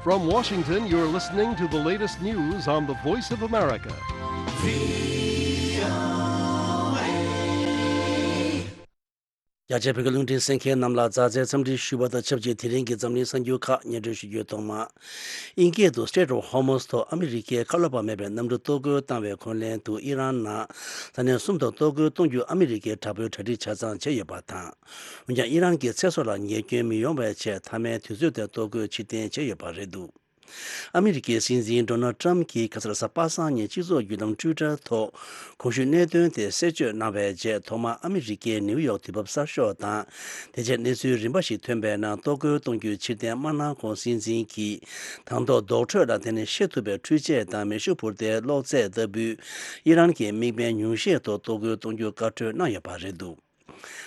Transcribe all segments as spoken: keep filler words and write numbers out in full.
From Washington, you're listening to the latest news on the Voice of America. རྒྱ་ཆེ་བོད་ཀྱི་རླུང་འཕྲིན་གསན་མཁན་རྣམས་ལ་མཛའ་བརྩེའི་འཚམས་འདྲི་ཞུ་བ་དང་ཆབས་ཅིག་དེ་རིང་གི་འཛམ་གླིང་གསར་འགྱུར་ཁག་སྙན་སྒྲོན་ཞུ་རྒྱུའི་ཐོག་མ། དབྱིན་སྐད་དུ་Strait of Hormuz ཐོག་ཨ་མི་རི་ཀས་ཁ་ལོ་བ་མེད་པའི་གནམ་གྲུ་གཏོར་རྒོལ་བཏང་བའི་འཁོན་ལན་དུ་ཨི་རན་ནང་ས་གནས་གསུམ་དུ་གཏོར་རྒོལ་གཏོང་རྒྱུ་ཨ་མི་རི་ཀས་དྲག་པོའི་གྲ་སྒྲིག་ཆ་ཚང་བྱས་ཡོད་པ་དང་། འོན་ཀྱང་ཨི་རན་གྱི་ཚེ་སྲོག་ལ་ཉེས་སྐྱོན་མི་ཡོང་བའི་ཆེད་མཐའ་མའི་དུས་ཚོད་དེར་གཏོར་རྒོལ་ཕྱིར་འཐེན་བྱས་ཡོད་པ་རེད་འདུག་ཨ་མི་རི་ཀའི་སྲིད་འཛིན་ཌོ་ནལ་ཊམ་གྱིས་ཁ་སང་རེས་གཟའ་པ་སངས་ཉིན་སྤྱི་ཚོགས་བརྒྱུད་ལམ་ཊུའི་ཊར་ཐོག་གོང་ཞུས་གནད་དོན་དེ་གསལ་བརྗོད་གནང་བའི་རྗེས་ཐོག་མར་ཨ་མི་རི་ཀའི་ནིའུ་ཡོག་དུས་བབ་གསར་ཤོག་དང་། དེ་རྗེས་གནས་ཚུལ་རིམ་པ་ཞིག་ཐོན་པའི་ནང་གཏོར་རྒོལ་གཏོང་རྒྱུའི་ཕྱིར་འཐེན་མ་གནང་གོང་སྲིད་འཛིན་གྱིས་དང་ཐོག་རྡོག་ཁྲོད་ལ་དེ་ནི་ཤེས་ཐུབ་པའི་འཕྲུལ་ཆས་དང་མེ་ཤུགས་འཕུར་མདེལ་གློག་རྫས་ལྟ་བུའི་ཨི་རན་གྱི་དམིགས་འབེན་ཉུང་ཤས་ཐོག་གཏོར་རྒོལ་གཏོང་རྒྱུ་བཀའ་འཁྲོལ་གནང་ཡོད་པ་རེད་འདུག་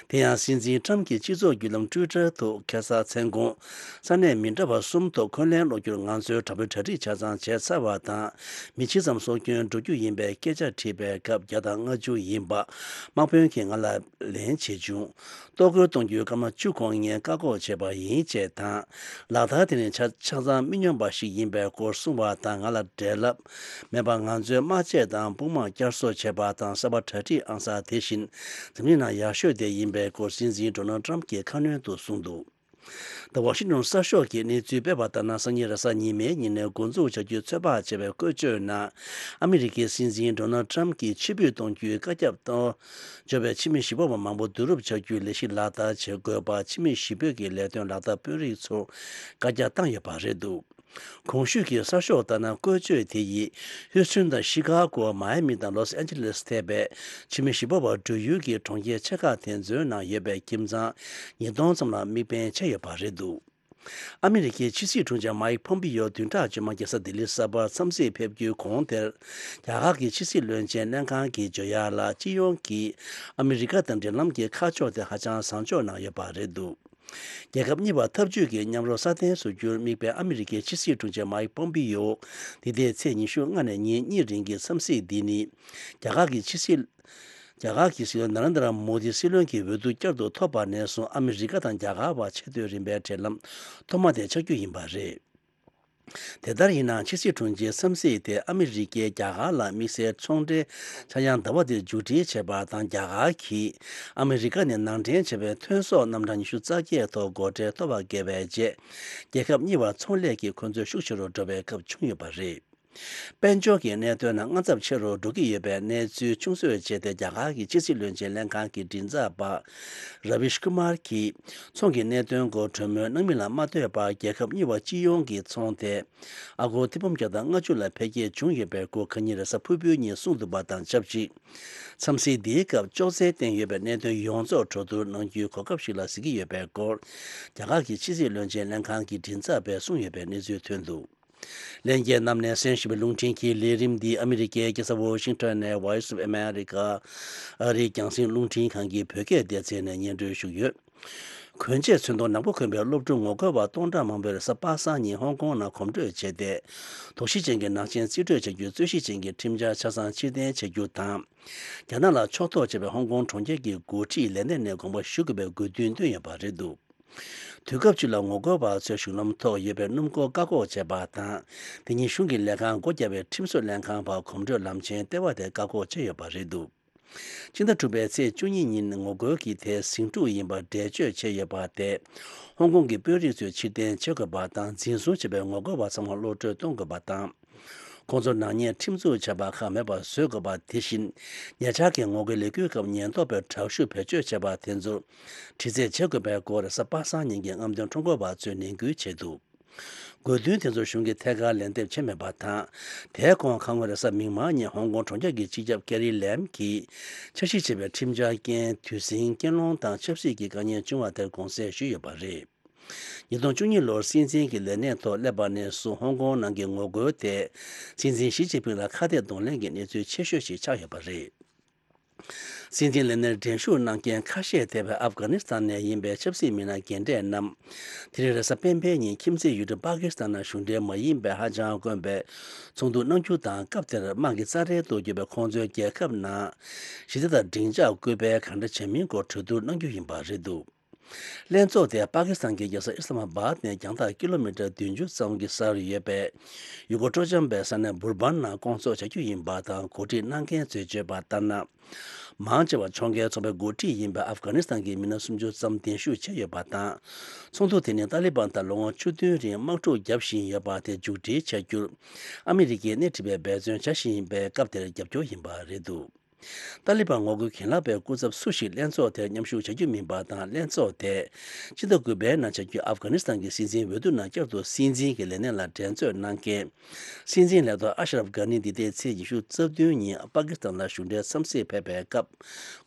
དེ་ཡང་སྲིད་འཛིན་ཊམ་གྱི་སྤྱི་ཚོགས་བརྒྱུད་ལམ་ཊུའི་ཊར་དུ་ཁ་སང་མཚན་གུང་ས་གནས་མི་འདྲ་བ་གསུམ་ཐོག་འཁོན་ལན་སློག་རྒྱུར་ང་ཚོས་དྲག་པོའི་གྲ་སྒྲིག་ཆ་ཚང་བྱས་ཚར་བ་དང་། མི་ཇི་ཙམ་སྲོག་སྐྱོན་འགྲོ་རྒྱུ་ཡིན་པའི་སྐད་ཆ་དྲིས་པའི་སྐབས་བརྒྱ་དང་ལྔ་བཅུ་ཡིན་པ་དམག་དཔོན་གྱིས་ང་ལ་ལན་བྱེད་བྱུང་། གཏོར་རྒོལ་གཏོང་རྒྱུའི་སྐར་མ་བཅུ་གོང་ངས་བཀག་འགོག་བྱས་པ་ཡིན་ཅེས་དང་། ལག་བསྟར་དེ་ནི་ཆ་ཆ་ཚང་མི་སྙོམས་པ་ཞིག་ཡིན་པའི་སྐོར་གསུངས་པ་དང་། ང་ལ་འབྲེལ་ལབ་མེད་པར་ང་ཚོའི་དམག་ཆས་དང་དཔུང་དམག་བསྐྱར་གསོ་བྱས་པ་དང་། གསར་པ་གྲ་སྒྲིག་ཨང་གསར་དེ་བཞིན་འཛམ་གླིང་ནང་ཡག་ཤོས་དེ་ཡིན་པའི་སྐོར་སྲིད་འཛིན་ཌོ་ནལ་ཊམ་གྱིས་ཁ་སྣོན་དུ་གསུངས་འདུག་ད་ཝ་ཤིང་ཊོན་གསར་ཤོག་གིས་གནས་ཚུལ་སྤེལ་བ་ལྟར་ན། སང་ཉིན་རེས་གཟའ་ཉི་མའི་ཉིན་ནས་འགོ་འཛུགས་བྱ་རྒྱུའི་ཚོད་དཔག་བྱས་པའི་བཀོལ་སྤྱོད་ནང་། ཨ་མི་རི་ཀའི་སྲིད་འཛིན་ཌོ་ནལ་ཊམ་གྱིས་ཕྱིར་འབུད་གཏོང་རྒྱུའི་བཀའ་ཁྱབ་གཏོང་འབྱོར་བའི་ཕྱི་མི་གཞིས་སྤོབས་པ་མང་པོ་བསྡུ་རུབ་བྱ་རྒྱུའི་ལས་གཞི་ལག་བསྟར་བྱེད་དགོས་པ་ཕྱི་མི་གཞིས་སྤོས་ཀྱི་ལས་དོན་ལག་བསྟར་དཔོན་རིགས་ཚོར་བཀའ་རྒྱ་བཏང་ཡོད་པ་རེད་འདུག་གོང་ཞུས་ཀྱི་གསར་ཤོག་ལྟར་ན། བཀོལ་སྤྱོད་དེ་ཡིས་ཧུའུ་སུན་དང་ཤི་ཀ་གོ། མ་ཡ་མི་དང་ལོས་ཨན་ཇེ་ལེས་ཐེ་བའི་ཕྱི་མི་གཞིས་སྤོབས་པ་འགྲོ་ཡུལ་གྱི་གྲོང་ཁྱེར་ཆེ་ཁག་དེ་ཚོའི་ནང་ཡོད་པའི་ཁྱིམ་ཚང་ཉིས་སྟོང་ཙམ་ལ་དམིགས་འབེན་བྱས་ཡོད་པ་རེད་འདུག་ཨ་མི་རི་ཀའི་ཕྱི་སྲིད་དྲུང་ཆེ་མའིག་ཕོམ་པི་ཡོ་བདུན་ཕྲག་རྗེས་མ་རྒྱལ་ས་ལྡི་ལི་གསར་པར་འཚམས་གཟིགས་ཕེབས་རྒྱུའི་གོང་དེར། རྒྱ་གར་གྱི་ཕྱི་སྲིད་བློན་ཆེན་ལྷན་ཁང་གིས་བརྗོད་ཡག་ལ། སྤྱི་ཡོངས་ཀྱིས་ཨ་མི་རི་ཀ་དང་འབྲེལ་ལམ་གྱི་ཁ་ཕྱོགས་དེ་ཧ་ཅང་བཟང་ཕྱོགས་ནང་ཡོད་པ་རེད་འདུག་རྒྱལ་ཁབ་གཉིས་བར་འཐབ་ཇུས་ཀྱི་མཉམ་རོགས་སྲ་བརྟན་བཟོ་རྒྱུར་དམིགས་པའི་ཨ་མི་རི་ཀའི་ཕྱི་སྲིད་དྲུང་ཆེ་མའིག་པོམ་པི་ཡོ་འདི་ཟླའི་ཚེས་ཉི་ཤུ་ལྔ་ནས་ཉིན་གཉིས་རིང་གི་འཚམས་གཟིགས་འདི་ནི། རྒྱ་གར་གྱི་ཕྱི་སྲིད། རྒྱ་གར་གྱི་སྲིད་བློན་ནཱ་རེན་དྲ་མོ་དི་སྲིད་བློན་གྱི་འོས་བསྡུ་བསྐྱར་དུ་ཐོབ་པ་ནས་བཟུང་ཨ་མི་རི་ཀ་དང་རྒྱ་གར་བར་ཆེས་མཐོའི་རིམ་པའི་འབྲེལ་ལམ་ཐོག་མ་དེ་ཆགས་རྒྱུ་ཡིན་པ་རེད། དེ་ལྟར་ཡིན་ནའང་ཕྱི་སྲིད་དྲུང་ཆེའི་འཚམས་གཟིགས་དེ་ཨ་མི་རི་ཀས་རྒྱ་གར་ལ་དམིགས་བསལ་ཚོང་འབྲེལ་ཆག་ཡང་ཟླ་བ་འདིར་མཇུག་སྒྲིལ་བྱས་པ་དང་། རྒྱ་གར་གྱིས་ཨ་མི་རི་ཀ་ནས་ནང་འདྲེན་བྱས་པའི་ཐོན་ཟོག་རྣམ་གྲངས་ཉི་ཤུ་རྩ་བརྒྱད་ཐོག་སྒོ་ཁྲལ་མཐོ་བ་བཀལ་བའི་རྗེས། རྒྱལ་ཁབ་གཉིས་བར་ཚོང་ལས་ཀྱི་འཁོན་རྩོད་ཤུགས་ཆེ་རུ་འགྲོ་བའི་སྐབས་བྱུང་ཡོད་པ་རེད། དཔལ་འབྱོར་གྱི་གནད་དོན་ནང་དངངས་འཚབ་ཆེ་རུ་འགྲོ་གི་ཡོད་པའི་གནས་ཚུལ་ཆུང་གསོས་བྱས་ཏེ། རྒྱ་གར་གྱི་ཕྱི་སྲིད་བློན་ཆེན་ལྷན་ཁང་གི་མགྲིན་ཚབ་པ་ར་བིཤ་ཀུ་མར་གྱིས་ཚོང་གི་གནད་དོན་སྐོར་གྲོས་མོལ་གནང་མིན་ལ་མ་ལྟོས་པར། རྒྱལ་ཁབ་གཉིས་བར་སྤྱི་ཡོངས་ཀྱི་ཚོང་དེ་ཨ་སྒོར་ཐེར་འབུམ་བརྒྱ་དང་ལྔ་བཅུ་ལ་འཕེལ་རྒྱས་བྱུང་ཡོད་པའི་སྐོར་ཁ་ཉིན་རེས་གཟའ་ཕུར་བུའི་ཉིན་གསུངས་འདུག་པ་དང་ཆབས་ཅིག་འཚམས་གཟིགས་འདིའི་སྐབས་ཅོག་ཙེ་བསྟན་ཡོད་པའི་གནད་དོན་ཡོངས་རྫོགས་གྲོས་བསྡུར་གནང་རྒྱུའི་གོ་སྐབས་ཤིག་ལ་གཟིགས་ཀྱི་ཡོད་པའི་སྐོར། རྒྱ་གར་གྱི་ཕྱི་སྲིད་བློན་ཆེན་ལྷན་ཁང་གི་མགྲིན་ཚབ་པས་གསུངས་ཡོད་པའི་གནས་ཚུལ་ཐོན་འདུག་ལྷན་རྒྱས་རྣམས་ནས་གསན་བཞིན་པའི་རླུང་འཕྲིན་གྱི་ལས་རིམ་འདི་ཨ་མི་རི་ཀའི་རྒྱལ་ས་ཝོ་ཤིང་ཊོན་ནས་Voice of America ཨ་རིའི་རྒྱང་སྲིང་རླུང་འཕྲིན་ཁང་གི་བོད་སྐད་སྡེ་ཚན་ནས་སྙན་སྒྲོན་ཞུས་ཡོད། གོན་ཆས་ཚོན་མདོག་ནག་པོ་གོན་པའི་སློབ་ཕྲུག་ངོ་རྒོལ་བ་སྟོང་ཕྲག་མང་པོས་རེས་གཟའ་པ་སངས་ཉིན་ཧོང་ཀོང་ནང་གོམ་བགྲོད་བྱས་ཏེ། དོགས་གཞི་ཅན་གྱི་ནག་ཅན་རྩིས་སྤྲོད་བྱ་རྒྱུའི་རྩོད་གཞི་ཅན་གྱི་ཁྲིམས་འཆར་ཆ་ཚང་ཕྱིར་འཐེན་བྱ་རྒྱུ་དང་། རྒྱ་ནག་ལ་ཕྱོགས་གཏོགས་བྱས་པའི་ཧོང་ཀོང་གྲོང་ཁྱེར་གྱི་འགོ་ཁྲིད་ལས་གནས་ནས་དགོངས་པ་ཞུ་དགོས་པའི་དགོས་འདུན་བཏོན་ཡོད་པ་རེད་འདུག་དུས་སྐབས་བཅུ་ལ་ངོ་རྒོལ་བ་ཚོས་གཞུང་ལམ་ཐོག་ཡོད་པའི་སྣུམ་འཁོར་བཀག་འགོག་བྱས་པ་དང་། དེ་ཉིན་གཞུང་གི་ལས་ཁང་སྒོ་བརྒྱབ་པའི་ཁྲིམས་བཟོ་ལྷན་ཁང་བར་གོམ་བགྲོད་ལམ་ཆེན་ལྟེ་བ་དེ་བཀག་འགོག་བྱས་ཡོད་པ་རེད་འདུག་སྤྱི་ཟླ་དྲུག་པའི་ཚེས་བཅུ་གཉིས་ཉིན་ངོ་རྒོལ་གྱི་དེ་ཟིང་འཁྲུག་ཡིན་པར་འགྲེལ་བརྗོད་བྱས་ཡོད་པ་དེ། ཧོང་ཀོང་གི་དཔོན་རིགས་ཚོས་ཕྱིར་འཐེན་བྱེད་དགོས་པ་དང་། འཛིན་བཟུང་བྱས་པའི་ངོ་རྒོལ་བ་ཚང་མར་གློད་བཀྲོལ་གཏོང་དགོས་པ་དང་། ཁོང་ཚོར་ནག་ཉེས་ཁྲིམས་འཛུགས་བྱས་པ་ཁག་མེད་པར་བཟོ་དགོས་པ། དེ་བཞིན། ཉེ་ཆར་གྱི་ངོ་རྒོལ་ལས་འགུལ་སྐབས་ཉེན་རྟོག་པས་དྲག་ཤུགས་བེད་སྤྱོད་བྱས་པ་དེ་ཚོར་དྲི་རྩད་བྱེད་དགོས་པའི་སྐོར་རེས་གཟའ་པ་སངས་ཉིན་གྱི་རྔམ་སྟོན་ཁྲོམ་སྐོར་བ་ཚོས་ནན་སྐུལ་བྱས་འདུག་དགོས་འདུན་དེ་ཚོ་གཞུང་གིས་ཐད་ཀར་ལན་འདེབས་བྱས་མེད་པ་དང་། དེའི་གོང་ཁ་སྔོན་རེས་གཟའ་མིག་དམར་ཉིན་ཧོང་ཀོང་གྲོང་ཁྱེར་གྱི་སྤྱི་ཁྱབ་ཀེ་རི་ལེམ་གྱིས་འཆར་གཞི་བྱས་པའི་ཁྲིམས་འཆར་རྐྱེན་དུས་ཟིང་རྐྱེན་སློང་དང་ཆབ་སྲིད་ཀྱི་དཀའ་ངལ་བྱུང་བ་དེར་དགོངས་སེལ་ཞུས་ཡོད་པ་རེད། ཉིས་སྟོང་བཅུ་གཉིས་ལོར་སྲིད་འཛིན་གྱི་ལས་གནས་ཐོག་སླེབས་པ་ནས་བཟུང་ཧོང་ཀོང་ནང་གི་ངོ་རྒོལ་དེ་སྲིད་འཛིན་ཞི་ཅིན་ཕིང་ལ་ཁ་གཏད་གདོང་ལེན་གྱི་གནས་ཚུལ་ཆེ་ཤོས་ཤིག་ཆགས་ཡོད་པ་རེད། སྲིད་འཛིན་ལས་གནས་འགྲན་ཞུགས་གནང་མཁན་ཁ་ཤས་ཐེ་བའི་ཨབ་གྷ་ནི་སི་ཐན་ནས་ཡིན་པའི་ཆབ་སྲིད་མི་སྣ་རྒན་གྲས་རྣམས། དེ་རིང་རེས་གཟའ་སྤེན་པའི་ཉིན་ཁྱིམ་མཚེས་ཡུལ་གྲུ་པ་ཀི་སི་ཐན་ནང་གཞུང་འབྲེལ་མ་ཡིན་པའི་ཧ་ཅང་དཀོན་པའི་ཚོགས་འདུ་གནང་རྒྱུ་དང་། སྐབས་དེར་དམག་གི་རྩ་ཁྲལ་གཏོང་རྒྱུ་བའི་ཁོང་ཚོའི་རྒྱལ་ཁབ་ནང་ཞི་བདེ་དང་སྡིངས་ཆ་སྐུལ་སྤེལ་གང་འདྲ་བྱེད་མིན་སྐོར་གྲོས་བསྡུར་གནང་རྒྱུ་ཡིན་པ་རེད་འདུག་ལྷན་ཚོགས་དེ་པ་ཀི་སི་ཐན་གྱི་རྒྱལ་ས་ཨི་སི་ལ་མ་བཱད་ནས་རྒྱང་ཐག་ཀི་ལོ་མི་ཊར་བདུན་ཅུ་ཙམ་གྱི་སར་ཡོད་པའི་ཡུ་གུར་སྤྲོ་འཆམ་པའི་ས་གནས་འབུར་བན་ནང་བསྐོང་ཚོགས་བྱ་རྒྱུ་ཡིན་པ་དང་། གོ་སྒྲིག་གནང་མཁན་ཚོས་བརྗོད་པ་ལྟར་ན། མང་ཆེ་བ་ཕྱོགས་འགལ་ཚོགས་པའི་འགོ་ཁྲིད་ཡིན་པའི་ཨབ་གྷ་ནི་སི་ཐན་གྱི་མི་སྣ་སུམ་ཅུ་ཙམ་གདན་ཞུ་བྱས་ཡོད་པ་དང་། ཚོགས་འདུ་དེ་ནི་ཏཱ་ལི་བན་དང་ལོ་ངོ་བཅུ་བདུན་རིང་དམག་འཁྲུག་བརྒྱབ་བཞིན་ཡོད་པ་དེ་མཇུག་སྒྲིལ་བྱ་རྒྱུར། ཨ་མི་རི་ཀས་སྣེ་ཁྲིད་པའི་འབད་བརྩོན་བྱ་བཞིན་པའི་སྐབས་དེར་རྒྱབ་སྐྱོར་ཡིན་པ་རེད་འདུག་ཏཱ་ལི་བན་ངོ་རྒོལ་གྱེན་ལངས་པའི་སྐུ་ཚབ་སུ་ཞིག་ལྷན་ཚོགས་དེར་མཉམ་ཞུགས་བྱ་རྒྱུ་མིན་པ་དང་། ལྷན་ཚོགས་དེས་ཕྱི་ཟླ་དགུ་པའི་ནང་བྱ་རྒྱུའི་ཨབ་གྷ་ནི་སི་ཐན་གྱི་སྲིད་འཛིན་འོས་བསྡུ་ནང་བསྐྱར་དུ་སྲིད་འཛིན་གྱི་ལས་གནས་ལ་འགྲན་རྩོད་གནང་མཁན། སྲིད་འཛིན་ལས་ཐོག་ཨ་ཤ་རབ་གྷ་ནི་འདི་ཟླའི་ཚེས་ཉི་ཤུ་རྩ་བདུན་ཉིན་པ་ཀི་སི་ཐན་ལ་གཞུང་འབྲེལ་འཚམས་གཟིགས་ཕེབས་པའི་སྐབས།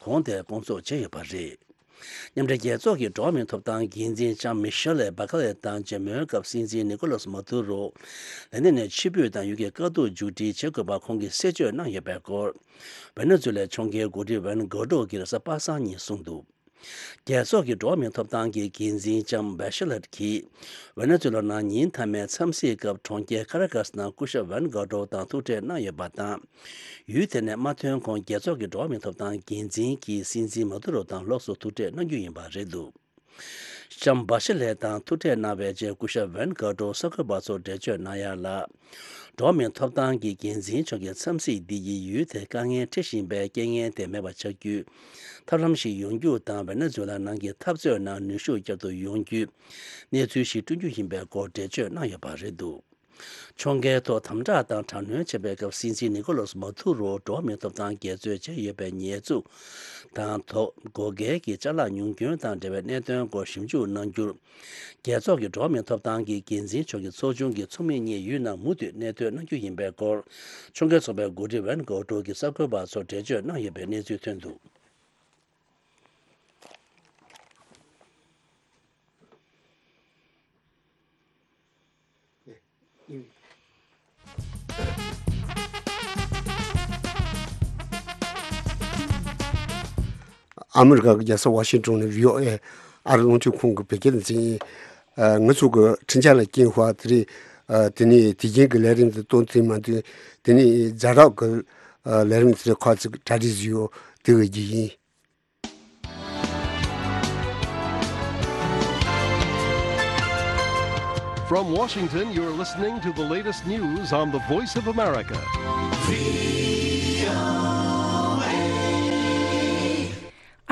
གོང་དེར་བསྐོང་ཚོགས་བྱས་ཡོད་པ་རེད། མཉམ་འབྲེལ་རྒྱལ་ཚོགས་ཀྱི་འགྲོ་བ་མིའི་ཐོབ་ཐང་འགན་འཛིན་ལྕམ་མི་ཤེལ་ལེ་བྷ་ཁ་ལེ་དང་མཇལ་མོལ་སྐབས། སྲིད་འཛིན་ནི་ཀོ་ལོ་སི་མ་དུ་རོ་ལས་གནས་ནས་ཕྱིར་འབུད་དང་ཡུལ་གྱི་དཀའ་སྡུག་མཇུག་སྒྲིལ་བྱེད་དགོས་པ་ཁོང་གིས་གསལ་བརྗོད་གནང་ཡོད་པའི་སྐོར། ཝེ་ནེ་ཛུ་ལའི་ཕྱོགས་འགལ་འགོ་ཁྲིད་ཝན་གོ་ཏྲོ་གིས་རེས་གཟའ་པ་སངས་ཉིན་གསུངས་འདུག་རྒྱལ་ཚོགས་ཀྱི་འགྲོ་བ་མིའི་ཐོབ་ཐང་གི་འགན་འཛིན་ལྕམ་བྷ་ཤེ་ལེ་གིས་ཝེ་ནེ་ཛུ་ལ་ནང་ཉིན་མཐའ་མའི་འཚམས་གཟིགས་སྐབས་གྲོང་ཁྱེར་ཁ་ར་ཀ་སི་ནང་སྐུ་ཞབས་ཝན་གོ་ཏྲོ་དང་ཐུག་འཕྲད་གནང་ཡོད་པ་དང་། ཡུལ་དེ་ནས་མ་ཐོན་གོང་རྒྱལ་ཚོགས་ཀྱི་འགྲོ་བ་མིའི་ཐོབ་ཐང་འགན་འཛིན་གྱིས་སྲིད་འཛིན་མ་དུ་རོ་དང་ལོགས་སུ་ཐུག་འཕྲད་གནང་རྒྱུ་ཡིན་པ་རེད་འདུག་ལྕམ་བྷ་ཤེ་ལེ་དང་ཐུག་འཕྲད་གནང་བའི་རྗེས་སྐུ་ཞབས་ཝན་གོ་ཏྲོ་གསར་འགོད་པ་ཚོར་འགྲེལ་བརྗོད་གནང་ཡ་ལ། འགྲོ་བ་མིའི་ཐོབ་ཐང་གི་འགན་འཛིན་མཆོག་གི་འཚམས་གཟིགས་འདི་ཡིས་ཡུལ་དེར་དཀའ་ངལ་འཕྲད་བཞིན་པའི་རྐྱེན་ངན་དེ་མེད་པ་བྱ་རྒྱུའི་ཐབས་ལམ་ཞིག་ཡོང་རྒྱུ་དང་། ཝེ་ནེ་ཛུ་ལ་ནང་གི་འཐབ་རྩོད་ནང་ནུས་ཤུགས་བསྐྱར་དུ་ཡོང་རྒྱུའི་གནས་ཚུལ་ཞིག་བསྐྲུན་རྒྱུ་ཡིན་པའི་སྐོར་འགྲེལ་བརྗོད་གནང་ཡོད་པ་རེད་འདུག་ཕྱོགས་འགལ་ཐོག་དམ་དྲག་དང་དྲག་གནོན་བྱས་པའི་སྐབས། སྲིད་འཛིན་ནི་ཀོ་ལོ་སི་མ་དུ་རོ་འགྲོ་བ་མིའི་ཐོབ་ཐང་འགལ་རྩོད་བྱས་ཡོད་པའི་ཉེས་འཛུགས་དང་ཐོག་བགོ་སྐལ་གྱི་ཅ་ལག་ཉུང་སྐྱོན་དང་འབྲེལ་བའི་གནད་དོན་སྐོར་ཞིབ་འཇུག་གནང་རྒྱུར། རྒྱལ་ཚོགས་ཀྱི་འགྲོ་བ་མིའི་ཐོབ་ཐང་གི་འགན་འཛིན་མཆོག་གི་ཚོགས་ཆུང་གི་ཚོགས་མི་གཉིས་ཡུལ་ནང་མུ་མཐུད་གནས་སྡོད་གནང་རྒྱུ་ཡིན་པའི་སྐོར། ཕྱོགས་འགལ་ཚོགས་པའི་འགོ་ཁྲིད་ཝན་གོ་ཏྲོ་གིས་གསར་འགོད་པ་ཚོར་འགྲེལ་བརྗོད་གནང་ཡོད་པའི་གནས་ཚུལ་ཐོན་འདུག་ཨ་མི་རི་ཀ་གི་རྒྱལ་ས་ཝ་ཤིང་ཏོན་ནས་བྷི་ཨོ་ཨེ་ཨ་རི་རླུང་འཕྲིན་ཁང་གི་བོད་སྐད་སྡེ་ཚན་ཡིན། ཨ། ང་ཚོ་གི་འཕྲིན་བཅར་ལ་སྐྱེལ་བ་དེ་རེད། ཨ། དེ་ནས་དེ་རྒྱུན་གྱི་ལས་རིམ་དེ་སྟོན་ཐུབ་མ་འདུག་དེ་ནས་ཛ་དྲག་གི་ལས་རིམ་དེ་ཁ་ཅིག་གྲ་སྒྲིག་བཟོས་ཡོད། དེ་འོས་རྒྱུ་ཡིན། From Washington, you're listening to the latest news on the Voice of America.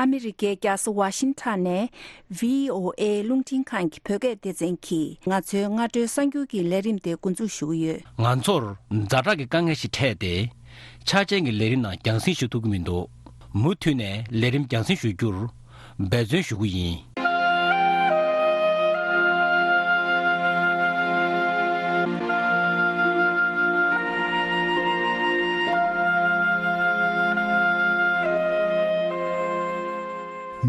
ཨ་མི་རི་ཀའི་རྒྱལ་ས་ཝ་ཤིང་ཊོན་ནས་བྷི་ཨོ་ཨེ་རླུང་འཕྲིན་ཁང་གི་བོད་སྐད་སྡེ་ཚན་གྱིས་ང་ཚོའི་སྔ་དྲོའི་གསར་འགྱུར་གྱི་ལས་རིམ་དེ་འགོ་འཛུགས་ཞུ་གི་ཡོད། ང་ཚོར་ཛ་དྲག་གི་དཀའ་ངལ་ཞིག་འཕྲད་དེ། ཆ་ཅན་གྱི་ལས་རིམ་ནང་རྒྱང་སྲིང་ཞུ་ཐུབ་ཀྱི་མི་འདུག་མུ་མཐུད་ནས་ལས་རིམ་རྒྱང་སྲིང་ཞུ་རྒྱུར་འབད་བརྩོན་ཞུ་གི་ཡིན།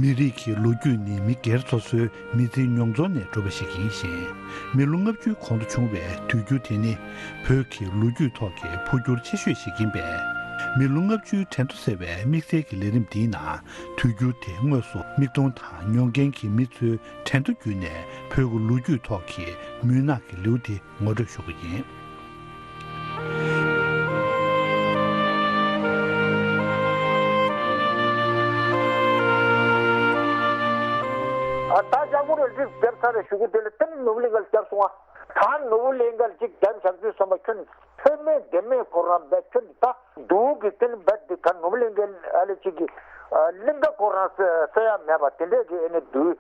མི་རིགས་ཀྱི་ལོ་རྒྱུས་ནི་མི་སྒེར་སོ་སོའི་མི་ཚེའི་མྱོང་ཚོར་ནས་གྲུབ་པ་ཞིག་ཡིན་ཞིང་། མི་ལོ་ལྔ་བཅུའི་གོང་དུ་བྱུང་བའི་དུས་འགྱུར་དེ་ནི་བོད་ཀྱི་ལོ་རྒྱུས་ཐོག་གི་འཕོ་འགྱུར་ཆེ་ཤོས་ཤིག་ཡིན་པས། མི་ལོ་ལྔ་བཅུའི་དྲན་གདུང་ཟེར་བའི་དམིགས་བསལ་གྱི་ལས་རིམ་འདིའི་ནང་དུས་འགྱུར་དེ་དངོས་སུ་མིག་མཐོང་དང་མྱོང་མཁན་གྱི་མི་ཚོའི་དྲན་གདུང་བརྒྱུད་ནས་བོད་ཀྱི་ལོ་རྒྱུས་ཐོག་གི་མུན་ནག་གི་ལེའུ་དེ་ངོ་སྤྲོད་ཞུ་གི་ཡིན། ཨ། ད་ལྕགས་པོ་རེ་གཅིག་བརྒྱབ་ཚར་རེ་ཞུ་གི་དེ་ལ་དེ་ནི་ནོར་བུ་གླིང་ག་ལ་བརྒྱབ་སོང་ཨ། ད་ནོར་བུ་གླིང་ག་ལ་གཅིག་བརྒྱབ་བཞག་དུས་ཙམ་པ་ཁྱོད་ནི་ཚོད་མེད་ལྡེ་མེད་ཁོ་རང་བས་ཁྱོད་ནི་ད་སྡུག་གི་དེ་ནི་བས་འདི་ད་ནོར་བུ་གླིང་གའི་ཨ་ལེ་གཅིག་གི་ཨ་གླིང་ག་ཁོ་རང་ས་ས་ཡ་མེད་པ་དེ་འདྲས་ཀྱི་ཨེ་ནི་སྡུག་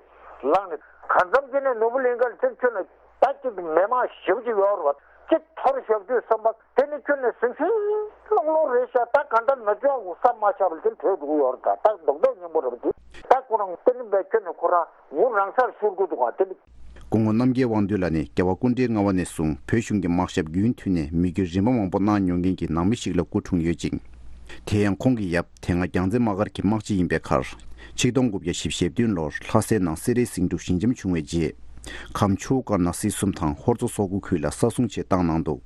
ལངས་ནས་གང་འཚམ་གྱི་ནས་ནོར་བུ་གླིང་ག་ལ་ཚེ་ཁྱོད་ནི། ད་ཅིག་མི་མང་ཞེ་པོ་ཅིག་ཡོད་རེད་བ། ཅིག་འཐོར་བཞག་དུས་བསམ་པ་དེ་ནི་ཁྱོད་ནི་ཟིང་ཟིང་སློང་སློང་རེད་ཤག་ད་ག་འདྲ་ན་ཆོག་གོ་བསམ་མ་ཆགས་པ་དེ་འཕྲོད་འགྲོ་གི་ཡོད་རེད། ད་ད་རྡོག་རྡོག་སྙིང་པོ་རེད་བ། དེ་ད་ཁོ་རང་དེ་ནི་བས་ཁྱོད་ནི་ཁོ་རང་ངུ་རང་སར་ཤོར་གི་འདུག་ག་དེ་ནི། སྐུ་ངོ་རྣམ་རྒྱལ་དབང་འདུས་ལགས་ནི་རྒྱལ་བ་སྐུ་ཕྲེང་ལྔ་པ་ནས་བཟུང་བོད་གཞུང་གི་དམག་ཞབས་རྒྱུན་མཐུད་ནས་མི་རྒྱུད་རིམ་པ་མང་པོ་གནང་མྱོང་མཁན་གྱི་ནང་མི་ཞིག་ལ་སྐུ་འཁྲུངས་ཡོད་ཅིང་། དེ་ཡང་ཁོང་གི་ཡབ་དེ་སྔ་རྒྱལ་རྩེ་དམག་སྒར་གྱི་དམག་སྤྱི་ཡིན་པའི་ཁར། ཆིག་སྟོང་དགུ་བརྒྱ་བཞི་བཅུ་ཞེ་བདུན་ལོར་ལྷ་སའི་ནང་སེ་རའི་ཟིང་འཁྲུག་ཞི་འཇམ་བྱུང་བའི་རྗེས། ཁམས་ཆུ་བོ་ཀར་ནག་སྲིད་གསུམ་དང་ཧོར་མཚོ་སོག་པོའི་ཁུལ་ལ་ས་སྲུང་ཆེད་བཏང་གནང་འདུག་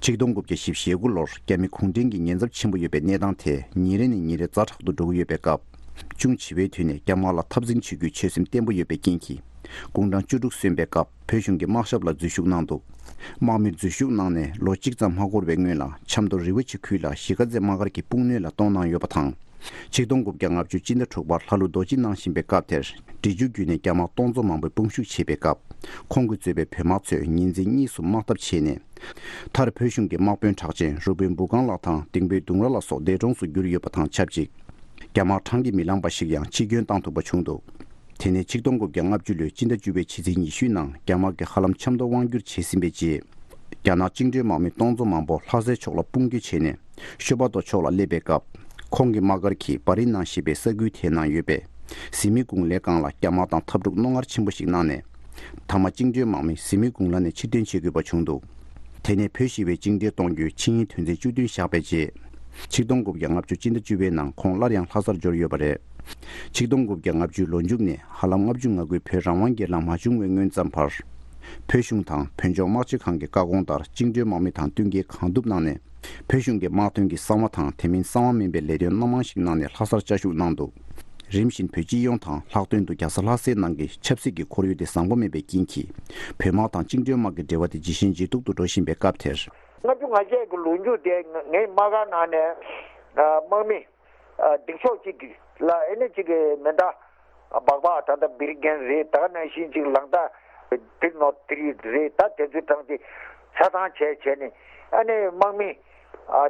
ཆིག་སྟོང་དགུ་བརྒྱ་བཞི་བཅུ་ཞེ་དགུ་ལོར་རྒྱ་མི་གུང་ཁྲན་གྱི་ཉེན་ཚབས་ཆེན་པོ་ཡོད་པའི་གནས་སྟངས་དེ་ཉིན་རེ་ནས་ཉིན་རེ་ཛ་དྲག་ཏུ་འགྲོ་གི་ཡོད་པའི་སྐབས། ཅུང་ཕྱི་པའི་དུས་ནས་རྒྱ་དམག་ལ་འཐབ་འཛིང་བྱེད་རྒྱུའི་ཆོད་སེམས་བརྟན་པོ་ཡོད་པའི་རྐྱེན་གྱིས། དགུང་གྲངས་བཅུ་དྲུག་སོན་པའི་སྐབས། བོད་གཞུང་གི་དམག་ཞབས་ལ་འཛུལ་ཞུགས་གནང་འདུག་དམག་མིར་འཛུལ་ཞུགས་གནང་ནས་ལོ་གཅིག་ཙམ་མ་འགོར་བའི་སྔོན་ལ་ཆབ་མདོ་རི་བོ་ཆེ་ཁུལ་ལ་གཞིས་ཀ་རྩེ་དམག་སྒར་གྱི་དཔུང་སྣོད་ལ་གཏོང་གནང་ཡོད་པ་དང་ ཆིག་སྟོང་དགུ་བརྒྱ་ལྔ་བཅུ་སྤྱི་ཟླ་དྲུག་པར་ལྷ་ལུང་རྡོ་རྗེ་གནང་བཞིན་པའི་སྐབས་དེར། འབྲི་ཆུ་བརྒྱུད་ནས་རྒྱ་དམག་སྟོང་ཚོ་མང་པོས་དཔུང་ཤུགས་བྱེད་པའི་སྐབས། ཁོང་གིས་གཙོས་པའི་བོད་དམག་ཚོས་ཉིན་མཚན་གཉིས་སུ་དམག་འཐབ་བྱས་ནས། མཐར་བོད་གཞུང་གི་དམག་དཔོན་གྲགས་ཅན་རུ་དཔོན་འབུ་སྒང་ལགས་དང་ལྡིང་དཔོན་ལྡུམ་ར་ལ་སོགས་འདས་གྲོངས་སུ་གྱུར་ཡོད་པ་དང་ཆབས་ཅིག་རྒྱ་དམག་བགྲང་གིས་མི་ལང་པ་ཞིག་ཡང་འཆི་སྐྱོན་བཏང་ཐུབ་པ་བྱུང་འདུག་དེ་ནས་ཆིག་སྟོང་དགུ་བརྒྱ་ལྔ་བཅུ་ལོའི་སྤྱི་ཟླ་བཅུ་པའི་ཕྱི་ཚེས་ཉི་ཤུའི་ནང་རྒྱ་དམག་གིས་ཧ་ལམ་ཆབ་མདོ་དབང་བསྒྱུར་བྱས་ཟིན་པའི་རྗེས། རྒྱ་ནག་བཅིངས་འགྲོལ་དམག་མི་སྟོང་ཚོ་མང་པོ་ལྷ་སའི་ཕྱོགས་ལ་དཔུང་སྐྱོད་བྱས་ནས། ཤོ་པ་ཏོ་ཕྱོགས་ལ་སླེབས་པའི་སྐབས། ཁོང་གི་དམག་སྒར་གྱི་བ་རི་ནང་ཞེས་པའི་ས་ཁུལ་དེའི་ནང་ཡོད་པའི། ཟི་མི་གུང་ལའི་སྒང་ལ་རྒྱ་དམག་དང་འཐབ་འཁྲུག་རྣོ་ངར་ཆེན་པོ་ཞིག་གནང་ནས། མཐའ་མ་བཅིངས་འགྲོལ་དམག་མི་ཟི་མི་གུང་ལ་ནས་ཕྱིར་འཐེན་བྱེད་དགོས་པ་བྱུང་འདུག་དེ་ནས་བོད་ཞི་བའི་བཅིངས་འགྲོལ་གཏོང་རྒྱུའི་ཆིངས་ཡིག་དོན་ཚན་བཅུ་བདུན་བཞག་པའི་རྗེས། ཆིག་སྟོང་དགུ་བརྒྱ་ལྔ་བཅུ་སྤྱི་ཟླ་བཅུ་པའི་ནང་ཁོང་སླར་ཡང་ལྷ་སར་འབྱོར་ཡོད་པ་རེད། ཆིག་སྟོང་དགུ་བརྒྱ་ལྔ་བཅུའི་ལོ་མཇུག་ནས་ཧ་ལམ་ལྔ་བཅུ་ང་དགུའི་བོད་རང་དབང་སྒེར་ལངས་མ་བྱུང་བའི་སྔོན་ཙམ་བར། བོད་གཞུང་དང་བོད་ལྗོངས་དམག་སྤྱི་ཁང་གི་བཀའ་དགོངས་ལྟར་བཅིངས་འགྲོལ་དམག་མི་དང་བསྟུན་མཁས་གང་ཐུབ་གནང་ནས། བོད་གཞུང་གི་དམག་དོན་གྱི་གསང་བ་དང་དེ་མིན་གསང་བ་མིན་པའི་ལས་དོན་སྣ་མང་ཞིག་གནང་ནས་ལྷ་སར་བཅའ་བཞུགས་གནང་འདུག་རིམ་བཞིན་བོད་སྤྱི་ཡོངས་དང་ལྷག་དོན་དུ་རྒྱ་བཟའ་ལྷ་སའི་ནང་གི་ཆབ་སྲིད་ཀྱི་ཁོར་ཡུག་དེ་བཟང་པོ་མེད་པའི་རྐྱེན་གྱིས། བོད་དམག་དང་བཅིངས་འགྲོལ་དམག་གི་འབྲེལ་བ་དེ་ཇེ་ཞན་ཇེ་སྡུག་ཏུ་འགྲོ་བཞིན་པའི་སྐབས་དེར། ལྔ་བཅུ་ང་བརྒྱད་ཀྱི་ལོ་མཇུག་དེ་ངའི་དམག་སྒར་ནང་ནས་དམག་མི་འདིང་ཤོག་གཅིག་ལ་ཨེ་ནི་གཅིག་གི་མེ་མདའ་སྦག་སྦག་ད་ལྟ་བིར་གན་རེད། ད་ག་ནང་བཞིན་གཅིག་ལང་ད་བིར་ནོ་ཐི་རི་རེད། ད་དེ་ཚོའི་གྲངས་ཅིག་ཆ་ཚང་བྱས་བྱས་ནས་ཨ་ནི་དམག་མི་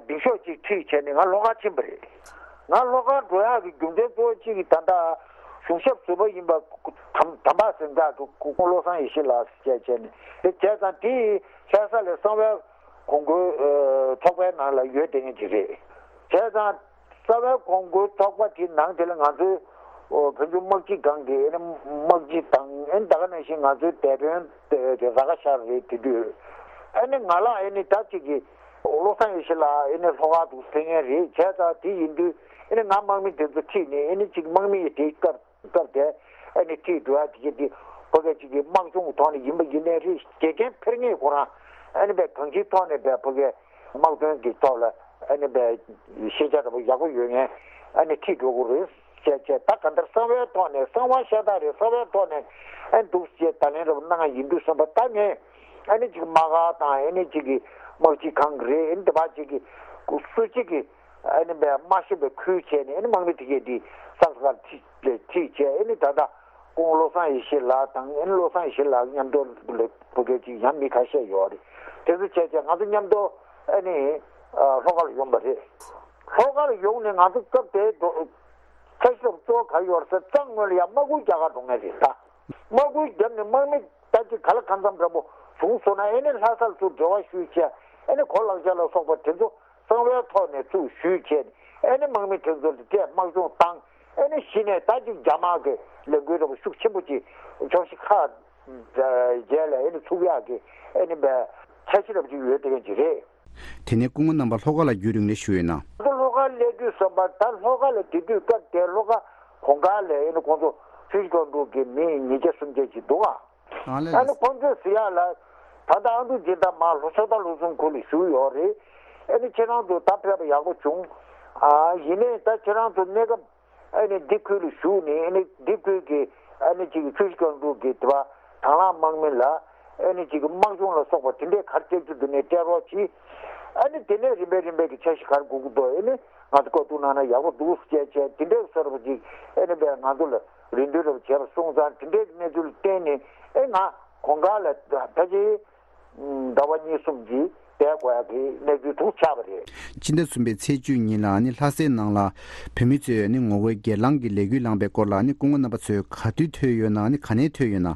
འདིང་ཤོག་གཅིག་ཁྲིད་བྱས་ནས་ང་ལྷོ་ཁ་ཕྱིན་པ་རེད། ང་ལྷོ་ཁ་འགྲོ་ཡག་གི་རྒྱུ་མཚན་གཙོ་བོ་གཅིག་གི་ད་ལྟ་གཞུང་ཞབས་ཟུར་པ་ཡིན་པ་དམ་དམ་པ་ཟེར་འདྲ་གི་སྐུ་ངོ་བློ་བཟང་ཡེ་ཤེས་ལགས་བྱས་བྱས་ནས་དེ་བྱས་ཙང་དེ་ལྷ་ས་ལ་གསང་བའི་གོང་བཀུར་ཚོགས་པའི་ནང་ལ་ཡོད་བསྡད་མཁན་ཅིག་རེད། བྱས་ཙང་། རྩ་བའི་གོང་བཀུར་ཚོགས་པ་དེའི་ནང་དེ་ལ་ང་ཚོའི་བོད་ལྗོངས་དམག་སྤྱི་ཁང་གི་ཨེ་ནི་དམག་སྤྱི་དང་ཨེ་ནི་ད་ག་ནང་བཞིན་ང་ཚོའི་སྡེ་དཔོན་དེ་ར་ཁ་ཤར་རེད། དེ་དུས་ཨེ་ནི་ང་ལ་ཨེ་ནི་ད་ཅིག་གི་བློ་བཟང་ཡེ་ཤེས་ལགས་ཨེ་ནི་ལྷོ་ཁ་འདུག་ཕེབས་མཁན་རེད། བྱས་ཙང་དེ་ཡིན་དུས་ཨེ་ནི་ང་དམག་མི་དེ་ཚོ་ཁྲིད་ནས་ཨེ་ནི་ཅིག་དམག་མི་ཡི་དེའི་སྐབས་སྐབས་དེ་ཨེ་ནི་ཁྲིད་འགྲོ་ཡ་དེ་གྱད་དེ་ཕ་གི་ཅིག་གི་དམག་སྦྱོང་གི་ཐོག་ནས་ཡིན་པ་ཡིན་ནའི་རེད། དགེ་རྒན་ཕེབས་མཁན་ཁོ་རང་ཨེ་ནི་བས་གང་ཅིའི་ཐོག་ནས་བས་ཕ་གི་དམག་དོན་གྱི་ཐོག་ལ་ཨ་ནི་བས་ཤེས་བྱ་འདྲ་པོ་ཡག་པོ་ཡོད་མཁན་ཨ་ནི་ཁྲིད་འགྲོ་དགོས་རེད་ཅེས་བྱས། ད་ག་འདྲ་གསང་བའི་ཐོག་ནས་གསང་བ་ཤ་སྟག་རེད། གསང་བའི་ཐོག་ནས་ཨ་ནི་འདུག་ཅེས་བརྡ་ལན་འདྲ་པོ་གནང་ཡ་ཡིན་དུས་ཙམ་པ་ད་ངས་ཨ་ནི་ཅིག་དམག་སྒར་དང་ཨ་ནི་ཅིག་གི་དམག་སྤྱི་ཁང་གི་རེད། ཨ་ནི་དེ་བ་ཅིག་གི་སུ་གཅིག་གི་ཨ་ནི་བས་མ་ཤེས་པའི་ཁུལ་བྱས་ནས་ཨ་ནི་དམག་མི་དེ་གྱད་དེ་སག་སག་ཁྲིད་ཁྲིད་བྱས་ཨ་ནི་ད་ལྟ། སྐུ་ངོ་བློ་བཟང་ཡེ་ཤེས་ལགས་དང་ཨེ་ནི་བློ་བཟང་ཡེ་ཤེས་ལགས་མཉམ་དུ་ལ་བུ་སྐལ་གཅིག་ཡང་མི་ཁ་ཤས་ཡོད་རེད། དེ་ཚོ་བྱས་བྱས་ང་ཚོ་མཉམ་དུ་ཨེ་ནི་ལྷོ་ཁ་ལ་ཡོང་པ་རེད། ལྷོ་ཁ་ལ་ཡོང་ནས་ང་ཚོ་སྐབས་དེའི་འགྲོ་ཁ་ཤས་གཙོ་བོ་ག་ཡོད་རེད་ཟེར་གཙང་ངོས་ལ་ཡང་དམག་ཁུལ་རྒྱག་གར་འགྲོ་མཁན་རེད། ད་དམག་ཁུལ་བརྒྱབ་ནས་དམག་མི་ད་ཅིག་ག་ལ་གང་འཚམ་འདྲ་པོ་བྱུང་སོང་ན་ཨེ་ནི་ལྷ་སར་ཚུར་འབྲེལ་བ་ཞུས་བྱས་ཨེ་ནི་གོ་ལག་ཆ་ལ་སོགས་པ་དེ་ཚོ། གསང་བའི་ཐོག་ནས་ཚུར་ཞུས་བྱས་ཨེ་ནི་དམག་མི་དེ་ཚོ་ལ་སྤྲད་དམག་སྦྱོང་བཏང་ཨེ་ནི་གཞི་ནས་ད་ཅིག་རྒྱ་དམག་གི་ལས་འགུལ་འདྲ་པོ་ཤུགས་ཆེན་པོ་ཅིག་ཕྱོགས་བཞི་ཁག་བརྒྱད་ལ་ཨེ་ནི་ཚུགས་ཡག་གི་ཨེ་ནི་བས་འཆར་གཞི་འདྲ་པོ་ཅིག་ཡོད་བསྡད་མཁན་ཅིག་རེད། དེ་ནས་སྐུ་ངོ་རྣམ་པ་ལྷོ་ཁ་ལ་རྒྱུན་རིང་ལས་བཞུགས་ཡོད་ན། ང་ཚོ་ལྷོ་ཁ་སླེབས་དུས་ཙམ་པ་ད་ལྷོ་ཁ་ལ་དེ་དུས་སྐབས་དེ་ལྷོ་ཁ་གོང་དཀར་ལ་ཨེ་ནི་ཁོང་ཚོ་ཆུ་བཞི་སྒང་དྲུག་གི་མི་ཉིས་བརྒྱ་སུམ་བརྒྱ་ཅིག་འདུག་ཨ། ཨ་ནི་ཁོང་ཚོས་ཟེར་ཡག་ལ། ད་ལྟ་ཨ་འབྲུག་སྦྱིན་བདག་མར་ལྷོ་ཕྱོགས་མཐའ་ལྷོ་སུམ་ཁུལ་ལ་བཞུགས་ཡོད་རེད། ཨ་ནི་ཁྱེད་རང་ཚོ་ད་ཕེབས་པ་ཡག་པོ་བྱུང་། ཨ་ཡིན་ནའི་ད་ཁྱེད་རང་ཚོ་གནས་སྐབས་ཨ་ནི་འདི་ཁུལ་ལ་བཞུགས་ནས་ཨ་ནི་འདི་ཁུལ་གྱི་ཨ་ནི་ཅིག་ཆུ་བཞི་སྒང་དྲུག་གི་དེ་བ་དང་བླངས་དམག་མི་ལ་ཨ་ནི་ཅིག་དམག་སྦྱོང་ལ་སོགས་པ་དེ་འདྲའི་ག་རེ་སྤྲད་རྒྱུ་འདུག་ནས་སྤྲད་རོགས་གྱིས། ཨ་ནི་དེ་ནས་རིམ་པས་རིམ་པས་ཀྱི་འཆར་གཞི་ག་རེ་དགོས་ཀྱི་འདུག་ཨ་ནི་ང་ཚོ་བཀའ་བསྡུར་གནང་ན་ཡག་པོ་འདུག་ཟེར་བྱས་དེ་འདྲའི་བཟོ་འདྲ་པོ་ཅིག་ཨ་ནི་བས་ང་ཚོ་ལ། རེ་འདུན་རབ་བྱས་པ་སོང་ཙང་དེ་འདྲའི་གནས་ཚུལ་བརྟེན་ནས་ཨེ་ང་གོང་དཀར་ལ་ད་ཅི་ཟླ་བ་གཉིས་གསུམ་གྱི་བསྡད་དགོས་ཡག་གི་གནས་ཚུལ་དུ་ཆགས་པ་རེད། སྤྱི་ཟླ་གསུམ་པའི་ཚེས་བཅུ་ཉིན་ལ་ནི་ལྷ་སའི་ནང་ལ་བོད་མི་ཚོས་ནི་ངོ་རྒོལ་སྒེར་ལངས་ཀྱི་ལས་འགུལ་ལངས་པའི་སྐོར་ལ་ནི་སྐུ་ངོ་རྣམ་པ་ཚོས་ག་དུས་ཐོས་ཡོད་ན་ནི་ག་ནས་ཐོས་ཡོད་ན།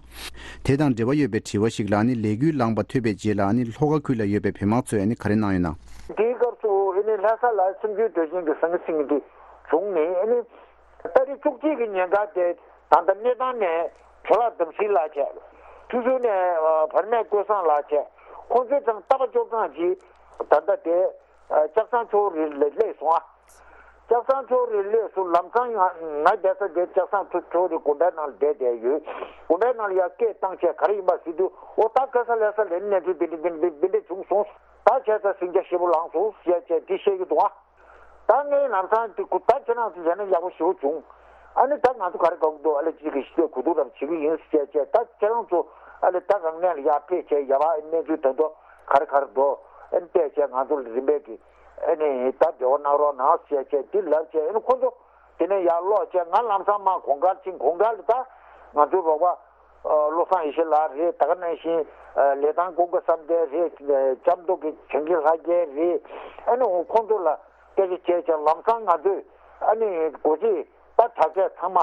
དེ་དང་འབྲེལ་བ་ཡོད་པའི་དྲི་བ་ཞིག་ལ་ནི་ལས་འགུལ་ལངས་པ་ཐོས་པའི་རྗེས་ལ་ནི་ལྷོ་ཁ་ཁུལ་ལ་ཡོད་པའི་བོད་དམག་ཚོས་ནི་ག་རེ་གནང་ཡོད་ན། དེའི་སྐབས་སུ་ཨེ་ནི་ལྷ་ས་ལ་སེམས་རྒྱུད་འདོད་ཆེན་གྱི་ཟང་ངེ་ཟིང་ངེ་དེ་བྱུང་ནས་ཨེ་ནི། ཏ་རིག་བཅུ་གཅིག་གི་ཉིན་ཀ་དེ་ད་ལྟ་གནས་སྟངས་ནས་བྲོ་ལགས་དམ་སྲི་ལགས་བྱས། ཆུ་ཤུར་ནས་བར་མེད་ཀུན་བཟང་ལགས་བྱས། ཁོང་ཚོའི་ཚང་རྟ་པ་བཅོ་ཚང་གིས་ད་ལྟ་དེ་ལྕགས་ཟམ་ཆུ་བོ་རི་ལ་སླེབས་སོང་ཨ། ལྕགས་ཟམ་ཆུ་བོ་རི་སླེབས་སོང་། ལམ་སང་ཡང་ང་བསྡད་ས་དེ་ལྕགས་ཟམ་ཆུ་བོ་རི་དགོན་པའི་ནང་ལ་བསྡད་བསྡད་ཡོད། དགོན་པའི་ནང་ལ་ཡར་སྐད་བཏང་བྱས་ག་རེ་ཡིན་པ་ཟེར་དུས་འོ་ད་ག་ས་ལྷ་ས་ལ་གནས་ཚུལ་འདི་འདྲ་འདི་འདྲ་འདི་འདྲ་བྱུང་སོང་། ད་བྱས་ཙང་ཟིང་ཆ་ཞེ་པོ་ལངས་སོང་ཟེར་བྱས་དེ་བཤད་ཀྱི་འདུག་ཨ། ད་ངས་ལམ་སང་དེ་ཁུ་ད་ཁྱེད་རང་ཚོ་བྱས་ན་ཡག་པོ་ཞེ་པོ་བྱུང་། ཨ་ནི་ད་ང་ཚོ་ག་རེ་དགའ་གི་འདུག་ཨ་ལས་ཅིག་གི་ཞི་བདེ་གོ་བསྡུར་རབ་བྱེད་ཀྱི་ཡིན་ཟེར་བྱས་ད་ཁྱེད་རང་ཚོ་ཨ་ལས་ད་རང་གནས་ལ་ཡར་ཕེབས་བྱས་ཡ་བ་གནས་ཚུལ་ད་དུང་ག་རེ་ག་རེ་འདུག་ཨ་ནི་བལྟས་བྱས་ང་ཚོ་ལ་རིམ་པས་ཀྱི་ ཨ་ནི་ད་འབྲེལ་བ་གནང་རོགས་གནང་ཟེར་བྱས་འདི་ལབ་བྱས། ཨ་ནི་ཁོ་ཚོ་དེ་ནས་ཡར་ལོག་བྱས། ང་ལམ་སང་མར་གོང་དཀར་ཕྱིན། གོང་དཀར་ལ་ད་ང་ཚོའི་རོགས་པ་ཨ་བློ་བཟང་ཡེ་ཤེས་ལགས་རེད། ད་ག་ནང་བཞིན་ཨ་ལི་ཐང་ཀུན་དགའ་བསམ་གཏན་རེད། ཨ་ལྕམ་མདོ་སྐྱིད་བྱང་ཆུབ་ལྷ་རྒྱལ་རེད། ཨ་ནི་འོ་ཁོང་ཚོ་ལ་སྐད་ཆ་བྱས་བྱས། ལམ་སང་ང་ཚོས་ཨ་ནི་སྒོ་འབྱེད་ད་དྲག་ཆས་ཚང་མ་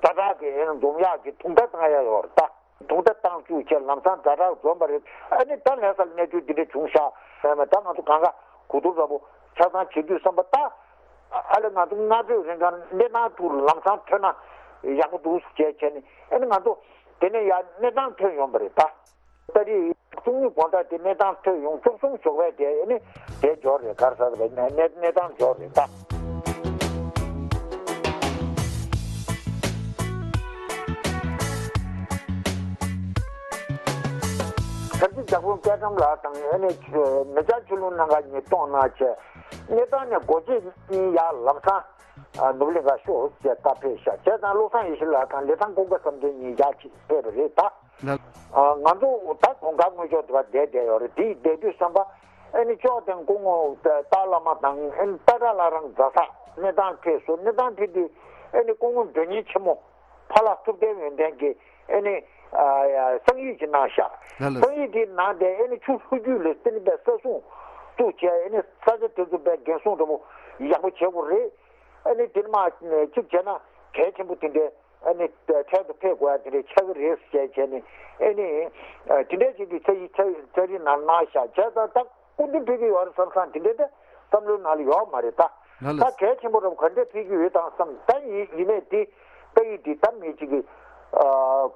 ཛ་དྲག་གི་ཨ་ནི་འཛོམས་ཡག་གི་དུང་སྒྲ་བཏང་ཡག་ཡོད་རེད་ད། དུང་སྒྲ་བཏང་བཅུག་བྱས་ལམ་སང་ཛ་དྲག་འཛོམས་པ་རེད། ཨ་ནི་ད་ལྷ་སར་གནས་ཚུལ་འདི་འདྲ་བྱུང་ཤག་ཨ་མ་ད་ང་ཚོ་གང་ག་གོ་བསྡུར་འདྲ་པོ་ཆ་ཚང་བྱེད་དུས་བསམ་པ་ད། ཨ་ལས་ང་ཚོ་སྔ་དྲོའི་རིང་ག་གནས་སྟངས་ཐུག་ལམ་སང་ཐོན་ན་ཡག་པོ་འདུག་ཅེས་བྱས་ནས། ཨ་ནི་ང་ཚོ་དེ་ནས་ཡར་གནས་སྟངས་ཐོན་ཡོང་པ་རེད་ད། ཏ་རིག་བཅུ་གཉིས་དགོང་དག་དེ་གནས་སྟངས་ཐོན་ཡོང་། བཅུ་གསུམ་ཞོགས་པ་དེ་ཨ་ནི་དེ་འབྱོར་རེད། ག་རེ་ཟེར་བས་གནས་གནས་སྟངས་འབྱོར་རེད་ད། ཞབས་ཕྱི་ལྗགས་ཕུང་སྐལ་བཟང་ལགས་དང་། ཨ་ནི་མི་སྐྱ་ཆོས་ལུང་སྣ་ཁ་གཉིས་གཏོང་གནང་བྱས། གནས་སྟངས་ནས་སྒོ་འབྱེད་གཉིས་ཡར་ལམ་སང་ནོར་བུ་གླིང་ག་ཤོག་ཅེས་བཀའ་ཕེབས་ཤག་བྱས་ཙང་བློ་བཟང་ཡེ་ཤེས་ལགས་དང་ལི་ཐང་ཀུན་དགའ་བསམ་གཏན་གཉིས་ཡར་ཅིག་ཕེབས་པ་རེད་ད། ལགས། ང་ཚོ་ད་གོང་དཀར་སྔོན་ཕྱོགས་དེ་བར་བསྡད་བསྡད་ཡོད་རེད། དེ་བསྡད་དུས་བསམ་པ་ཨ་ནི་ཅོག་དང་སྐུ་ངོ་ཏཱ་བླ་མ་དང་། ཨ་ནི་ཏཱ་ཏཱ་ལ་རང་རྫ་ས་གནས་སྟངས་ཕེབས་སོང་། གནས་སྟངས་ཕེབས་དུས་ཨ་ནི་སྐུ་ངོ་མགྲོན་གཉེར་ཆེན་མོ་ཕ་ལྷ་ཐུབ་བསྟན་ཡོན་ཏན་གྱིས་ཨ་ནི་ཨ་ཡ་གསང་ཡིག་ཅིག་གནང་ཤག་ལགས་ལགས། གསང་ཡིག་དེ་ནང་དེ་ཨ་ནི་ཆུ་ལྷོ་རྒྱུད་ལ་བརྟེན་པའི་ས་སྲུང་བཙུགས་བྱས། ཨ་ནི་ས་ཆ་དེ་ཚོ་དཔེ་འགན་སྲུང་འདྲ་པོ་ཡག་པོ་བྱེད་དགོས་རེད། ཨ་ནི་དེ་ནས་མར་གཅིག་བྱས་ན་གལ་ཆེན་པོ་དེ་འདྲའི་ཨ་ནི་འཕྲལ་དུ་ཕེབས་དགོས་ཡ་དེ་འདྲའི་ཆགས་ཀྱི་རེད་ཟེར་བྱས་ནས། ཨ་ནི་དེ་འདྲའི་ཅིག་གི་ཚ་ཡི་ཚ་ཚ་རིག་ནང་གནང་ཤག་བྱས་ཙང་ད། སྐུ་མདུན་ཕེབས་ཀྱི་ཡོད་རེད་བསམ་བསམ་དེ་འདྲའི་ད་བསམ་བློའི་ནང་ལ་ཡོད་མ་རེད་ད། ལགས་ལགས། ད་གལ་ཆེན་པོ་རབ་ག་འདྲས་ཕེབས་ཀྱི་ཡོད་དང་བསམ། ད་ཡིན་ཡིན་ནའི་དེ་ཏ་ཡིག་དེ་ད་མི་གཅིག་གིས་ཨ་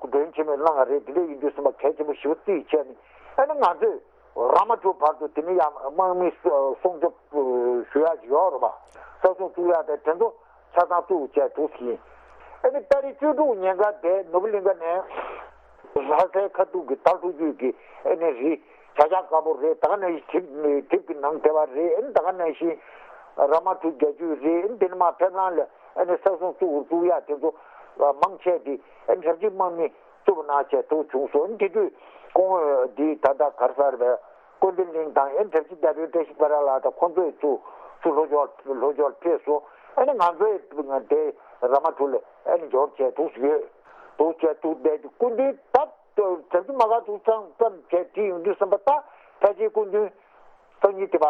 མགྲོན་ཆེན་མོས་གནང་བ་རེད། དེ་འདྲ་ཡིན་དུས་བསམ་པ་གལ་ཆེན་པོ་ཞེ་པོ་བརྩིས་བྱས་ནས། ཨ་ནི་ང་ཚོས་ར་མ་ཊུ་བར་དུ་དེ་ནས་ཡང་དམག་མི་སྲུང་སྐྱོབ་ཞུ་ཡག་ཅིག་ཡོད་རེད་པ། ས་སྲུང་བཙུགས་ཡག་དེ་དེ་ཚོ་ཆ་ཚང་བཙུགས་བྱས་འདུག་ཟིན། ཨ་ནི་ཏ་རིག་བཅུ་དྲུག་ཉིན་ཀ་དེ་ནོར་བུ་གླིང་ཁ་ནས། ལྷ་སའི་ཁ་ཐུག་གི་ད་ལྷོ་རྒྱུད་ཀྱི་ཨ་ནི་རི་བྱ་གཞག་དཀར་པོ་རེད། ད་ག་ནང་བཞིན་དེབ་དེབ་ཀྱི་ནང་དེ་བ་རེད། ཨ་ནི་ད་ག་ནང་བཞིན་ར་མ་ཊུ་རྒྱ་ཆུ་རེད། ཨ་ནི་དེ་ནས་མར་ཕེབས་ལམ་ལ་ཨ་ནི་ས་སྲུང་བཙུགས་བཙུགས་ཡག་དེ་ཚོ་མང་ཆེ་དེ་ཨ་ནི་ཞབས་ཕྱི་དམག་མི་བཙུགས་པ་གནང་བྱས་འདུག་བྱུང་སོང་། ཨ་ནི་དེ་དུས་སྐུ་ངོ་འདི་ད་ལྟ་ག་རེ་ཟེར་བས། སྐུ་མདུན་གླིང་དང་ཨ་ནི་ཞབས་ཕྱི་རྒྱ་བོད་བཀྲ་ཤིས་པ་ར་ལགས་དང་ཁོང་ཚོས་ཚུར་ཚུར་ལྷོ་ཕྱོགས་ལྷོ་ཕྱོགས་ཕེབས་སོང་། ཨ་ནི་ང་ཚོས་དེ་ར་མ་ཊུ་ལ་ཨ་ནི་འབྱོར་བྱས་འདུག་ཡོད། འདུག་བྱས་འདུག་བསྡད་དེ་སྐུ་མདུན་ད་གྲྭ་བཙུན་མ་ག་ཚོད་ཙམ་ཙམ་བྱས་དེ་ཡོང་དུས་བསམ་པ་ད་ཕལ་ཆེར་སྐུ་མདུན་སང་ཉིན་དེ་བ་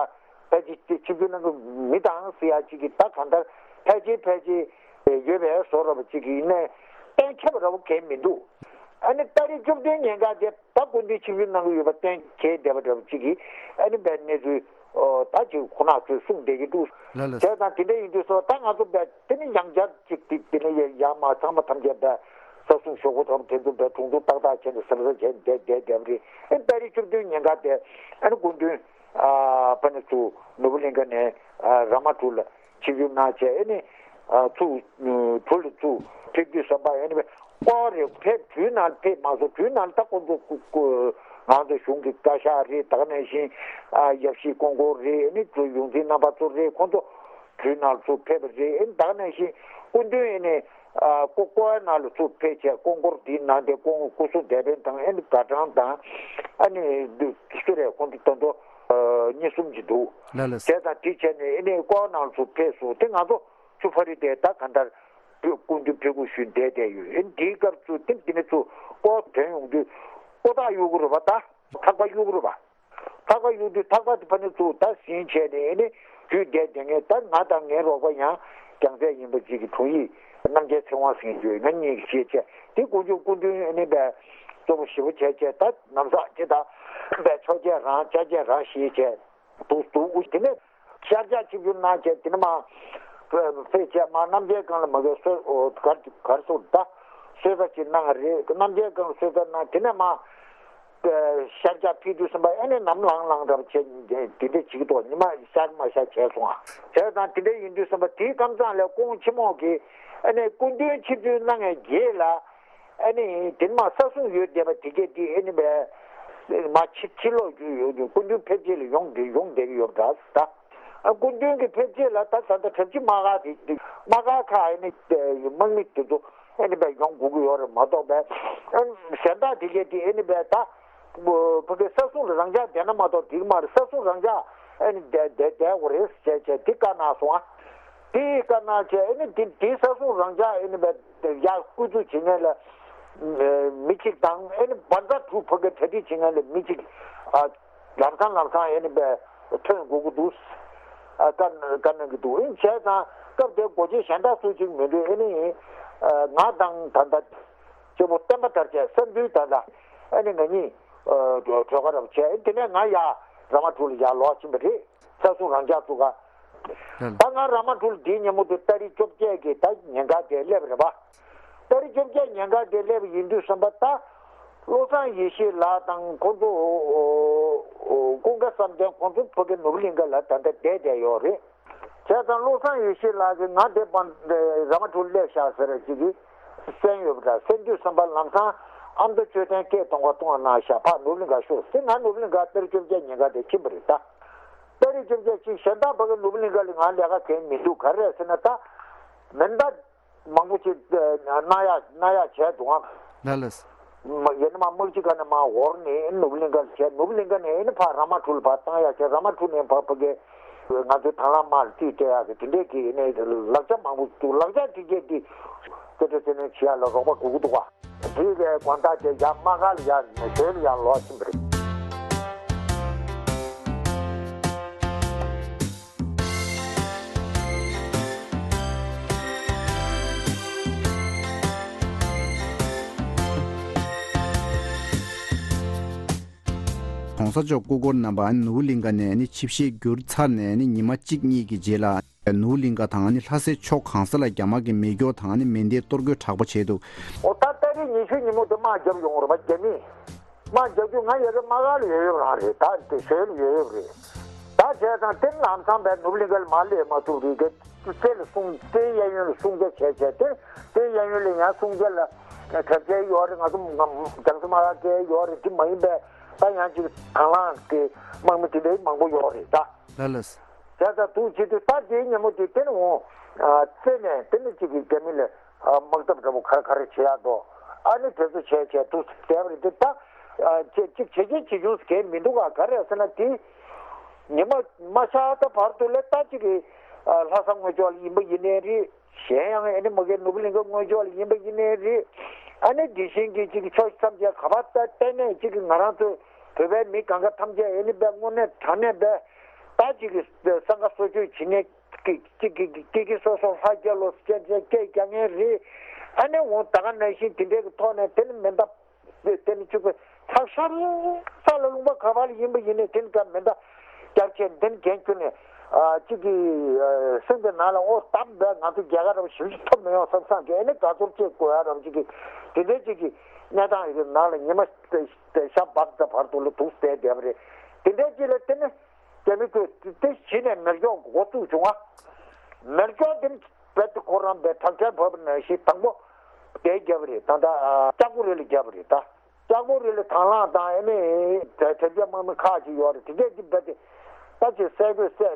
ཕལ་ཆེར་ཆིབས་བསྒྱུར་གནང་གི་མི་དང་ཟེར་ཡ་ཅིག་གིས་ད་གང་ལྟར་ཕལ་ཆེར་ཕལ་ཆེར་ཡོད་པའི་བཟོ་འདྲ་པོ་ཅིག་གིས་ཡིན་ནའི་གཏན་འཁེལ་བ་འདྲ་པོ་གང་ཡང་མི་འདུག་ཨ་ནི་ཏ་རིག་བཅུ་བདུན་ཉིན་ཀ་དེ་ད་སྐུ་མདུན་ཆིབས་བསྒྱུར་གནང་གི་ཡོད་པ་གཏན་འཁེལ་བསྡད་པ་འདྲ་པོ་ཅིག་གིས་ཨ་ནི་བའི་གནས་ཚུལ་ཨོ་ད་ཅིག་ཁོ་ན་ཚོས་གསུངས་བསྡད་ཀྱི་འདུག་ལགས་ལགས། བྱས་ཙང་དེ་འདྲ་ཡིན་དུས་སོ་ད་ང་ཚོ་བས་དེ་ནི་ཡང་བསྐྱར་ཅིག་དེ་དེ་ནི་ཡང་མ་ཚང་མ་ཐམས་ཅད་བས་ས་སྲུང་ཞོགས་པ་ཐོག་དེ་ཚོ་བས་དྲུང་དུ་ཏག་ཏག་བྱས་ནས་གཟབ་གཟབ་བྱས་བསྡད་བསྡད་བསྡད་པ་རེད། ཨེ་ཏ་རིག་བཅུ་བདུན་ཉིན་ཀ་དེ་ཨ་ནི་སྐུ་མདུན་ཨ་ཕ་ནི་ཚུར་ནོར་བུ་གླིང་ཁ་ནས་ཨ་ར་མ་ཊུ་ལ་ཆིབས་བསྒྱུར་གནང་བྱས། ཨ་ནི་ཨ་ཚུར་ཨ་གྲུ་ལ་ཚུར་ཕེབས་དུས་བསམ་པ་ཨ་ནི་ཀོ་རེ་ཕེབས་གྲུའི་ནང་ཕེབས་མ་སོང་། གྲུའི་ནང་ད་ཁོང་ཚོ་སྐུ་སྐུ་ང་ཚོ་གཞུང་གི་བཀའ་ཤག་རེད། ད་ག་ནང་བཞིན་ཨ་ཡབ་གཞིས་སྐུ་འཁོར་རེད། ཨ་ནི་ཚུར་ཡོངས་འཛིན་རྣམ་པ་ཚོ་རེད། ཁོང་ཚོ་གྲུའི་ནང་ཚུར་ཕེབས་པ་རེད། ཨ་ནི་ད་ག་ནང་བཞིན་སྐུ་མདུན་ཨ་ནི་ཨ་ཀོ་ཀོ་ནང་ལ་ཚུར་ཕེབས་བྱས་སྐུ་འཁོར་འདིའི་ནང་དེ་སྐུ་སྐུ་གཟུགས་བདེ་ལྡན་དང་ཨ་ནི་དགའ་གྲངས་དང་ཨ་ནི་སུ་རེད། ཁོང་ཚོ་ད་དུང་ཨ་གཉིས་གསུམ་ཅིག་འདུག་ལགས་ལགས། བྱས་ཙང་དེ་བྱས་ནས་ཨ་ནི་ཀོ་ནང་ཚུར་ཕེབས་སོང་། དེ་ང་ཚོ་ཆུ་ཕ་རི་དེ་ད་ག་འདར་སྐུ་མདུན་ཕེབས་སྒོ་ཞུས་བསྡད་བསྡད་ཡོད། ཨ་ནི་དེའི་སྐབས་སུ་དེ་དེ་ནས་ཚུར་ཀོ་ཐོན་ཡོང་དུས་ཀོ་ཐག་གཡུག་གི་རེད་པ། ད་ཐག་པ་གཡུག་གི་རེད་པ། ཐག་པ་གཡུག་དུས་ཐག་པ་དེ་ཕ་ནི་ཚུར་ད་ཟིན་བྱས་ནས་ཨ་ནི་དུས་འདས་དེ་ངས་ད་ང་དང་ངའི་རོགས་པ་ཡང་རྒྱལ་མཚན་ཡིན་པ་ཅིག་གི་དྲུང་ཡིག་རྣམ་རྒྱལ་ཚེ་དབང་ཟེར་མཁན་ཅིག་ཡོད། ང་གཉིས་ཀྱིས་བཤད་བྱས་དེ་དགུ་མཇུག་སྐུ་མདུན་ཨ་ནི་བས་གཙོ་བོ་ཞེ་པོ་བྱས་བྱས་ད་ནམ་ཟག་ཅེ་ད་བས་ཆོག་བྱས་རང་ཆ་བྱས་རང་ཞེས་བྱས་འདུག་འདུག་དེ་ནས་ཤར་རྒྱག་ཆིབས་བསྒྱུར་གནང་བྱས་དེ་ནས་མ་ཕེབས་བྱས་མ་རྣམ་རྒྱལ་སྒང་ལ་མ་གི་སོ་གར་གར་སོ་ད་གསོལ་ས་ཅིག་གནང་རེད། རྣམ་རྒྱལ་སྒང་ལ་གསོལ་ས་གནང་། དེ་ནས་མ་ཤར་རྒྱག་ཕེབས་དུས་བསམ་པ་ཨ་ནི་ནམ་ལངས་ལངས་འདྲ་བྱས་དེ་འདྲ་བྱེད་ཀྱི་འདུག་ཉི་མ་ཤར་མ་ཤར་བྱས་སོང་ཨ། བྱས་ཙང་དེ་འདྲ་ཡིན་དུས་བསམ་པ་དེའི་ཁམས་ཚང་ལ་སྐུ་ངོ་ཆེན་མོ་གིས་ཨ་ནི་སྐུ་མདུན་ཆིབས་བསྒྱུར་གནང་བའི་རྗེས་ལ་ཨ་ནི་དེ་མ་ས་སྲུང་ཡོད་བསྡད་པ་དེ་གས་དེ་ཨ་ནི་བས་མ་ཕྱི་ཕྱི་ལོགས་རྒྱུ་ཡོད་རྒྱུ་སྐུ་མདུན་ཕེབས་རྗེས་ལ་ཡོང་བསྡད་ཡོང་བསྡད་ཀྱི་ཡོད་འདྲ་ད། སྐུ་མདུན་གྱི་ཕེབས་རྗེས་ལ་ད་ད་ལྟ་གྲྭ་བཞི་དམག་སྒར་དེ་དམག་སྒར་ཁག་ཨ་ནི་དམག་མི་དེ་ཚོ་ཨ་ནི་བས་ཡོང་དགོས་ཀྱི་ཡོད་རེད་མ་གཏོགས་བས་གཞན་དག་དེ་གས་དེ་ཨ་ནི་བས་ད། ཕ་གི་ས་སྲུང་ལ་རང་འཇགས་བསྡད་ན་མ་གཏོགས་འགྲིག་མ་རེད། ས་སྲུང་རང་འཇགས་ ཨེ་ནི་བསྡད་བསྡད་བསྡད་དགོས་རེད་ཟེར་བྱས་དེ་བཀའ་གནང་སོང་ཨ། དེ་བཀའ་གནང་བྱས་ཨེ་ནི་དེ་དེ་ས་སྲུང་རང་འཇགས་ཨེ་ནི་བས་ཡར་སྐུ་འཛུགས་བྱེད་མཁན་ལ་མི་གཅིག་དང་ཨེ་ནི་བཛྲ་གྲུ་ཕུ་གེ་གྲ་སྒྲིག་བྱེད་མཁན་ལ་མི་གཅིག་ཨ། ལམ་སང་ལམ་སང་ཨེ་ནི་བས་ཐོན་དགོས་ཀྱི་འདུག་ཨ། བཀའ་བཀའ་གནང་གི་འདུག་ཨེ་བྱས་ཙང་སྐབས་དེ་སྒོ་འབྱེད་གཞན་དག་སུ་གཅིག་མི་འདུག་ཨེ་ནི་ཨ། ང་དང་ད་ལྟ་གཅེན་པོ་བསྟན་པ་དར་རྒྱས་སེམས་འདུལ་ད་ལྟ་ཨེ་ནི་ང་གཉིས་ཨ། གྲོས་ཁ་རབ་བྱས་དེ་ནས་ང་ཡར་ར་མ་གྲུ་ལ་ཡར་ལོག་ཕྱིན་པ་རེད། ས་སྲུང་རང་འཇགས་ཚུགས་ཀ་ད་ང་ར་མ་གྲུ་ལ་དེའི་ཉིན་མོ་དེ་ཏ་རིག་བཅོ་བརྒྱད་ཀྱི་ད་ཉིན་ག་དེ་སླེབས་རེད་པ། ཏ་རིག་བཅོ་བརྒྱད་ཉིན་ག་དེ་སླེབས་ཡིན་དུས་ཙམ་པ་ད་བློ་བཟང་ཡེ་ཤེས་ལགས་དང་ཁོང་ཚོ་ཀུན་དགའ་བསམ་གཏན་ཁོང་ཚོ་ཕ་གི་ནོར་བུ་གླིང་ག་ལ་ད་ལྟ་བསྡད་བསྡད་ཡོད་རེད། བྱས་ཙང་བློ་བཟང་ཡེ་ཤེས་ལགས་ཀྱིས་ང་དེ་བར་ར་མ་གྲུ་སླེབས་ཤག་ཟེར་ཅིག་གིས་གསན་ཡོད་པ་འདྲ། གསན་དུས་ཙམ་པ་ལམ་སང་ཨ་མདོ་མཆོད་རྟེན་སྐད་གཏོང་བ་གཏོང་བ་གནང་ཤག་ཕར་ནོར་བུ་གླིང་ག་ཤོག་ཟེར། ང་ནོར་བུ་གླིང་ག་ཏ་རིག་བཅོ་བརྒྱད་ཉིན་ག་དེ་ཕྱིན་པ་རེད་ད། ཏ་རིག་བཅོ་བརྒྱད་ཅིག་གཞན་དག་ཕ་གི་ནོར་བུ་གླིང་ག་ལ་ང་ལས་ཀ་གང་མི་འདུག་ག་རེ་ཟེར་ན་ད་མེ་མདའ་མང་པོ་ཅིག་གནང་ཡག་གནང་ཡག་བྱས་འདུག་ཨང་། ལགས་ལགས། མ་ཡིན་ན་མ་དམག་སྤྱི་ཁ་ནས་མ་འོར་ནས་ནོར་བུ་གླིང་ག་ལ་བྱས། ནོར་བུ་གླིང་ག་ནས་ཨེ་ནི་ཕར་ར་མ་གྲུ་ལ་ཕར་བཏང་ཡག་བྱས། ར་མ་གྲུ་ནས་ཕར་ཕ་གི་ང་ཚོའི་དང་བླངས་དམག་ལ་རྩིས་སྤྲད་ཡག་གི་དེ་འདྲས་ཀྱི་ཨེ་ནི་ལག་ཆ་མང་པོ་འདུག་ལག་ཆ་དེ་གས་འདི་སྐད་སྒྲོག་སེ་ནས་བྱེད་ཡག་ལ་རོགས་པ་དགོས་ཀྱི་འདུག་ག་དེའི་གི་དགོང་དག་དེ་ཡར་དམག་སྒར་ལ་ཡར་ཞོལ་ལ་ཡར་ལོག་ཕྱིན་པ་རེད། ༸གོང་ས་མཆོག་སྐུ་འཁོར་རྣམ་པ་ནོར་བུ་གླིང་ག་ནས་ནི་ཆིབས་ཞལ་བསྒྱུར་ཚར་ནས་ནི་ཉི་མ་གཅིག་གཉིས་ཀྱི་རྗེས་ལ་ནོར་བུ་གླིང་ག་དང་ནི་ལྷ་སའི་ཕྱོགས་གང་ས་ལ་རྒྱ་དམག་གི་མེ་སྒྱོགས་དང་ནི་མེ་མདའི་གཏོར་རྒོལ་དྲག་པོ་བྱས་འདུག་ཨོ་ད་ཏ་རིག་ཉི་ཤུ་ཉིན་མོ་དེ་དམག་རྒྱབ་ཡོང་རེད་པ་རྒྱ་མིས། དམག་རྒྱབ་རྒྱུ་ང་ཡ་གི་དམག་སྒར་ལ་ཡོད་ཡོད་རང་རེད། ད་དེ་ཞོལ་ལ་ཡོད་ཡོད་རེད། ད་བྱས་ཙང་དེ་ལམ་སང་བས་ནོར་བུ་གླིང་ག་ལ་མར་སླེབས་མ་ཐུབ་རེད་གི། རྩེ་ལ་སྲུང་རྩེའི་གཡས་གཡོན་ལ་སྲུང་སྐྱོབ་བྱས་བྱས་དེ་རྩེའི་གཡས་གཡོན་ལ་ཡང་སྲུང་སྐྱོབ་ལ་གྲབས་ཆེན་ཡོད་རེད། ང་ཚོ་རྒྱང་སྲིང་དམག་སྒར་དེ་ཡོད་རེད། དེ་མ་ཡིན་པས་ད་ཡང་ཅིག་དང་བླངས་ཀྱི་དམག་མི་དེ་འདྲའི་མང་པོ་ཡོད་རེད་ད། ལགས་ལགས། བྱས་ཙང་འདུག་བྱེད་དུས་ད་དེའི་ཉིན་མོ་དེ་དེ་ནས་འོང་། རྩེ་ནས་དེ་ནས་ཅིག་གི་རྒྱ་མི་ལ་དམག་འཐབ་འདྲ་པོ་ག་རེ་ག་རེ་བྱེད་ཡག་འདུག་ཨ་ནི་དེ་ཚོ་བྱས་བྱས་འདུག་བསྡད་པ་རེད་དེ། ད་ཅིག་ཅིག་བྱེད་ཀྱི་བྱེད་ཆུང་གས་མི་འདུག་ག་ག་རེ་ཟེར་ན་དེ་ཉི་མ་མ་ཤར་ད་བར་དུ་ལ་ད་ཅིག་གི་ལྷ་ས་དངོས་ཕྱོགས་ལ་ཡིན་པ་ཡིན་ནའི་རེད། གཞན་ཡང་ཨ་ནི་མ་གི་ནོར་བུ་གླིང་ག་དངོས་ཕྱོགས་ལ་ཡིན་པ་ཡིན་ནའི་རེད། ཨ་ནི་དེ་བཞིན་གྱི་ཅིག་གི་ཕྱོགས་ཐམས་ཅད་ག་པར་ད་བལྟས་ནས་ཅིག་གི་ང་རང་ཚོ་བོད་པའི་མི་གང་ག་ཐམས་ཅད་ཨ་ནི་བས་དངོས་གནས་དྲང་གནས་བས་ད་ཅིག་གི་སྲང་ཁ་གསོ་བཅོས་བྱེད་ནས་ཀྱི་ཀྱི་ཀྱི་ཀྱི་ཀྱི་སོ་སོ་ལྷ་རྒྱལ་ལོ་སྐད་ཆ་སྐད་རྒྱག་མཁན་རེད། ཨ་ནི་འོང་ད་ག་ནང་བཞིན་དེ་འདྲའི་གི་ཐོག་ནས་དེ་ནི་མེ་མདའ་དེ་ནི་བཅུག་པའི་ཚགས་ཤར་ས་ལ་ལུང་པ་ག་པར་ལ་ཡིན་པ་ཡིན་ནའི་དེ་ནི་ཀ་མེ་མདའ་རྒྱབ་ཆེན་དེ་ནི་འགན་ཁྱོན་ནས་ཨ་གཅིག་གི་སེམས་ཀྱི་ནང་ལ་ཨོ་གཏམ་བས་ང་ཚོ་རྒྱལ་ཁ་རབ་ཞིབ་ཞིབ་ཐོབ་མི་ཡོང་བསམ་བསམ་གི་ཨ་ནི་དགའ་ཚོར་སྐྱེ་དགོས་ཡ་རབ་ཅིག་གི་དེ་འདྲའི་ཅིག་གི་གནས་སྟངས་ཡི་གི་ནང་ལ་ཉི་མ་ཤར་བབས་ཙམ་བར་དུ་ལ་འདུག་བསྡད་བསྡད་པ་རེད། དེ་འདྲའི་ཅིག་ལ་དེ་ནི། རྒྱ་མི་ཚོས་དེ་གཞི་ནས་མེ་སྒྱོགས་འགོ་བཙུགས་བྱུང་ང་། མེ་སྒྱོགས་དེ་རྦད་དེ་ཁོ་རང་པའི་དྲག་ཆར་བབས་པ་ནང་བཞིན་དང་པོ་དེ་བརྒྱབ་པ་རེད། ད་ལྟ་ལྕགས་པོ་རི་ལ་བརྒྱབ་པ་རེད་ད། ལྕགས་པོ་རི་ལ་དང་བླངས་དང་ཨེ་མེ་དྲ་རྒྱ་དམག་མི་ཁག་ཅིག་ཡོད་རེད། དེ་གས་ཀྱི་རྦད་དེ་ད་ཅིག་སེ་གོལ་སེ་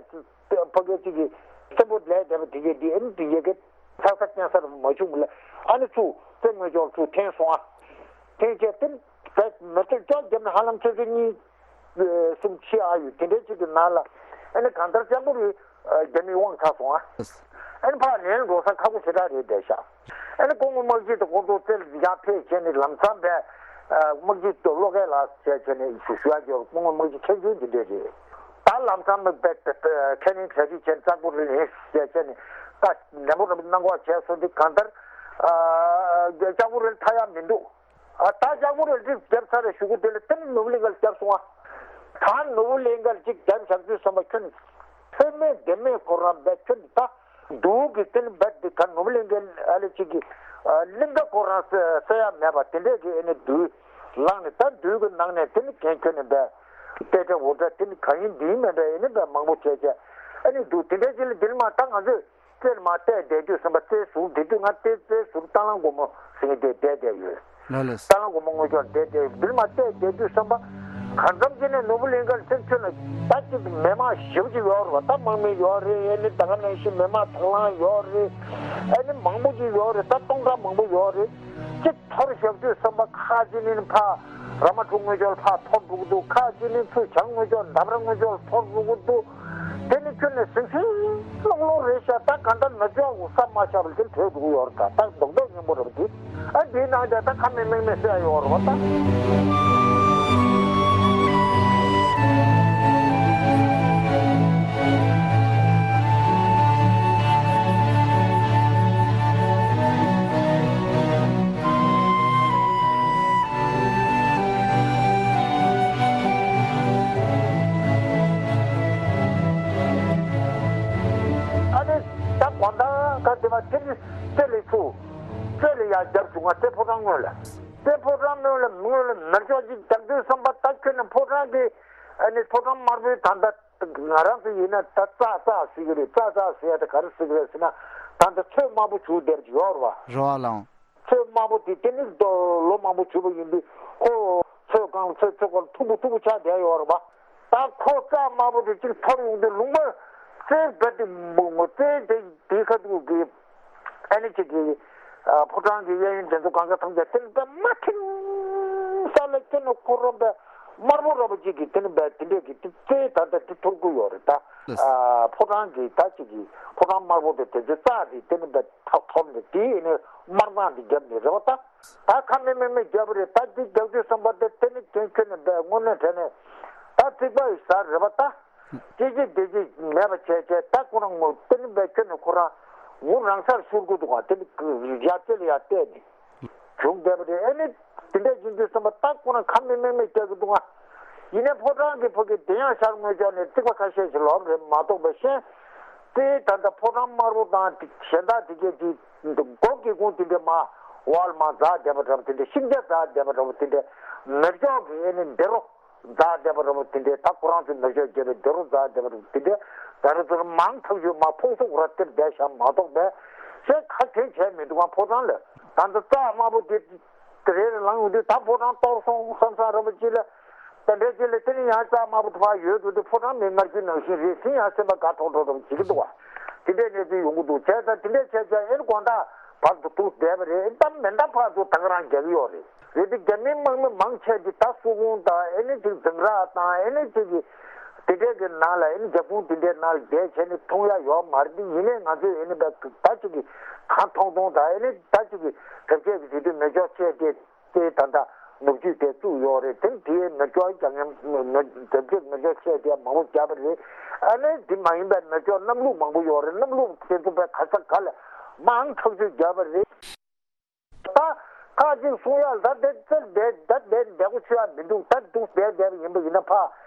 ཕ་གི་ཅིག་གི་སེམས་པོ་ལས་བསྡད་པ་དེ་གས་འདི་ཨེ་མེ་དེ་གས་ཀྱི་ཚགས་ཚ་སྐྱེན་སར་མ་བྱུང་གི་ལ་ཨ་ནི་ཚུར་རྩེ་དངོས་ཕྱོགས་ཚུར་འཐེན་སོང་ཨ། འཐེན་བྱས་དེ་རྦད་མེ་སྒྱོགས་བརྒྱབ་ནས་ཧ་ལམ་ཆུ་ཚོད་གཉིས། གསུམ་ཕྱེད་ཨ་ཡོད་དེ་འདྲའི་ཅིག་གི་ནང་ལ་ཨ་ནི་གང་ལྟར་ལྕགས་པོ་རི་རྒྱ་མིའི་དབང་ཆ་སོང་ཨ། ཨ་ནི་ཕར་ལན་འགྲོ་ས་ཁག་པོ་ཞེ་དྲག་རེད་བསྡད་ཤག་ཨ་ནི་སྐུ་ངོ་དམག་སྤྱི་དང་ཁོང་ཚོ་རྩེ་ལ་ཡར་ཕེབས་བྱས་ནས་ལམ་སང་བས་དམག་སྤྱི་ཏོ་བློ་སྐྱེད་ལགས་བྱས་བྱས་ནས་ཞུ་ཞུ་ཡ་ཅིག་ཡོད། སྐུ་ངོ་དམག་སྤྱི་མཁན་ཆེན་འདི་འདྲས་རེད། ད་ལམ་སང་མི་བས་ཁས་ལེན་གྲ་སྒྲིག་བྱས་ནས་ལྕགས་པོ་རི་ལན་བྱས་བྱས་ནས་ད་ནན་པོ་ར་གནང་དགོས་བྱས་སོང་དུས་གང་ལྟར་ལྕགས་པོ་རི་ལ་ཐར་ཡ་མི་འདུག་ཨ་ད་ལྕགས་པོ་རི་ལ་རི་བརྒྱབ་ཚར་རེ་གཞུག་གུ་དེ་ལ་དེ་ནི་ནོར་བུ་གླིང་ག་ལ་བརྒྱབ་སོང་ཨ། ད་ནོར་བུ་གླིང་ག་ལ་ཅིག་བརྒྱབ་བཞག་དུས་བསམ་པ་ཁྱོད་ཚོད་མེད་ལྡེ་མེད་ཁོ་རང་བས་ཁྱོད་ད་འདུག་གི་དེ་ནི་བས་འདི་ག་ནོར་བུ་གླིང་ག་ཨ་ལེ་ཅིག་གི་གླིང་ག་ཁོ་རང་ས་ས་ཡ་མེད་པ་དེ་འདྲས་ཀྱི་ཨེ་ནི་འདུག་ལངས་ནས་ད་འདུག་གི་ནང་ནས་དེ་ནི་གན་ཁྱོད་ནི་བས་ཏེ་ཏེ་འུ་ཏྲ་དེ་ནི་ག་ཡིན་འདི་ཡིན་མེད་པས་ཨེ་ནི་བས་མང་པོ་བྱས་བྱས་ཨེ་ནི་འདུག་དེ་འདྲས་ཅིག་ལ་འདིར་མ་ད་ང་ཚོས། རྩེར་མར་བལྟས་བསྡད་དུས་ཙམ་པ་རྩེའི་ཟུར་དེ་དུས་ང་རྩེ་རྩེའི་ཟུར་རྟ་གླང་སྒོ་མོ་ཟེར་མཁན་དེ་བསྡད་བསྡད་ཡོད། ལགས་ལགས། རྟ་གླང་སྒོ་མོ་དངོས་ཕྱོགས་བསྡད་བསྡད་ཡོད། འདིར་མར་བལྟས་བསྡད་དུས་ཙམ་པ་ གང་འཚམ་ཅིག་ནས་ནོར་བུ་གླིང་ཁར་ཕྱིན་ཚུན་ལ་ད་ཅིག་མི་མང་ཞེ་པོ་ཅིག་ཡོད་རེད་བ། ད་དམག་མི་ཡོད་རེད། ཨ་ནི་ད་ག་ནང་བཞིན་མི་མང་དང་བླངས་ཡོད་རེད། ཨ་ནི་མང་པོ་ཅིག་ཡོད་རེད། ད་སྟོང་ཕྲག་མང་པོ་ཡོད་རེད། ཅིག་འཐོར་བཞག་དུས་ཙམ་པ་ཁག་ཅིག་ནི་ཕར་ར་མ་ཕྲུག་དངུལ་ཆོར་ཕར་འཐོར་འགྲོ་གི་འདུག་ཁག་ཅིག་ནི་ཚུར་བྱང་དངུལ་ཆོར་འདབས་ར་དངུལ་ཆོར་འཐོར་འགྲོ་གི་འདུག་དེ་ནི་ཁྱོད་ནས་ཟིང་ཟིང་སློང་སློང་རེད་ཤག་ད་ག་འདྲ་ན་ཆོག་གོ་ས་མ་ཆགས་པ་དེ་བྲོས་འགྲོ་གི་ཡོད་རེད། ད་ད་རྡོག་རྡོག་སྙན་པོ་རེད་པ་དེ། ཨ་འདིའི་ནང་དེ་ད་ཁ་མེད་མིག་མེད་བསད་ཡོད་རེད་པ་ད། ཨ་ནི་ད་དགོང་དག་ག་དེ་མ་དེ་ནི་རྩེ་ལ་ཚུར་རྩེ་ལ་ཡར་རྒྱབ་བྱུང་ང་། རྩེ་ཕོ་བྲང་སྔོན་ལ། རྩེ་ཕོ་བྲང་སྔོན་ལ་སྔོན་ལ་མེ་སྒྱོགས་ཅིག་རྒྱག་དུས་ཙམ་པ་ད་ཁྱོད་ནི་ཕོ་བྲང་གི་ཨ་ནི་ཕོ་བྲང་དམར་པོའི་ད་ལྟ་ང་རང་ཚོ་ཡིན་ན་ད་ཙག་ཙག་ཟེར་གི་རེད། ཙག་ཙག་ཟེར་ཡ་ད་ག་རེ་ཟེར་གི་རེད་ཟེར་ན། ད་ལྟ་ཚོད་དམར་པོ་བྱུག་བསྡད་པ་ཅིག་ཡོད་རེད་པ། རེད་པ་ལགས། ཚོད་དམར་པོ་དེ་དེ་ནི་ལོ་མང་པོ་བྱུག་པ་ཡིན་དུས་ཁོ་ཚོད་གང་ཚོད་ཚོད་གང་མཐུག་པོ་མཐུག་པོ་ཆགས་བསྡད་ཡོད་རེད་པ། ད་ཁོ་ཙག་དམར་པོ་དེ་གཅིག་འཐོར་ཡོང་དུས་ལུང་པ་རྩེ་བ་དེ་མུག་མུག་རྩེ་དེ་དེའི་ཁ་ཐུག་གི་ཨ་ནི་ཅིག་གི་ཕོ་བྲང་གི་གཡས་གཡོན་དེ་ཚོ་གང་ག་ཐམས་ཅད་དེ་ནི་པད་མ་ཁྲིམ་ས་ལ་ཁྱོད་ནི་ཁོ་རང་པད་དམར་པོ་ར་པ་ཅིག་གི་དེ་ནི་པད་དེ་འདྲས་ཀྱི་དེ་རྩེ་ད་ལྟ་དེ་འཐོར་གི་ཡོད་རེད་ད། ལགས། ཕོ་བྲང་གི་ད་ཅིག་གི་ཕོ་བྲང་དམར་པོ་དེ་དེ་ཚོ་ཙག་དེ་དེ་ནི་པད་ཐག་ཐོར་ནས་དེའི་ནི་དམར་མདངས་དེ་བརྒྱབ་ནས་རེད་པ་ད། ད་ཁ་མེད་མིག་མེད་བརྒྱབ་པ་རེད། ད་འདི་རྒྱག་དུས་ཙམ་པ་དེ་དེ་ནི་དོན་ཁྱོད་ནི་པད་དངོས་གནས་དྲན་ནས་ད་རྩིག་པ་ཡི་ཟ་རེད་པ་ད། སྐྱེ་ཅི་བདེ་ཅི་མེད་པ་བྱས་བྱས་ད་ཁོ་རང་ངོ་དེ་ནི་པད་ཁྱོད་ནི་ཁོ་རང་ངུ་རང་སར་ཤོར་གི་འདུག་ག་དེ་ནི་ཡར་རྩེ་ལ་ཡར་བལྟས་ནས་བྱུང་བསྡད་པ་རེད། ཨེ་ནི་དེ་འདྲ་ཡིན་དུས་ཙམ་པ་ད་ཁོ་རང་ཁ་མེད་མིག་མེད་རྒྱག་གི་འདུག་ག་ཡིན་ནའི་ཕོ་བྲང་གི་ཕ་གི་དེ་ཡང་ཤར་ངོས་ཕྱོགས་ནས་རྩིག་པ་ཁ་ཤས་ཤིག་ལོག་རེད་མ་གཏོགས་པ་གཞན། དེ་ད་ལྟ་ཕོ་བྲང་དམར་པོ་དང་གཞན་དག་དེ་གས་ཀྱི་སྒོ་སྒེའུ་ཁུང་དེ་འདྲ་མར་ཝོལ་མར་འཛེགས་བསྡད་པ་འདྲ་པོ་དེ་འདྲ། ཤིང་ཆ་འཛེགས་བསྡད་པ་འདྲ་པོ་དེ་འདྲ། མེ་སྒྱོགས་ཀྱི་ཨེ་ནི་འདི་རུ་འཛེགས་བསྡད་པ་འདྲ་པོ་དེ་འདྲ། ད་ཁོ་རང་ཚོས་མེ་སྒྱོགས་བརྒྱབ་པའི་འདི་རུ་འཛེགས་བསྡད་པ་འདྲ་པོ་དེ་འདྲ། ད་རུང་ཚུར་མང་ཐག་ཆོད་མར་ཕུང་སུག་ར་སྟེར་བསྡད་བཞག་མ་གཏོགས་པས་གཞན་ག་གེ་བྱས་མི་འདུག་ག་ཕོ་བྲང་ལ། ད་ལྟ་རྩ་དམར་པོ་དེ་དེ་རེ་རེ་ལངས་ཡོང་དུས་ད་ཕོ་བྲང་གཏོར་སོང་བསམ་བསམ་ར་པ་ཅིག་ལ། དེ་འདྲའི་རྗེས་ལ་དེ་ནི་ཡང་རྩ་དམར་པོ་དེ་ཕར་ཡོད་འགྲོ་དུས་ཕོ་བྲང་མི་མངར་རྒྱུ་ནང་བཞིན་རེད་ཟིན་ཡང་སེམས་པ་དགའ་ཁྲོག་ཁྲོག་འདྲ་བོ་བྱེད་ཀྱི་འདུག་བ། དེ་འདྲའི་གནས་ཚུལ་ཡོང་གི་འདུག་བྱས་ཙང་དེ་འདྲའི་བྱས་ཙང་ཨེ་ནི་དགོང་དག་བར་དུ་འདུག་བསྡད་པ་རེད། ཨེ་ད་མེ་མདའ་ཕར་ཚུར་ད་ག་རང་རྒྱག་གི་ཡོད་རེད། རེད་དེ་རྒྱ་མིའི་དམག་མི་མང་ཆེ་གིས་ད་སོག་ཁུང་དང་ཨེ་ནི་ཅིག་འཛིང་རགས་དང་ཨེ་ནི་ཅིག་གི་དེ་འདྲའི་གི་ནང་ལ་ཨེ་ནི་རྒྱབ་ཁུང་དེ་འདྲའི་ནང་ལ་བསྡད་བྱས་ནས་མཐོང་ཡ་ཡོད་མ་རེད། དེ་ཡིན་ནའི་ང་ཚོས་ཨེ་ནི་ད་ཅིག་གི་གང་མཐོང་མཐོང་དང་ཨེ་ནི་ད་ཅིག་གི་གྲབས་ཆས་ཀྱི་དུས་དུས་མེ་སྒྱོགས་ཆས་དེ། དེ་ད་ལྟ་ནུབ་རྒྱུད་དེ་བཙུགས་ཡོད་རེད། དེ་དེའི་མེ་སྒྱོགས་རྒྱག་མཁན་མེ་མེ་དེབ་ཆེད་མེ་སྒྱོགས་ཆས་དེ་མང་པོ་བརྒྱབ་པ་རེད། ཨ་ནི་དེ་མ་ཡིན་པའི་མེ་སྒྱོགས་གནམ་ལུག་མང་པོ་ཡོད་རེད། གནམ་ལུག་དེ་ཚོ་བས་ག་ས་ག་ལ་མང་ཐག་ཆོད་བརྒྱབ་པ་རེད། ད་ཁ་ཅིག་གསུང་ཡག་ད་དེ་ཚེ་བསྡད་ད་བསྡད་བསྡད་གོ་ཆོད་ཡག་མི་འདུག་ད་འདུག་བསྡད་བསྡད་པ་ཡིན་པ་ཡིན་ན་ཕ་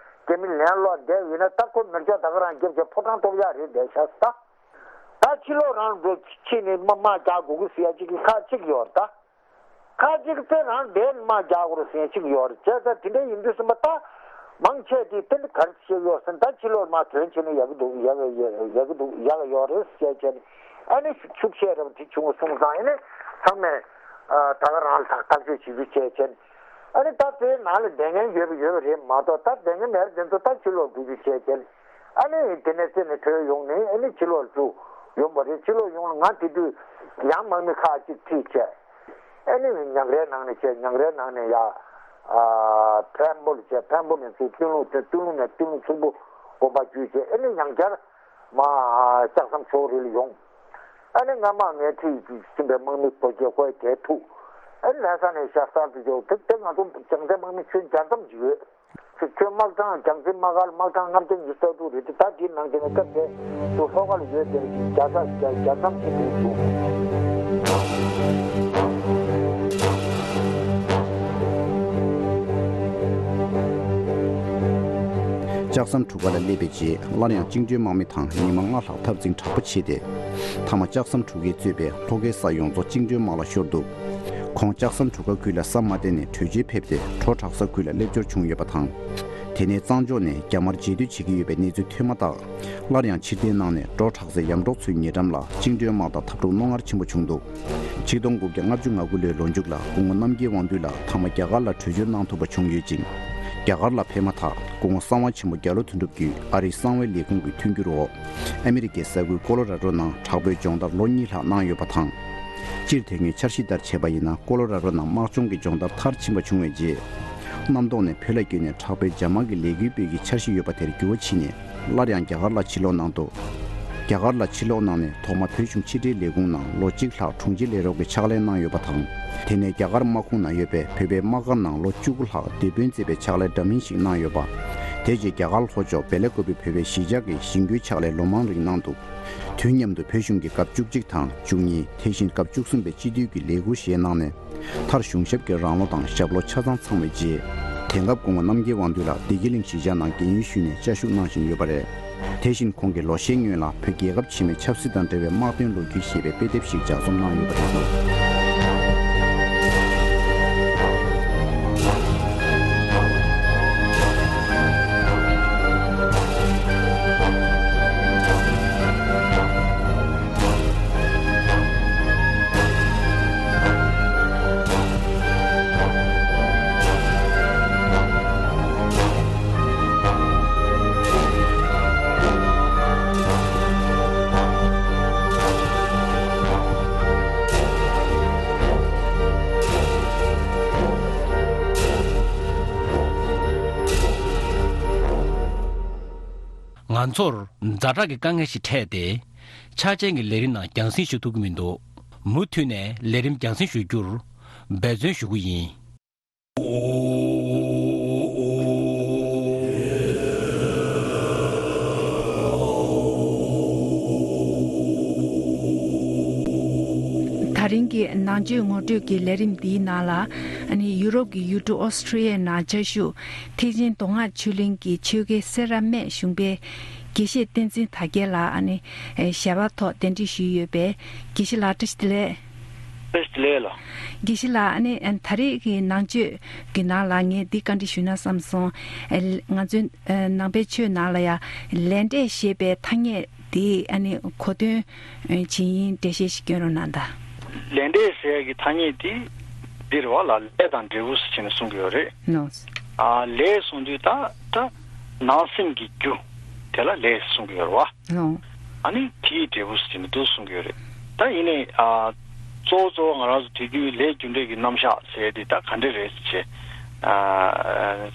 རྒྱ་མི་ལན་སློག་བསྡད་པ་ཡིན་ན་ད་ཁོ་མེ་སྒྱོགས་ད་ག་རང་བརྒྱབ་བྱས་ཕོ་བྲང་གཏོར་ཡག་རེད་བསྡད་ཤག་ད་ད་ཕྱི་ལོགས་རང་འགྲོ་ཕྱི་ནས་དམག་དམག་རྒྱག་དགོས་ཀྱི་ཟེར་ཡག་ཅིག་གི་ཁ་ཅིག་ཡོད་རེད་ད། ཁ་ཅིག་དེ་རང་བསྡད་དམག་རྒྱག་དགོས་རེད་ཟེར་ཅིག་ཡོད་རེད། བྱས་ཙང་དེ་འདྲ་ཡིན་དུས་ཙམ་པ་ད་མང་ཆེ་དེ་དེ་འདྲ་ག་རེ་བྱས་ཡོད་ཟེར་ན་ད་ཕྱི་ལོགས་མར་ཐོན་བྱས་ནས་ཡག་གི་འདུག་ཡག་གི་ཡག་གི་འདུག་ཡག་གི་ཡོད་རེད་ཟེར་བྱས་ནས་ཨ་ནི་ཤུགས་ཆེ་རབས་དེ་བྱུང་སོང་ཙང་ཨ་ནི་ཚང་མས་ད་ག་རང་ལ་ཐག་ཐག་གཅོད་བྱེད་རྒྱུ་བྱས་བྱས་ནས་ཨ་ནི་ད་དེའི་ནང་ལ་བསྡད་མཁན་ཡོད་པ་ཡོད་པ་རེད་མ་གཏོགས་ད་བསྡད་མཁན་མེད་པ་དེ་ཚོ་ད་ཕྱི་ལོགས་འགྲོ་རྒྱུ་བྱས་བྱས་ནས། ཨ་ནི་དེ་ནས་རྩེ་ནས་བྲོས་ཡོང་ནས་ཨ་ནི་ཕྱི་ལོགས་སུ་ཡོང་བ་རེད། ཕྱི་ལོགས་ཡོང་ལ་ང་དེ་དུས་ཡང་དམག་མི་ཁག་ཅིག་ཁྲིད་བྱས། ཨ་ནི་ཉང་རལ་ནང་ནས་བྱས་ཉང་རལ་ནང་ནས་ཡ། ཨ་འཕན་པོ་ལ་བྱས་འཕན་པོ་ནས་ཚུར་སྟོད་ལུང་དེ་སྟོད་ལུང་ནས་སྟོད་ལུང་ཚོན་པོ་དགོན་པ་བརྒྱུད་བྱས་ཨ་ནི་ཡང་བསྐྱར་མ་ལྕགས་ཟམ་ཕྱོགས་རིས་ལ་ཡོང་། ཨ་ནི་སྔ་མ་ངས་ཁྲིད་ཟིན་པའི་དམག་མི་ཕོ་སྐྱེས་ཁོའི་གྲལ་ཐུག་ཨ་ནི་ལྷ་ས་ནས་ཤར་གསར་དུ་འབྱོར་དེ་དེ་ང་ཚོ་རྒྱལ་རྩེ་དམག་མི་ཁྱོན་བརྒྱ་ཙམ་ཅིག་ཡོད། ཁྱོད་དམག་གྲངས་རྒྱལ་རྩེ་དམག་སྒར་དམག་གྲངས་ལྔ་བརྒྱ་ཉི་ཤུ་རྩ་དྲུག་རེད་དེ་ད་དེའི་ནང་དེ་ནས་སྐབས་དེ་ཚོ་ལྷོ་ཁ་ལ་ཡོད་དེ་བརྒྱ་ཚ་བརྒྱ་བརྒྱ་ཙམ་ཞིག་རེད་འདུག་ལྕགས་ཟམ་གྲུ་ཁ་ལ་སླེབས་པའི་རྗེས་སླར་ཡང་བཅིངས་འགྲོལ་དམག་མི་དང་ཉི་མ་ལྔ་ལྷག་འཐབ་འཛིང་དྲག་པོ་བྱས་ཏེ། མཐའ་མ་ལྕགས་ཟམ་གྲུ་ཁས་གཙོས་པའི་ལྷོ་ཁའི་ས་ཡོངས་རྫོགས་བཅིངས་འགྲོལ་དམག་ལ་ཤོར་འདུག་ཁོང་ལྕགས་ཟམ་གྲུ་ཁ་ཁུལ་ལ་ས་མ་བརྟན་ནས་བྲོས་བྱོལ་ཕེབས་ཏེ་བྲོ་དྲག་ས་ཁུལ་ལ་སླེབས་འབྱོར་བྱུང་ཡོད་པ་དང་། དེ་ནས་གཙང་ཕྱོགས་ནས་རྒྱ་དམར་རྗེས་སྡོད་བྱེད་ཀྱི་ཡོད་པའི་གནས་ཚུལ་ཐོས་མ་ཐག་སླར་ཡང་ཕྱིར་འཐེན་གནང་ནས་བྲོ་དྲག་སའི་ཡམ་འབྲོག་མཚོའི་ཉེ་འགྲམ་ལ་བཅིངས་འགྲོལ་དམག་དང་འཐབ་འཁྲུག་རྣོ་ངར་ཆེན་པོ་བྱུང་འདུག་ཆིག་སྟོང་དགུ་བརྒྱ་ལྔ་བཅུ་ང་དགུ་ལོའི་ལོ་མཇུག་ལ་སྐུ་ངོ་རྣམ་རྒྱལ་དབང་འདུས་ལགས་མཐའ་མ་རྒྱ་གར་ལ་བྲོས་བྱོལ་གནང་ཐུབ་པ་བྱུང་ཡོད་ཅིང་། རྒྱ་གར་ལ་ཕེབས་མ་ཐག་སྐུ་ངོ་གསང་བ་ཆེན་པོ་རྒྱ་ལོ་དོན་གྲུབ་ཀྱིས་ཨ་རིའི་གསང་བའི་ལས་ཁུངས་ཀྱི་མཐུན་འགྱུར་འོག་ཨ་མི་རི་ཀའི་ས་ཁུལ་ཀོ་ལོ་ར་ཌོ་ནང་དྲག་པོའི་སྦྱོང་བརྡར་ལོ་གཉིས་ལྷག་གནང་ཡོད་པ་དང་། སྤྱིར་དེ་སྔའི་འཆར་གཞི་ལྟར་བྱས་པ་ཡིན་ན། ཀོ་ལོ་ར་ཌོ་ནང་དམག་སྦྱོང་གི་སྦྱོང་བརྡར་མཐར་ཕྱིན་པ་བྱུང་བའི་རྗེས། གནམ་ཐོག་ནས་བོད་ལ་བསྐྱོད་ནས་དྲག་པོའི་འཇབ་དམག་གི་ལས་འགུལ་སྤེལ་གྱི་འཆར་གཞི་ཡོད་པ་དེར་འགྱུར་བ་ཕྱིན་ནས། སླར་ཡང་རྒྱ་གར་ལ་ཕྱིར་ལོག་གནང་འདུག་རྒྱ་གར་ལ་ཕྱིར་ལོག་གནང་ནས། ཐོག་མ་བོད་གཞུང་ཕྱི་དྲིལ་ལས་ཁུངས་ནང་ལོ་གཅིག་ལྷག་དྲུང་ཆེ་ལས་རོགས་ཀྱི་ཕྱག་ལས་གནང་ཡོད་པ་དང་། དེ་ནས་རྒྱ་གར་དམག་ཁོངས་ན་ཡོད་པའི་བོད་པའི་དམག་སྒར་ནང་ལོ་བཅུ་དགུ་ལྷག་དེད་དཔོན་བྱས་པའི་ཕྱག་ལས་འདྲ་མིན་ཞིག་གནང་ཡོད་པ། དེ་རྗེས་རྒྱ་གར་ལྷོ་ཕྱོགས་བེ་ལ་ཀུ་པེ་བོད་པའི་གཞིས་ཆགས་ཀྱི་གཞིས་འགོའི་ཕྱག་ལས་ལོ་མང་རིང་གནང་འདུག་དུས་མཉམ་དུ་བོད་གཞུང་གི་སྐབས་བཅུ་གཅིག་དང་བཅུ་གཉིས། དེ་བཞིན་སྐབས་བཅུ་གསུམ་པའི་སྤྱི་འཐུས་ཀྱི་ལས་འཁུར་བཞེས་གནང་ནས། མཐར་གཞུང་ཞབས་ཀྱི་རང་ལོ་དང་ཞབས་ལོ་ཆ་ཚང་ཚང་བའི་རྗེས། དེང་སྐབས་སྐུ་ངོ་རྣམ་རྒྱལ་དབང་འདུས་ལགས་བདེ་སྐྱིད་གླིང་གཞིས་ཆགས་ནང་རྒན་ཡོལ་ཞུས་ནས་བཅའ་བཞུགས་གནང་བཞིན་ཡོད་པ་རེད། དེ་བཞིན་ཁོང་གིས་ལོ་ཤས་སྔོན་ལ་བོད་རྒྱལ་ཁབ་ཕྱི་མའི་ཆབ་སྲིད་དང་འབྲེལ་བའི་དམག་དོན་ལོ་རྒྱུས་ཞེས་པའི་དཔེ་དེབ་ཞིག་ལྗགས་རྩོམ་གནང་ཡོད་པ་རེད་འདུག་ང་ཚོར་ཛ་དྲག་གི་དཀའ་ངལ་ཞིག་འཕྲད་དེ། འཆར་ཅན་གྱི་ལས་རིམ་ནང་རྒྱང་སྲིང་ཞུ་ཐུབ་ཀྱི་མི་འདུག་མུ་མཐུད་ནས་ལས་རིམ་རྒྱང་སྲིང་ཞུ་རྒྱུར་འབད་བརྩོན་ཞུ་གི་ཡིན། ད་རིང་གི་ནང་ཆོས་ངོ་སྤྲོད་ཀྱི་ལས་རིམ་འདིའི་ནང་ལ། ཨ་ནི་ཡུ་རོབ་ཀྱི་ཡུལ་གྲུ་ཨོ་སི་ཁྲུ་ཡའི་ནང་བཅའ་བཞུགས་ཐེག་ཆེན་མདོ་སྔགས་ཆོས་གླིང་གི་ཆོས་དགེ་སེ་ར་སྨད་གཞུང་པའི་དགེ་བཤེས་བསྟན་འཛིན་དར་རྒྱས་ལགས། ཨ་ནི་ཞལ་པར་ཐོག་གདན་འདྲེན་ཞུས་ཡོད་པས། དགེ་བཤེས་ལགས་བཀྲ་ཤིས་བདེ་ལེགས། བཀྲ་ཤིས་བདེ་ལེགས་ལགས། དགེ་བཤེས་ལགས། ཨ་ནི་ད་རེས་ཀྱི་ནང་ཆོས་ཀྱི་ནང་ལ་ངས་འདི་བཀའ་འདྲི་ཞུས་ན་བསམ་སོང་། ང་ཚོའི་ནང་པའི་ཆོས་ནང་ལ་ཡང་ལས་འབྲས་ཞེས་པའི་ཐ་སྙད་དེ་ཨ་ནི་གོ་དོན་ཇི་ཡིན་འགྲེལ་བཤད་ཞིག་སྐྱོན་རོགས་གནང་དང་། ལས་འབྲས་ཟེར་ཡག་གི་ཐ་སྙད་དེ་འདི་རེད་བ་ལ། ལས་དང་འབྲས་བུ་ཟེར་ནས་གསུང་གི་ཡོད་རེད། ནོ། ཨ་ལས་གསུང་དུས་ད་ད་ནང་སེམས་ཀྱི་རྒྱུ་དེ་ལ་ལས་གསུང་གི་ཡོད་རེད་བ། ལོ། ཨ་ནི་དེའི་འབྲས་བུ་ཟེར་ནས་འདུག་གསུང་གི་ཡོད་རེད། ད་ཡིན་ནའི་ཨ་གཙོ་བོ་གཙོ་བོ་ང་རང་ཚོ་དུས་རྒྱུན་ལས་རྒྱུ་འབྲས་ཀྱི་རྣམ་གཞག་ཟེར་དེ་ད་ག་འདྲ་རེད་ཟེར་བྱས་ཨ་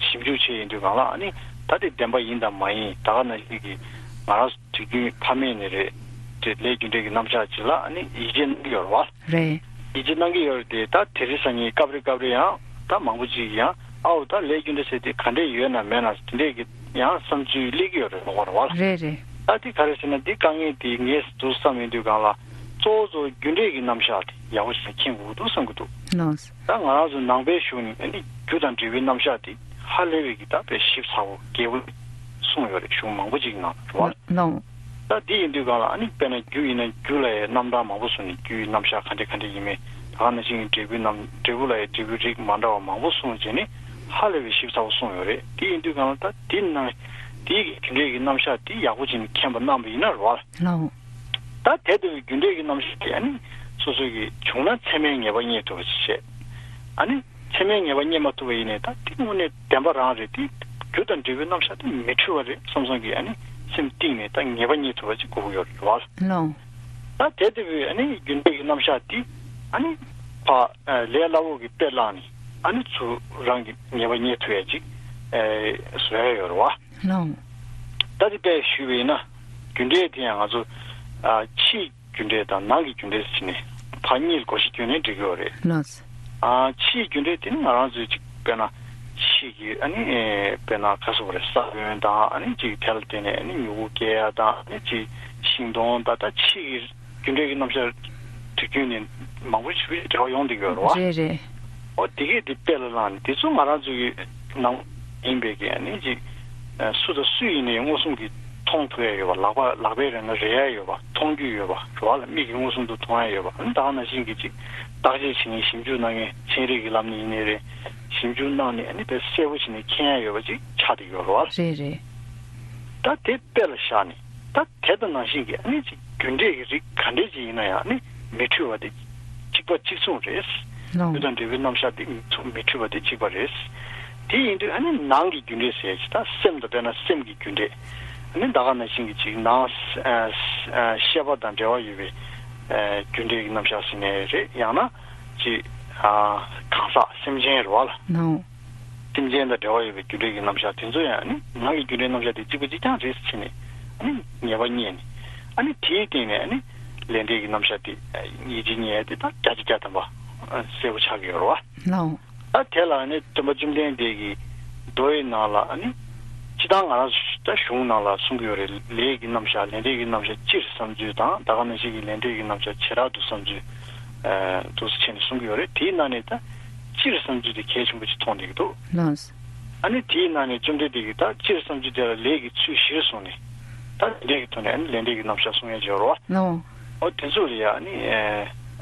ཞིབ་འཇུག་བྱས་ཡིན་དུས་སྒང་ལ། ཨ་ནི་ད་དེ་བདེན་པ་ཡིན་དང་མ་ཡིན། ད་ག་ནང་བཞིན་གྱི་ང་རང་ཚོ་དུས་རྒྱུན་ཕ་མེས་ནས་རེད་དེ་ལས་རྒྱུ་འབྲས་ཀྱི་རྣམ་གཞག་ཅིག་ལ་ཨ་ནི་ཡིད་ཆེས་གནང་གི་ཡོད་རེད་བ། རེད། ཡིད་ཆེས་གནང་གི་ཡོད་རེད་དེ། ད་དེ་རིང་སང་ཉིན་སྐབས་རེ་སྐབས་རེ་ཡང་ད་མང་པོ་ཅིག་ཡང་ཨའོ་ད་ལས་རྒྱུ་འབྲས་ཟེར་དེ་ག་འདྲས་ཡོད་ན་མེད་ན་དེ་འདྲས་ཀྱི་ཡང་བསམ་ཚུལ་སླེབས་ཀྱི་ཡོད་རེད་མ་གཏོགས་རེད་བ། རེད་རེད། ད་དེ་ག་རེ་ཟེར་ན་འདི་དཀའ་ངལ་དེ་ངས་འདུག་བསམ་ཡོང་དུས་སྒང་ལ་གཙོ་བོ་གཙོ་བོ་རྒྱུ་འབྲས་ཀྱི་རྣམ་གཞག་དེ་ཡག་པོ་ཞིག་མཁྱེན་དགོས་འདུག་བསམ་གྱི་འདུག་ལགས། ད་ང་རང་ཚོ་ནང་པའི་གཞུང་ནས་ཨ་ནི་རྒྱུ་དང་འབྲས་བུའི་རྣམ་གཞག་དེ་ཧ་ལས་པའི་གི་ད་དཔེ་ཞིབ་ཚགས་པོ་རྒྱས་པོ་གསུངས་ཡོད་རེད། གཞུང་མང་པོ་ཅིག་ནང་རེད་བ། ལགས། ད་འདི་ཡིན་དུས་སྒང་ལ་ཨ་ནི་དཔེར་ན་རྒྱུ་ཡིན་ན་རྒྱུ་ལ་ཡང་རྣམ་གྲངས་མང་པོ་གསུངས་ནས་རྒྱུ་ཡི་རྣམ་གཞག་ག་འདྲ་ག་འདྲ་ཡིན་མིན། ད་ག་ནང་བཞིན་གྱི་འབྲས་བུའི་རྣམ་འབྲས་བུ་ལ་ཡང་འབྲས་བུའི་རིགས་མ་འདྲ་བ་མང་པོ་གསུངས་བྱས་ནས་ཧ་ལས་པའི་ཞིབ་ཚགས་པོ་གསུངས་ཡོད་རེད། དེ་ཡིན་དུས་སྒང་ལ་ད་འདི་ནང་འདིའི་གི་རྒྱུ་འབྲས་ཀྱི་རྣམ་གཞག་འདི་ཡག་པོ་བྱས་ནས་མཁྱེན་པ་གནང་བ་ཡིན་ན་རེད་བ། ལགས། ད་དེ་ལྟ་བུའི་རྒྱུ་འབྲས་ཀྱི་རྣམ་གཞག་དེ་ཨ་ནི་སོ་སོ་གི་བྱུང་ན་ཚད་མའི་ངེས་པ་རྙེད་ཐུབ་པ་ཞིག་བྱས། ཨ་ནི་ཚད་མའི་ངེས་པ་རྙེད་མ་ཐུབ་པ་ཡིན་ནའི་ད་དེ་དངོས་གནས་བདེན་པ་རང་རེད། དེ་རྒྱུ་དང་འབྲས་བུའི་རྣམ་གཞག་དེ་མི་འཁྲུལ་བ་རེད་བསམ་བསམ་གྱིས་ཨ་ནི་སེམས་གཏིང་ནས་ད་ངེས་པ་རྙེད་ཐུབ་པ་ཅིག་དགོས་ཀྱི་ཡོད་རེད་བ། ལགས། ད་དེ་ལྟ་བུའི་ཨ་ནི་རྒྱུ་འབྲས་ཀྱི་རྣམ་གཞག་དེ་ཨ་ནི་ཕ་ལས་སླ་བོ་གི་དཔེ་བླངས་ནས་ཨ་ནི་ཚུར་རང་གི་ངེས་པ་རྙེད་ཐུབ་ཡ་ཅིག་བཟོ་ཡ་ཡོད་རེད་བ། ལགས། ད་དེ་དཔེ་ཞུས་པ་ཡིན་ན་རྒྱུ་འབྲས་དེ་ཡང་ང་ཚོ་ཕྱིའི་རྒྱུ་འབྲས་དང་ནང་གི་རྒྱུ་འབྲས་ཟེར་ནས་ཕར་གཉིས་ལ་བགོ་བཤའ་བསྐྱོན་ནས་འགྲིག་གི་ཡོད་རེད། ལགས། ཨ་ཕྱིའི་རྒྱུ་འབྲས་དེ་ནི་ང་རང་ཚོའི་ཅིག་དཔེར་ན་ཕྱི་གི་ཨ་ནི་དཔེར་ན་ག་ཟེར་དགོས་རེད། ས་བོན་དང་ཨ་ནི་ཅིག་དེ་ལ་བརྟེན་ནས་ཨ་ནི་མྱུ་གུ་སྐྱེ་ཡ་དང་ཨ་ནི་ཅིག་ཤིང་སྡོང་ད་ལྟ་ཕྱི་གི་རྒྱུ་འབྲས་ཀྱི་རྣམ་གཞག་དུས་རྒྱུན་ནས་མང་པོ་ཞིག་འབྲེལ་བ་ཡོང་བསྡད་ཀྱི་ཡོད་རེད་བ། རེད་རེད། ཨོ་དེ་གས་དེ་དཔེ་ལ་བླངས་ནས་དེ་ཚོ་ང་རང་ཚོ་གི་ནང་ཡིན་པའི་གི་ཨ་ནི་ཅིག་སུ་དང་སུ་ཡིན་ནའི་མངོན་སུམ་གྱིས་མཐོང་ཐུབ་ཡ་ཡོད་པ། ལག་པ་ལག་པས་རེད་ན་རེག་ཡ་ཡོད་པ། མཐོང་རྒྱུ་ཡོད་པ་རེད་བ་ལ། མིག་གིས་མངོན་སུམ་དུ་མཐོང་ཡ་ཡོད་པ། ཨ་ནི་ད་ག་ནང་བཞིན་གྱི་ཅིག་བརྟག་དཔྱད་བྱེད་མཁན་ཞིབ་འཇུག་གནང་མཁན་ཚན་རིག་གི་ལམ་ནས་ཡིན་ནའི་རེད། ཞིབ་འཇུག་གནང་ནས་ཨ་ནི་དཔེ་གསལ་པོ་བྱས་ནས་མཁྱེན་ཡ་ཡོད་པ་ཅིག་ཆགས་བསྡད་ཡོད་རེད་བ། རེད་རེད། ད་དེ་དཔེ་ལ་བཞག་ནས་ད་དེ་དང་ནང་བཞིན་གྱི་ཨ་ནི་ཅིག་རྒྱུ་འབྲས་ཀྱི་རིགས་ག་འདྲས་ཅིག་ཡིན་ན་ཡང་ཨ་ནི་མི་འཁྲུལ་བ་དེ་གཅིག་པ་གཅིག་མཚུངས་རེད། ལགས། རྒྱུ་དང་འབྲས་བུའི་རྣམ་གཞག་དེ་མི་འཁྲུལ་བ་དེ་གཅིག་པ་རེད། དེ་ཡིན་དུས་ཨ་ནི་ནང་གི་རྒྱུ་འབྲས་ཟེར་ཅིག་ད་སེམས་དང་དཔེར་ན་སེམས་ཀྱི་རྒྱུ་འབྲས། ཨ་ནི་ད་ག་ནང་བཞིན་གྱི་ཅིག་ནང་ཨ་ཨ་ཤེས་པ་དང་འབྲེལ་བ་ཡོད་པའི་ཨ་རྒྱུ་འབྲས་ཀྱི་རྣམ་གཞག་ཟེར་ནའི་རེད། ཡང་ན་ཅིག་ཨ་གང་ཟག་སེམས་ཅན་རེད་བ་ལ། ནའོ། སེམས་ཅན་དང་འབྲེལ་བ་ཡོད་པའི་རྒྱུ་འབྲས་ཀྱི་རྣམ་གཞག་དེ་ཚོ་ཡང་ཨ་ནི་ནང་གི་རྒྱུ་འབྲས་རྣམ་གཞག་དེ་གཅིག་པ་གཅིག་རྐྱང་རེད་ཟེར་ནས་ཨ་ནི་ངེས་པ་རྙེད་ནས། ཨ་ནི་དེའི་སྟེང་ནས་ཨ་ནི་ལས་འབྲས་ཀྱི་རྣམ་གཞག་དེ་ཡིད་ཆེས་རྙེད་དེ་ད་བརྒྱ་ཆ་བརྒྱ་ཐམ་པ་གསལ་པོ་ཆགས་ཀྱི་ཡོད་རེད་བ། ནའོ། ད་དེ་ལ་ནི་སྟོན་པ་བཅོམ་ལྡན་འདས་ཀྱིས་མདོའི་ནང་ལ་ནི་སྤྱིར་བཏང་ང་རང་ཚོ་ད་གཞུང་ནང་ལ་གསུང་གི་ཡོད་རེད། ལས་ཀྱི་རྣམ་གཞག་ལས་འབྲས་ཀྱི་རྣམ་གཞག་སྤྱིར་བསམ་ཚུལ་དང་ད་ག་ནང་བཞིན་གྱི་ལས་འབྲས་ཀྱི་རྣམ་གཞག་བྱེ་བྲག་ཏུ་བསམ་ཚུལ། ཨ་འདུག་སེ་བྱས་ནས་གསུང་གི་ཡོད་རེད། དེའི་ནང་ནས་ད་སྤྱིར་བསམ་ཚུལ་དེ་གལ་ཆེན་པོ་ཅིག་མཐོང་བསྡད་ཀྱི་འདུག་ལགས། ཨ་ནི་དེའི་ནང་ནས་བཅོམ་ལྡན་འདས་ཀྱིས་ད་སྤྱིར་བསམ་ཚུལ་དེ་ལ་ལས་ཀྱི་ཚུལ་བཞིར་བཟུང་ནས་ད་ལས་འབྲས་ཀྱི་ཐོག་ནས་ཨ་ནི་ལས་འབྲས་ཀྱི་རྣམ་གཞག་གསུང་ཡ་བྱེད་རོགས། ལགས། ཨོ་དེ་ཚོ་ལ་ཡ་ཨ་ནི་ཨ་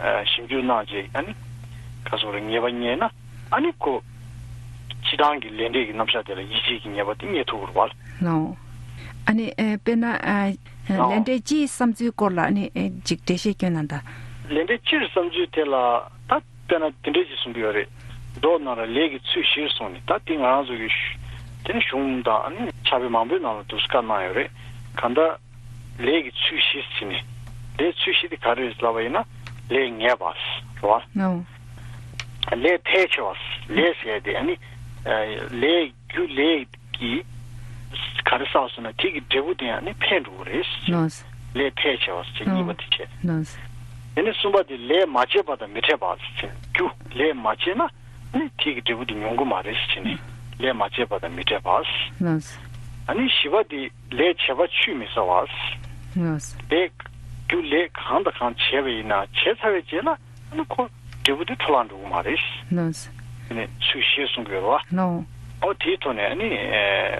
ཨ་ཞིབ་འཇུག་གནང་རྗེས་ཨ་ནི་ག་སོགས་རེ་ངེས་པ་རྙེད་ན། ཨ་ནི་ཁོ་སྤྱིར་བཏང་གི་ལས་འབྲས་ཀྱི་རྣམ་གཞག་དེ་ལ་ཡིད་ཆེས་ཀྱི་ངེས་པ་དེ་རྙེད་ཐུབ་ཀྱི་རེད་བ། ལགས། ཨ་ནི་ཨེ་དཔེར་ན་ཨ་ལགས། ལས་འབྲས་སྤྱིའི་བསམ་ཚུལ་སྐོར་ལ་ཨ་ནི་ཨེ་ཅིག་འགྲེལ་བཤད་སྐྱོན་གནང་དང་། ལས་འབྲས་སྤྱིར་བསམ་ཚུལ་དེ་ལ་ད་དཔེར་ན་དེ་འདྲས་ཅིག་གསུང་གི་ཡོད་རེད། མདོ་ནང་ལ་ལས་ཀྱི་ཚུལ་བཞིར་གསུངས་ནས་ད་དེ་ང་རང་ཚོ་གི་ཤུ་དེ་ནི་གཞུང་དང་ཨ་ནི་ཕྱག་དཔེ་མང་པོའི་ནང་ལ་འདུག་སེ་བཀའ་གནང་ཡོད་རེད། གང་ལྟར། ལས་ཀྱི་ཚུལ་བཞི་ཟེར་ནས། ལས་ཚུལ་བཞི་དེ་ག་རེ་རེད་ལབ་པ་ཡིན་ན། ལས་ངེས་པ་རེད་བ། ནའོ། ལས་ཕལ་ཆེ་བ། ལས་ཟེར་ཡ་དེ་ཨ་ནི། ཨ་ལས་རྒྱུ་ལས་ཀྱི་ག་རེ་བསགས་སོང་ན་དེ་གི་འབྲས་བུ་དེ་ཨ་ནི་འཕེལ་འགྲོ་གི་རེད། ནའོ། ལས་ཕལ་ཆེ་བ་ཟེར་གཉིས་པ་དེ་བྱས། ནའོ། དེ་ནས་གསུམ་པ་དེ་ལས་མ་བྱས་པ་དང་མི་འཕྲད་པ་ཟེར། རྒྱུ་ལས་མ་བྱས་ན་ཨ་ནི་དེ་གི་འབྲས་བུ་དེ་མྱོང་གི་མ་རེད་ཟེར་ནས། ལས་མ་བྱས་པ་དང་མི་འཕྲད་པ། ནའོ། ཨ་ནི་བཞི་པ་དེ། ལས་བྱས་པ་ཆུད་མི་ཟ་བ། ལགས། ལས་རྒྱུ་ལས་གང་དང་གང་བྱས་པ་ཡིན་ན་བྱས་ཚར་བའི་རྗེས་ལ་ཨ་ནི་ཁོ་འབྲས་བུ་དེ་འཕྲོ་བརླག་འགྲོ་གི་མ་རེད། ལགས། དེ་ནས་ཚུལ་བཞིར་གསུང་གི་ཡོད་རེད་བ། ལགས། ཨོ་དེའི་ཐོག་ནས་ཨ་ནི་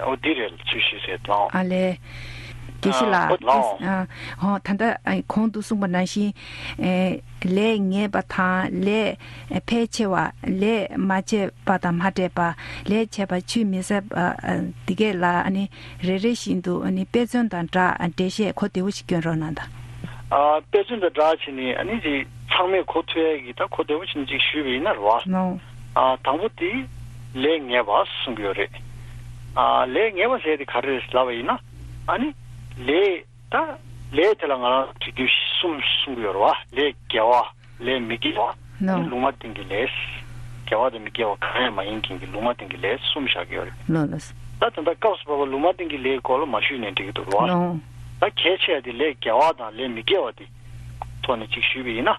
ཨོ་འདི་རེད་ཚུལ་བཞི་ཟེར་ལགས། ཨ་ལས། དགེ་བཤེས་ལགས། ཨོ་ལགས། ཨ་ཨོ་ད་ལྟ་ཨ་གོང་དུ་གསུངས་པ་ནང་བཞིན་ཨེ་ལས་ངེས་པ་དང་ལས་ཕལ་ཆེ་བ་ལས་མ་བྱས་པ་དང་མ་འཕྲད་པ། ལས་བྱས་པ་ཆུད་མི་ཟ་བ། ཨ་འདི་གས་ལ་ཨ་ནི་རེ་རེ་བཞིན་དུ་ཨ་ནི་དཔེ་མཚོན་དང་སྦྲགས་འགྲེལ་བཤད་གོ་བདེ་བོ་ཞིག་སྐྱོན་རོགས་གནང་དང་། ཨ་དཔེ་མཚོན་དང་སྦྲགས་བྱས་ནས་ཨ་ནི་ཅིག་ཚང་མས་གོ་ཐུབ་ཡ་གི་ད་གོ་བདེ་བོ་ཞིག་ཅིག་ཞུས་པ་ཡིན་ན་རེད་བ། ནའོ། ཨ་དང་པོ་དེ་ལས་ངེས་པ་གསུང་གི་ཡོད་རེད། ཨ་ལས་ངེས་པ་ཟེར་དེ་ག་རེ་རེད་ལབ་པ་ཡིན་ན། ཨ་ནི་ལས། ད་ལས་དེ་ལ་ང་རང་ཚོས་རྒྱུ་གསུམ་གསུང་གི་ཡོད་རེད་བ། ལས་དགེ་བ། ལས་མི་དགེ་བ། ནའོ། ལུང་མ་བསྟན་གྱི་ལས། དགེ་བ་དང་མི་དགེ་བ་གང་ཡང་མ་ཡིན་མཁན་གྱི་ལུང་མ་བསྟན་གྱི་ལས་གསུམ་བཞག་གི་ཡོད་རེད། ལགས་ལགས། ད་དེ་འདྲ་སྐབས་སུ་བབས་པ་ལུང་མ་བསྟན་གྱི་ལས་སྐོར་ལ་མ་ཞུས་ནས་འགྲིག་གི་འདུག་རེད་བ། ནའོ། ད་གལ་ཆེ་བ་དེ་ལས་དགེ་བ་དང་ལས་མི་དགེ་བ་དེ་ཐོག་ནས་ཅིག་ཞུས་པ་ཡིན་ན།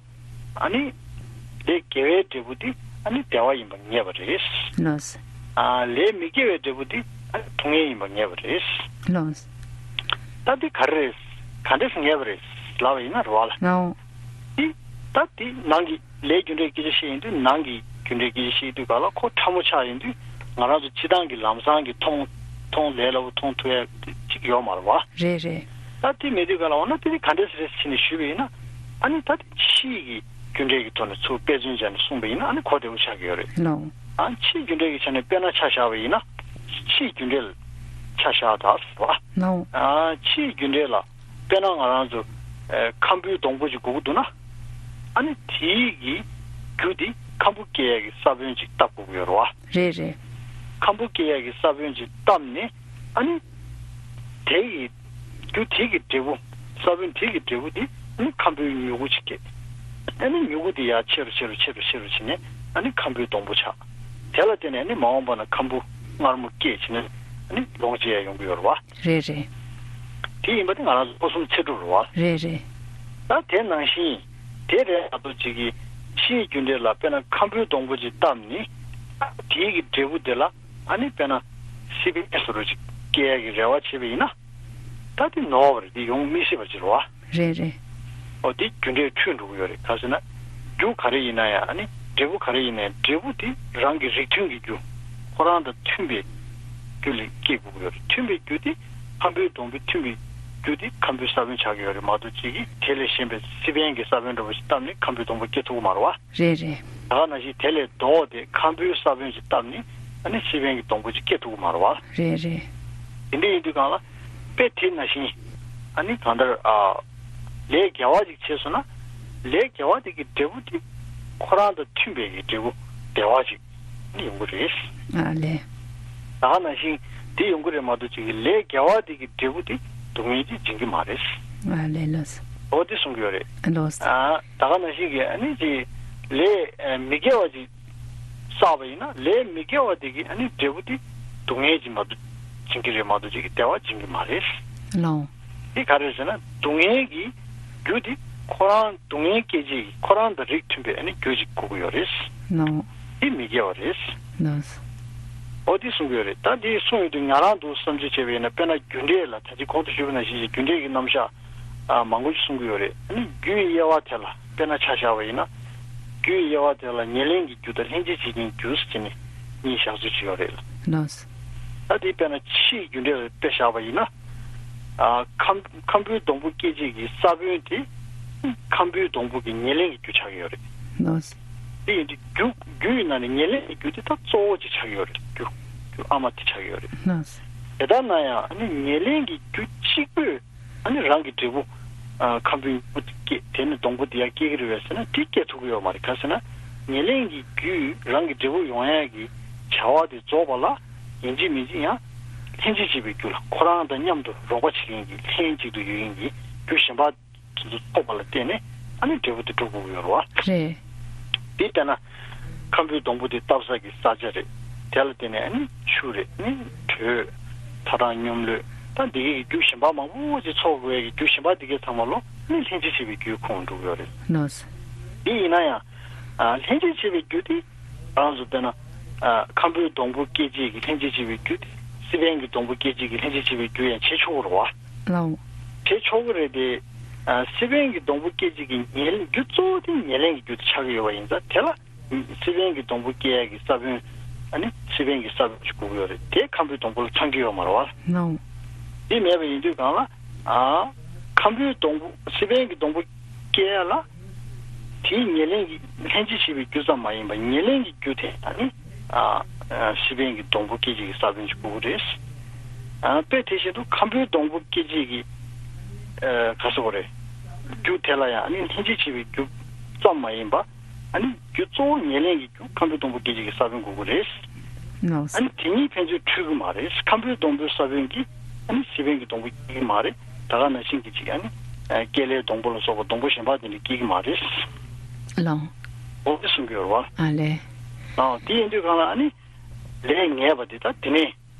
ཨ་ནི། ལས་དགེ་བའི་འབྲས་བུ་དེ་ཨ་ནི་བདེ་བ་ཡིན་པ་ངེས་པ་རེད། ལགས། ཨ་ལས་མི་དགེ་བའི་འབྲས་བུ་དེ་ཨ་ནི་སྡུག་བསྔལ་ཡིན་པ་ངེས་པ་རེད། ལགས། ད་དེ་ག་རེ་རེད། ག་འདྲས་སེ་ངེས་པ་རེད་ལབ་པ་ཡིན་ན་རེད་བ་ལ། ནའོ། དེ་ད་དེ་ནང་གི་ལས་རྒྱུ་འབྲས་སྐད་ཆ་བཤད་ཡིན་དུས་ནང་གི་རྒྱུ་འབྲས་སྐད་ཆ་བཤད་དུས་ག་ལ་ཁོ་ཕྲ་མོ་ཆགས་ཡིན་དུས་ང་རང་ཚོ་སྤྱིར་བཏང་གི་ལམ་སང་གི་མཐོང་མཐོང་ལས་སླ་པོ་མཐོང་ཐུབ་ཡ་དེ་གཅིག་ཡོད་མ་རེད་བ། རེད་རེད། ད་དེ་མེད་དུས་ག་ལ་འོ་ན་དེ་ནི་ག་འདྲས་རེད་ཟེར་ནས་ཞུས་པ་ཡིན་ན། ཨ་ནི་ད་དེ་ཕྱིའི་གི་རྒྱུ་འབྲས་ཀྱི་ཐོག་ནས་ཚུར་དཔེ་མཚོན་བྱས་ནས་གསུངས་པ་ཡིན་ན་ཨ་ནི་གོ་བདེ་བོ་ཆགས་ཀྱི་ཡོད་རེད། ལགས། ཨ་ཕྱིའི་རྒྱུ་འབྲས་ཀྱི་ཆ་ནས་དཔེར་ན་ཆ་བཞག་པ་ཡིན་ན། ཕྱིའི་རྒྱུ་འབྲས་ལ་ཆ་བཞག་ད་ཟེར་བ། ལགས། ཨ་ཕྱིའི་རྒྱུ་འབྲས་ལ་དཔེར་ན་ང་རང་ཚོ་ཨ་ཁམ་བུའི་སྡོང་པོ་ཅིག་དགོས་ཀྱི་འདུག་ན། ཨ་ནི་དེའི་གི་རྒྱུ་དེ་ཁམ་བུ་སྐྱེ་ཡ་གི་ས་བོན་ཅིག་བཏབ་དགོས་ཀྱི་ཡོད་རེད་བ། རེད་རེད། ཁམ་བུ་སྐྱེ་ཡ་གི་ས་བོན་ཅིག་བཏབ་ནས་ཨ་ནི། དེ་ཡི་རྒྱུ་དེ་གི་འབྲས་བུ། ས་བོན་དེ་གི་འབྲས་བུ་དེ་ཨ་ནི་ཁམ་བུའི་མྱུ་གུ་ཅིག་སྐྱེ། ཨ་ནི་མྱུ་གུ་དེ་ཡར་ཆེ་རུ་ཆེ་རུ་ཆེ་རུ་ཆེ་རུ་ཕྱིན་ནས་ཨ་ནི་ཁམ་བུའི་སྡོང་པོ་ཆགས། དེ་ལ་བརྟེན་ནས་ཨ་ནི་མ་འོངས་པ་ན་ཁམ་བུ་མངར་མོ་སྐྱེས་ཕྱིན་ནས་ཨ་ནི་ལོངས་སྤྱད་ཡ་ཡོང་གི་ཡོད་རེད་བ། རེད་རེད། དེ་ཡིན་པ་དེ་ང་རང་ཚོ་སྒོ་གསུམ་ཚེ་སྒྲུབ་རེད་བ། རེད་རེད། ད་དེ་ནང་བཞིན་དེ་རེད་ཨ་ཏོ་ཅིག་གི་ཕྱིའི་རྒྱུ་འབྲས་ལ་དཔེར་ན་ཁམ་བུའི་སྡོང་པོ་ཅིག་བཏབ་ནས་དེའི་གི་འབྲས་བུ་དེ་ལ། ཨ་ནི་དཔེར་ན་སི་པན་བཟོ་འདྲ་ཅིག་སྐྱེ་ཡ་གི་རེ་བ་བྱས་པ་ཡིན་ན། ད་དེ་ནོར་བ་རེད། དེ་ཡོང་མི་སྲིད་པ་ཅིག་རེད་བ། རེད་རེད། ཨོ་དེ་རྒྱུ་འབྲས་འཁྲུལ་འགྲོ་གི་ཡོད་རེད། ག་ཟེར་ན། རྒྱུ་ག་རེ་ཡིན་ན་ཡང་ཨ་ནི་འབྲས་བུ་ག་རེ་ཡིན་ན་ཡང་འབྲས་བུ་དེ་རང་གི་རིགས་མཐུན་གྱི་རྒྱུ། ཁོ་རང་དང་མཐུན་པའི་རྒྱུ་ལས་སྐྱེ་དགོས་ཀྱི་ཡོད་རེད། མཐུན་པའི་རྒྱུ་དེ་ཁམ་བུའི་སྡོང་པོའི་མཐུན་པའི་རྒྱུ་དེ་ཁམ་བུའི་ས་བོན་ཆགས་ཀྱི་ཡོད་རེད་མ་གཏོགས་ཅིག་གིས་དེ་ལས་གཞན་པའི་སི་པན་གྱི་ས་བོན་འདྲ་བོ་ཞིག་བཏབ་ནས་ཁམ་བུའི་སྡོང་པོ་སྐྱེ་ཐུབ་ཀྱི་མ་རེད་བ། རེད་རེད། ད་ག་ནང་བཞིན་དེ་ལས་ལྡོག་སྟེ་ཁམ་བུའི་ས་བོན་ཞིག་བཏབ་ནས་ཨ་ནི་སི་པན་གྱི་སྡོང་པོ་ཅིག་སྐྱེ་ཐུབ་ཀྱི་མ་རེད་བ། རེད་རེད། དེ་འདྲ་ཡིན་དུས་གང་ལ་དཔེ་དེ་ནང་བཞིན་ཨ་ནི་གང་ལྟར་ཨ་ལས་དགེ་བ་ཅིག་བྱས་སོང་ན་ལས་དགེ་བ་དེ་གི་འབྲས་བུ་དེ་ཁོ་རང་དང་མཐུན་པའི་གི་འབྲས་བུ་བདེ་བ་ཅིག་ཨ་ནི་ཡོང་གི་རེད། ཨ་ལས། ད་ག་ནང་བཞིན་དེ་ཡོང་གི་རེད་མ་གཏོགས་ཅིག་གི་ལས་དགེ་བ་དེ་གི་འབྲས་བུ་དེ་སྡུག་བསྔལ་གྱིས་འབྱིན་གྱི་མ་རེད། ཨ་ལས་ལགས། འོ་དེ་གསུང་གི་ཡོད་རེད། ལགས། ཨ་ད་ག་ནང་བཞིན་གྱི་ཨ་ནི་ཅིག་ལས་ཨ་མི་དགེ་བ་ཅིག་བསགས་པ་ཡིན་ན་ལས་མི་དགེ་བ་དེ་གི་ཨ་ནི་འབྲས་བུ་དེ་སྡུག་བསྔལ་གྱིས་མ་གཏོགས་འབྱིན་གྱི་རེད་མ་གཏོགས་ཅིག་གི་བདེ་བ་འབྱིན་གྱི་མ་རེད། ལགས། དེ་ག་རེ་ཟེར་ན་སྡུག་བསྔལ་གྱི་རྒྱུ་དེ་ཁོ་རང་སྡུག་བསྔལ་སྐྱེད་བྱེད་ཀྱི་ཁོ་རང་དང་རིགས་མཐུན་པའི་ཨ་ནི་རྒྱུ་ཅིག་དགོས་ཀྱི་ཡོད་རེད། ལགས། དེ་མི་དགེ་བ་རེད། ལགས། འོ་དེ་གསུང་གི་ཡོད་རེད། ད་དེ་གསུང་ཡོང་དུས་ང་རང་འདུག་བསམ་ཚུལ་བྱས་པ་ཡིན་ན་དཔེར་ན་རྒྱུ་འབྲས་ལ་ད་ཅི་གོང་དུ་ཞུས་པ་ནང་བཞིན་གྱི་རྒྱུ་འབྲས་ཀྱི་རྣམ་གཞག་ཨ་མང་པོ་ཞིག་གསུང་གི་ཡོད་རེད། ཨ་ནི་རྒྱུའི་དབྱེ་བ་དེ་ལ་དཔེར་ན་ཆ་བཞག་པ་ཡིན་ན་རྒྱུའི་དབྱེ་བ་དེ་ལ་ཉེར་ལེན་གྱི་རྒྱུ་དང་ལྷན་ཅིག་བྱེད་ཀྱི་རྒྱུ་ཟེར་ནས་གཉིས་བཞག་ཚུལ་ཅིག་ཡོད་རེད། ལགས། ད་དེ་དཔེར་ན་ཕྱིའི་རྒྱུ་འབྲས་ལ་དཔེ་བཞག་པ་ཡིན་ན། ཨ་ཁམ་ཁམ་བུའི་སྡོང་པོ་སྐྱེད་བྱེད་ཀྱི་ས་བོན་དེ་ཁམ་བུའི་སྡོང་པོ་གི་ཉེར་ལེན་གྱི་རྒྱུ་ཆགས་ཀྱི་ཡོད་རེད། ལགས། དེ་ཡིན་དུས་རྒྱུ་རྒྱུ་ཡི་ནང་ནས་ཉེར་ལེན་གྱི་རྒྱུ་དེ་ད་གཙོ་བོ་ཅིག་ཆགས་ཀྱི་ཡོད་རེད། རྒྱུ་རྒྱུ་ཨ་མ་དེ་ཆགས་ཀྱི་ཡོད་རེད། ལགས། དེ་ལྟར་ན་ཡང་ཨ་ནི་ཉེར་ལེན་གྱི་རྒྱུ་གཅིག་པོས་ཨ་ནི་རང་གི་འབྲས་བུ་ཨ་ཁམ་བུའི་སྡོང་པོ་དེ་སྐྱེ་དེ་ནི་སྡོང་པོ་དེ་ཡང་སྐྱེ་གི་རེད་པས་ཟེར་ན་དེ་སྐྱེ་ཐུབ་ཀྱི་ཡོད་མ་རེད། ག་རེ་ཟེར་ན་ཉེར་ལེན་གྱི་རྒྱུས་རང་གི་འབྲས་བུ་ཡོང་ཡག་གི་བྱ་བ་དེ་རྫོགས་པ་ལ། ཡིན་གཅིག་མིན་གཅིག་ཡང་ལྷན་ཅིག་བྱེད་པའི་རྒྱུ་ལ་ཁོ་རང་དང་མཉམ་དུ་རོགས་པ་བྱེད་མཁན་གྱི་ལྷན་ཅིག་ཏུ་ཡོད་མཁན་གྱི་རྒྱུ་གཞན་པ་དེ་ཚོ་ཐོབ་པ་ལ་བརྟེན་ནས་ཨ་ནི་འབྲས་བུ་དེ་འགྲུབ་དགོས་ཀྱི་ཡོད་རེད་བ། རེད། དེ་ལྟ་ན་ཁམ་བུའི་སྡོང་པོ་དེ་བཏབ་ས་ཀྱི་ས་ཆ་རེད། དེ་ལ་བརྟེན་ནས་ཨ་ནི་ཆུ་རེད། ཨ་ནི་དྲོད། ཐ་དང་སྙོམས་ལུས་ད་འདི་གའི་རྒྱུ་གཞན་པ་མང་པོ་ཅིག་ཚོགས་དགོས་ཀྱི་རྒྱུ་གཞན་པ་འདི་གའི་ཚང་མ་ལོ་ཨ་ནི་ལྷན་ཅིག་བྱེད་པའི་རྒྱུའི་ཁོངས་འགྲོ་གི་ཡོད་རེད། ལགས། དེ་ཡིན་ན་ཡང་ཨ་ལྷན་ཅིག་བྱེད་པའི་རྒྱུ་དེ། རང་ཚོ་དཔེར་ན། ཨ་ཁམ་བུའི་སྡོང་པོ་སྐྱེད་བྱེད་ཀྱི་ལྷན་ཅིག་བྱེད་པའི་རྒྱུ་དེ། སི་པན་གྱི་སྡོང་པོ་སྐྱེད་བྱེད་ཀྱི་ལྷན་ཅིག་བྱེད་པའི་རྒྱུ་ཡང་བྱེད་ཆོག་གི་རེད་བ། ལའོ། བྱེད་ཆོག་གི་རེད་དེ། ཨ་སི་པན་གྱི་སྡོང་པོ་སྐྱེད་བྱེད་ཀྱི་ཉེར་རྒྱུ་གཙོ་བོ་དེ་ཉེར་ལེན་གྱི་རྒྱུ་དེ་ཆགས་ཀྱི་ཡོད་པ་ཡིན་ཙང་དེ་ལ། སི་པན་གྱི་སྡོང་པོ་སྐྱེད་ཡག་གི་ས་བོན། ཨ་ནི་སི་པན་གྱི་ས་བོན་ཞིག་དགོས་ཀྱི་ཡོད་རེད་དེ་ཁམ་བུའི་སྡོང་པོ་ལ་ཚང་གི་ཡོད་མ་རེད་བ། ལའོ། དེ་མེད་པ་ཡིན་དུས་གང་ལ། ཨ་ཁམ་བུའི་སྡོང་པོ་སི་པན་གྱི་སྡོང་པོ་སྐྱེ་ཡ་ལ། དེའི་ཉེར་ལེན་གྱི་ལྷན་ཅིག་བྱེད་པའི་རྒྱུ་ཙམ་མ་ཡིན་པར་ཉེར་ལེན་གྱི་རྒྱུ་དེ་ཨ་ནི་ཨ་ཨ་སི་པན་གྱི་སྡོང་པོ་སྐྱེད་བྱེད་ཀྱི་ས་བོན་ཞིག་དགོས་ཀྱི་རེད། ཨ་དཔེ་དེ་བཞིན་དུ་ཁམ་བུའི་སྡོང་པོ་སྐྱེད་བྱེད་ཀྱི་ཨ་ག་ཟེར་དགོས་རེད། རྒྱུ་དེ་ལ་ཡང་ཨ་ནི་ལྷན་ཅིག་བྱེད་པའི་རྒྱུ་ཙམ་མ་ཡིན་པར་ཨ་ནི་རྒྱུ་གཙོ་བོ་ཉེར་ལེན་གྱི་རྒྱུ་ཁམ་བུའི་སྡོང་པོ་སྐྱེད་བྱེད་ཀྱི་ས་བོན་དགོས་ཀྱི་རེད། ཨ་ནི་དེ་གཉིས་ཕན་ཚུན་འཁྲུལ་གྱི་མ་རེད། ཁམ་བུའི་སྡོང་པོའི་ས་བོན་གྱིས་ཨ་ནི་སི་པན་གྱི་སྡོང་པོ་སྐྱེ་གི་མ་རེད། ད་ག་ནང་བཞིན་གྱི་ཅིག་ཨ་ནི་ཨ་ཀེ་ལའི་སྡོང་པོ་ལ་སོགས་པ་སྡོང་པོ་གཞན་པ་དེ་འདྲ་སྐྱེ་གི་མ་རེད། ལའོ། འོ་དེ་གསུང་གི་ཡོད་རེད་བ། ཨ་ལས། ཨ་དེ་ཡིན་དུས་གང་ལ་ཨ་ནི་ལས་ངེས་པ་དེ་ད་དེ་ནས་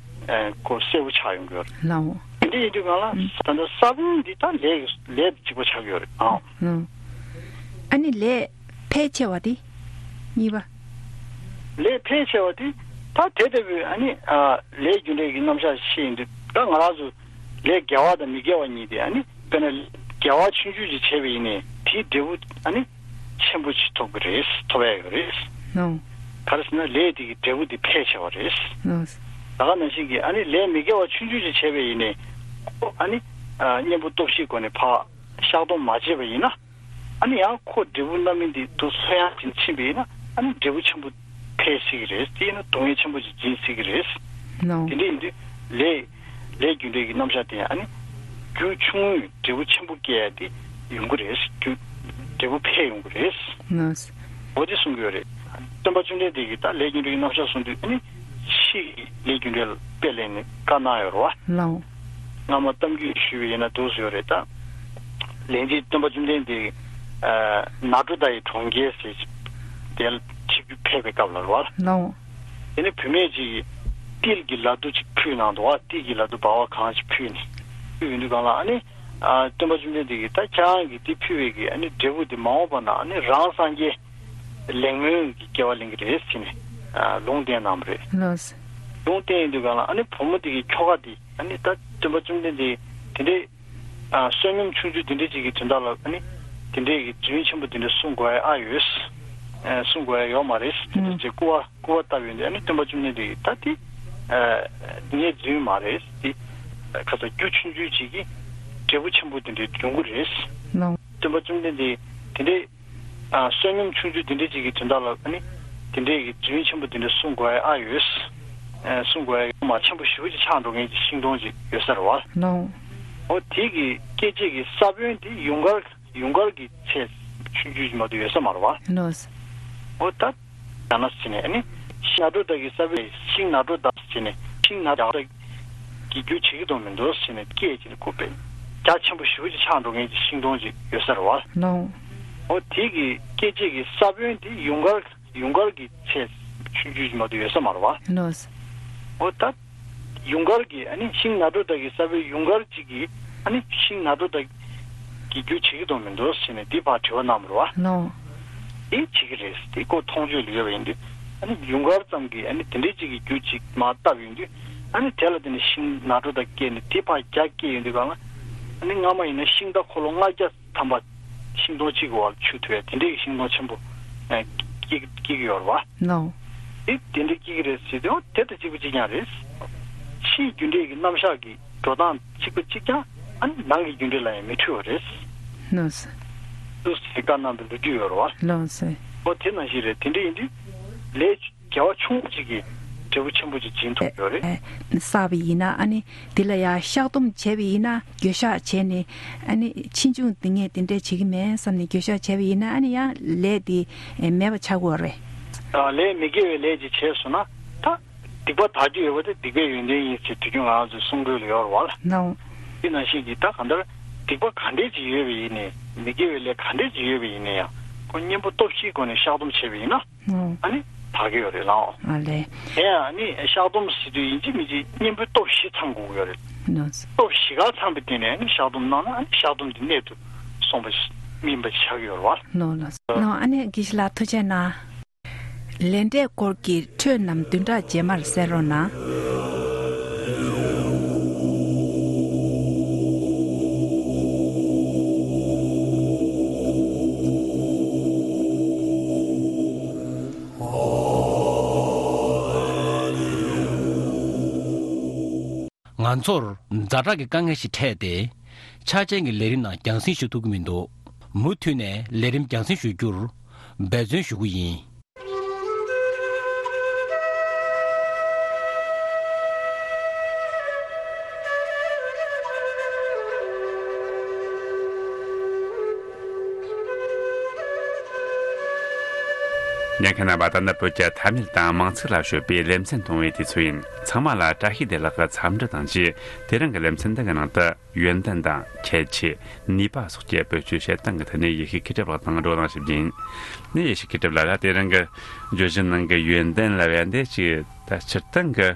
ཨ་ཁོ་གསལ་པོ་ཆགས་ཡོང་གི་ཡོད་རེད། ལའོ། དེ་འདྲ་ཡིན་དུས་གང་ལ་ཨུམ། ད་ལྟ་ས་བོན་འདི་ད་ལས་ལས་གཅིག་པ་ཆགས་ཀྱི་ཡོད་རེད། ཨ། ཨུམ། ཨ་ནི་ལས་ཕལ་ཆེ་བ་དེ་གཉིས་པ། ལས་ཕལ་ཆེ་བ་དེ་ད་དེ་ལྟ་བུའི་ཨ་ནི་ཨ་ལས་རྒྱུ་འབྲས་ཀྱི་རྣམ་གཞག་བཤད་ཡིན་དུས་ད་ང་རང་ཚོ་ལས་དགེ་བ་དང་མི་དགེ་བ་གཉིས་དེ་ཨ་ནི་དཔེར་ན་དགེ་བ་ཆུང་ཆུང་ཅིག་བྱས་པ་ཡིན་ནའི་དེའི་འབྲས་བུ་ཨ་ནི་ཆེན་པོ་ཅིག་ཐོབ་ཀྱི་རེད། ཐོབ་ཡ་ཡོད་རེད། ཨོ། ག་རེ་ཟེར་ན་ལས་དེ་གི་འབྲས་བུ་དེ་ཕལ་ཆེ་བ་རེད། ཨོ། ད་ག་ནང་བཞིན་གྱི་ཨ་ནི་ལས་མི་དགེ་བ་ཆུང་ཆུང་ཅིག་བྱས་པ་ཡིན་ནའི་ཁོ་ཨ་ནི་ཨ་གཉེན་པོ་སྟོབས་བཞིའི་སྒོ་ནས་ཕར་བཤགས་སྡོམ་མ་བྱས་པ་ཡིན་ན། ཨ་ནི་ཡང་ཁོ་འབྲས་བུ་རྣམ་སྨིན་དེ་དུ་ལྷོད་ཡངས་ཕྱིན་ཕྱིན་པ་ཡིན་ན་ཨ་ནི་འབྲས་བུ་ཆེན་པོ་འཕེལ་སྲིད་ཀྱི་རེད། དེ་ཡིན་ན་སྡུག་བསྔལ་ཆེན་པོ་ཅིག་འབྱིན་སྲིད་ཀྱི་རེད། ནོ། དེ་འདྲ་ཡིན་དུས་ལས་ལས་རྒྱུ་འབྲས་ཀྱི་རྣམ་གཞག་དེ་ཨ་ནི་རྒྱུ་ཆུང་ངུས་འབྲས་བུ་ཆེན་པོ་སྐྱེ་ཡ་དེ་ཡོང་གི་རེད། རྒྱུ་འབྲས་བུ་འཕེལ་ཡོང་གི་རེད། ནོ། འོ་དེ་གསུང་གི་ཡོད་རེད། སྟོན་པ་བཅོམ་ལྡན་འདས་ཀྱིས་ད་ལས་རྒྱུ་འབྲས་ཀྱི་རྣམ་གཞག་གསུང་དུས་ཨ་ནི་ཕྱི་ཡི་ལས་རྒྱུ་འབྲས་ལ་དཔེ་ལེན་ནས་བཀའ་གནང་ཡོད་རེད་བ། ལའོ། སྔ་མ་གཏམ་རྒྱུད་ཞུས་པ་ཡིན་ན་འདུག་ཟེར་ཡོད་རེད་ད། ལན་གཅིག་སྟོན་པ་བཅོམ་ལྡན་འདས་ཨ་ནཱ་ཊཱུ་ཏ་ཡི་གྲོང་ཁྱེར་ཟེར་དེ་ལ་ཆིབས་བསྒྱུར་ཕེབས་པའི་སྐབས་ལ་རེད་བ། ལའོ། དེ་ནས་བུད་མེད་ཅིག་གིས་ཏིལ་གྱི་ལ་དུ་ཅིག་ཕུལ་གནང་འདུག་བ། ཏིལ་གྱི་ལ་དུ་འབར་བ་གང་ཞིག་ཕུལ་ནས་ཕུལ་ཡོང་དུས་སྒང་ལ་ཨ་ནི་ཨ་སྟོན་པ་བཅོམ་ལྡན་འདས་ཀྱིས་ད་ཁྱེད་རང་གིས་དེ་ཕུལ་བའི་གི་ཨ་ནི་འབྲས་བུ་དེ་མ་འོངས་པ་ན་ཨ་ནི་རང་སངས་རྒྱས་ལེགས་སྨོན་གྱི་སྐྱེ་བ་ལེན་གྱི་རེད་ཟེར་ནས་ཨ་ལུང་བསྟན་གནང་བ་རེད། ལགས། ལུང་བསྟན་ཡོང་དུས་སྒང་ལ་ཨ་ནི་བུ་མོ་དེ་གི་ཁྱོ་ག་དེ་ཨ་ནི་ད་སྟོན་པ་བཅོམ་ལྡན་འདས་དེ་འདྲའི་ཨ་བསོད་སྙོམས་ཆུང་ཆུང་དེ་འདྲ་ཅིག་གི་དོན་དག་ལ་ཨ་ནི་དེ་འདྲའི་གི་རྫུན་ཆེན་པོ་དེ་འདྲ་གསུང་དགོས་ཡ་ཨ་ཡོད། ཨ་གསུང་དགོས་ཡ་ཡོད་མ་རེད། དེ་འདྲ་ཅིག་སྐུར་བ་སྐུར་བ་བཏབ་ཡོང་དུས་ཨ་ནི་སྟོན་པ་བཅོམ་ལྡན་འདས་ཀྱིས་ད་དེ་ཨ་ངས་རྫུན་མ་རེད། དེ་ཁ་ཚ་རྒྱུ་ཆུང་ཆུང་ཅིག་གིས་འབྲས་བུ་ཆེན་པོ་དེ་འདྲ་འབྱུང་གི་རེད། ལགས། སྟོན་པ་བཅོམ་ལྡན་འདས་དེ་འདྲའི་ཨ་བསོད་སྙོམས་ཆུང་ཆུང་དེ་འདྲ་ཅིག་གི་དོན་དག་ལ་ཨ་ནི་དེ་འདྲའི་གི་རྫུན་ཆེན་པོ་དེ་འདྲ་གསུང་དགོས་ཡ་ཨ་ཡོད། ཨ་གསུང་དགོས་ཡ་ཡོད་མ་ཆེན་པོ་ཞེ་པོ་ཅིག་ཆགས་འགྲོ་མཁན་གྱི་ཤིང་སྡོང་ཅིག་ཡོད་ས་རེད་བ། ལགས། འོ་དེ་གི་སྐྱེད་བྱེད་ཀྱི་ས་བོན་དེ་ཡུངས་ཀར་ཡུངས་ཀར་གྱི་ཚད་ཆུང་ཆུང་ཅིག་མ་གཏོགས་ཡོད་ས་མ་རེད་བ། ལགས། འོ་ད་ཡང་ན་ཟེར་ནས་ཨ་ནི་ཤིང་ནཱ་ཊཱུ་ཏ་གི་ས་བོན་ཤིང་ནཱ་ཊཱུ་ཏ་ཟེར་ནས་ ཤིང་ནགས་ཀྱི་རྒྱུ་བྱེད་ཀྱི་འདུག་མི་འདུག་ཟེར་ནས་སྐད་ཅིག་ལ་གུས་པས་རྒྱ་ཆེན་པོ་ཞེ་པོ་ཅིག་ཆགས་འགྲོ་མཁན་གྱི་ཤིང་སྡོང་ཅིག་ཡོད་ས་རེད་བ། ལགས། འོ་དེ་གི་སྐད་ཅིག་གི་ས་བོན་དེ་ཡུངས་ཀར་ཡུངས་ཀར་གྱི་ཚད་ཆུང་ཆུང་ཅིག་མ་གཏོགས་ཡོད་ས་མ་རེད་བ། ལགས། འོ་ད་ཡུངས་ཀར་གྱི་ཨ་ནི་ཤིང་ནགས་གྲོ་དག་གི་ས་བོན་ཡུངས་ཀར་ཅིག་གི་ཨ་ནི་ཤིང་ནགས་གྲོ་དག་གི་རྒྱུ་བྱེད་ཀྱི་འདུག་མི་འདུག་ཟེར་ནས་འདི་ཕར་དྲི་བ་གནང་བ་རེད་བ། ལགས། དེ་བྱེད་ཀྱི་རེད། དེ་ཁོ་མཐོང་ཆོས་ལ་ཡོད་པ་ཡིན་དུས་ཨ་ནི་ཡུངས་ཀར་ཙམ་གྱིས་ཨ་ནི་དེ་འདྲའི་ཅིག་གི་རྒྱུ་ཅིག་མར་བཏབ་ཡོང་དུས་ཨ་ནི་དེ་ལ་བརྟེན་ནས་ཤིང་ནགས་གྲོ་དག་སྐྱེས་ནས་དེ་ཕར་རྒྱ་སྐྱེས་ཡོང་དུས་གང་ལ་ཨ་ནི་སྔ་མ་ཡིན་ན་ཤིང་རྟ་འཁོར་ལོ་ལྔ་བརྒྱ་ཐམ་པ་ཤིང་སྡོང་གཅིག་གི་འོག་ལ་ཆུད་ཐུབ་ཡ་དེ་འདྲའི་ཤིང་སྡོང་ཆེན་པོ་ཨ་སྐྱེ་སྐྱེ་གི་ཡོད་རེད་བ། ལགས། དེ་དེ་འདྲའི་སྐྱེ་གི་རེད་ཟེར་དུས་འོ་དེ་དང་གཅིག་པ་གཅིག་རྐྱང་རེད། ཕྱིའི་རྒྱུ་འབྲས་ཀྱི་རྣམ་གཞག་གི་འགྲོ་སྟངས་གཅིག་པ་གཅིག་རྐྱང་ཨ་ནི་ནང་གི་རྒྱུ་འབྲས་ལ་ཡང་མི་འཁྲུལ་བ་རེད། ལགས་སོ། ཏུ་ཟེར་བཀའ་གནང་བའི་ལོ་རྒྱུས་ཡོད་རེད་བ། ལགས་སོ། འོ་དེ་ནང་བཞིན་རེད། དེ་འདྲ་ཡིན་དུས་ལས་དགེ་བ་ཆུང་ངུ་ཅིག་གིས་འབྲས་བུ་ཆེན་པོ་ཅིག་སྦྱིན་ཐུབ་ཡོད་རེད། ཨེ། བསགས་པ་ཡིན་ན་ཨ་ནི་འདི་ལ་ཡང་བཤགས་སྡོམ་བྱས་པ་ཡིན་ན་འགྱོད་བཤགས་བྱས་ནས་ཨ་ནི་ཕྱིས་འབྱུང་འདི་ངས་འདི་འདྲས་བྱེད་ཀྱི་མེད་བསམ་ནས་འགྱོད་བཤགས་བྱས་པ་ཡིན་ན་ཨ་ནི་ཡང་ལས་འདི་ཨེ་མེད་པ་ཆགས་ཀྱི་ཡོད་རེད། ཨ་ལས་མི་དགེ་བའི་ལས་ཅིག་བྱས་སོང་ན་ད་སྡིག་པ་དག་རྒྱུ་ཡོད་པ་དེ་སྡིག་པའི་ཡོན་ཏན་ཡིན་ཟེར་དུས་རྒྱུན་ང་རང་ཚོའི་གསུང་སྒྲོས་ལ་ཡོད་རེད་བ། ལགས། དེ་ནང་བཞིན་གྱི་ད་གང་ལྟར་སྡིག་པ་ག་འདྲས་ཅིག་ཡོད་པ་ཡིན་ནའི་མི་དགེ་བའི་ལས་ག་འདྲས་ཅིག་ཡོད་པ་ཡིན་ནའི་ཡང་ཁོ་གཉེན་པོ་སྟོབས་བཞིའི་སྒོ་ནས་བཤགས་སྡོམ་བྱས་པ་ཡིན་ན། ཨོ། ཨ་ནི་དག་གི་ཡོད་རེད་ལགས། ཨ་ལས། དེ་ཡང་ཨ་ནི་བཤགས་སྡོམ་ཟེར་དུས་ཡིན་གཅིག་མིན་གཅིག་གཉེན་པོའི་སྟོབས་བཞི་ཚང་དགོས་ཀྱི་ཡོད་རེད། ལགས། སྟོབས་བཞི་ག་ཚང་བའི་སྟེང་ནས་ཨ་ནི་བཤགས་སྡོམ་གནང་ན་ཨ་ནི་བཤགས་སྡོམ་དེ་གནད་དུ་སོང་བ་ཞིག་སྨིན་པ་ཞིག་ཆགས་ཀྱི་ཡོད་རེད་བ། ལགས་ལགས། ལགས། ཨ་ནི་དགེ་བཤེས་ལགས་ཐུགས་རྗེ་གནང་། ལས་འབྲས་སྐོར་གྱི་འཕྲོས་རྣམས་བདུན་ཕྲག་རྗེས་མར་གསན་རོགས་གནང་། ང་ཚོར་ཛ་དྲག་གི་དཀའ་ངལ་ཞིག་འཕྲད་དེ། འཆར་ཅན་གྱི་ལས་རིམ་ནང་རྒྱང་སྲིང་ཞུ་ཐུབ་ཀྱི་མི་འདུག་མུ་མཐུད་ནས་ལས་རིམ་རྒྱང་སྲིང་ཞུ་རྒྱུར་འབད་བརྩོན་ཞུ་རྒྱུ་ཡིན། ཉན་མཁན་རྣམ་པ། ད་ནི་བོད་ཀྱི་ཐ་སྙད་དང་མིང་ཚིག་ལ་དཔྱོད་པའི་ལེ་ཚན་གཏོང་བའི་དུས་ཚོད་ཡིན། ཚང་མ་ལ་བཀྲ་ཤིས་བདེ་ལེགས་ཀྱི་འཚམས་འདྲི་དང་བཅས། དེ་རིང་གི་ལེ་ཚན་འདི་གི་ནང་དུ་ཡོན་ཏན་དང་ཁྱད་ཆོས། ནུས་པ་སོགས་ཀྱི་བེད་སྤྱོད་བྱེད་སྟངས་ཀྱི་ཐད་ནས་ཡེ་ཤེས་མཁས་གྲུབ་ལགས་དང་བགྲོ་གླེང་ཞིག་ཡིན། ནས་ཡེ་ཤེས་མཁས་གྲུབ་ལགས་ལ་དེ་རིང་གི་བརྗོད་གཞི་ནང་གི་ཡོན་ཏན་ལབ་ཡ་འདི་ཅིག་ད་སྤྱིར་བཏང་གི་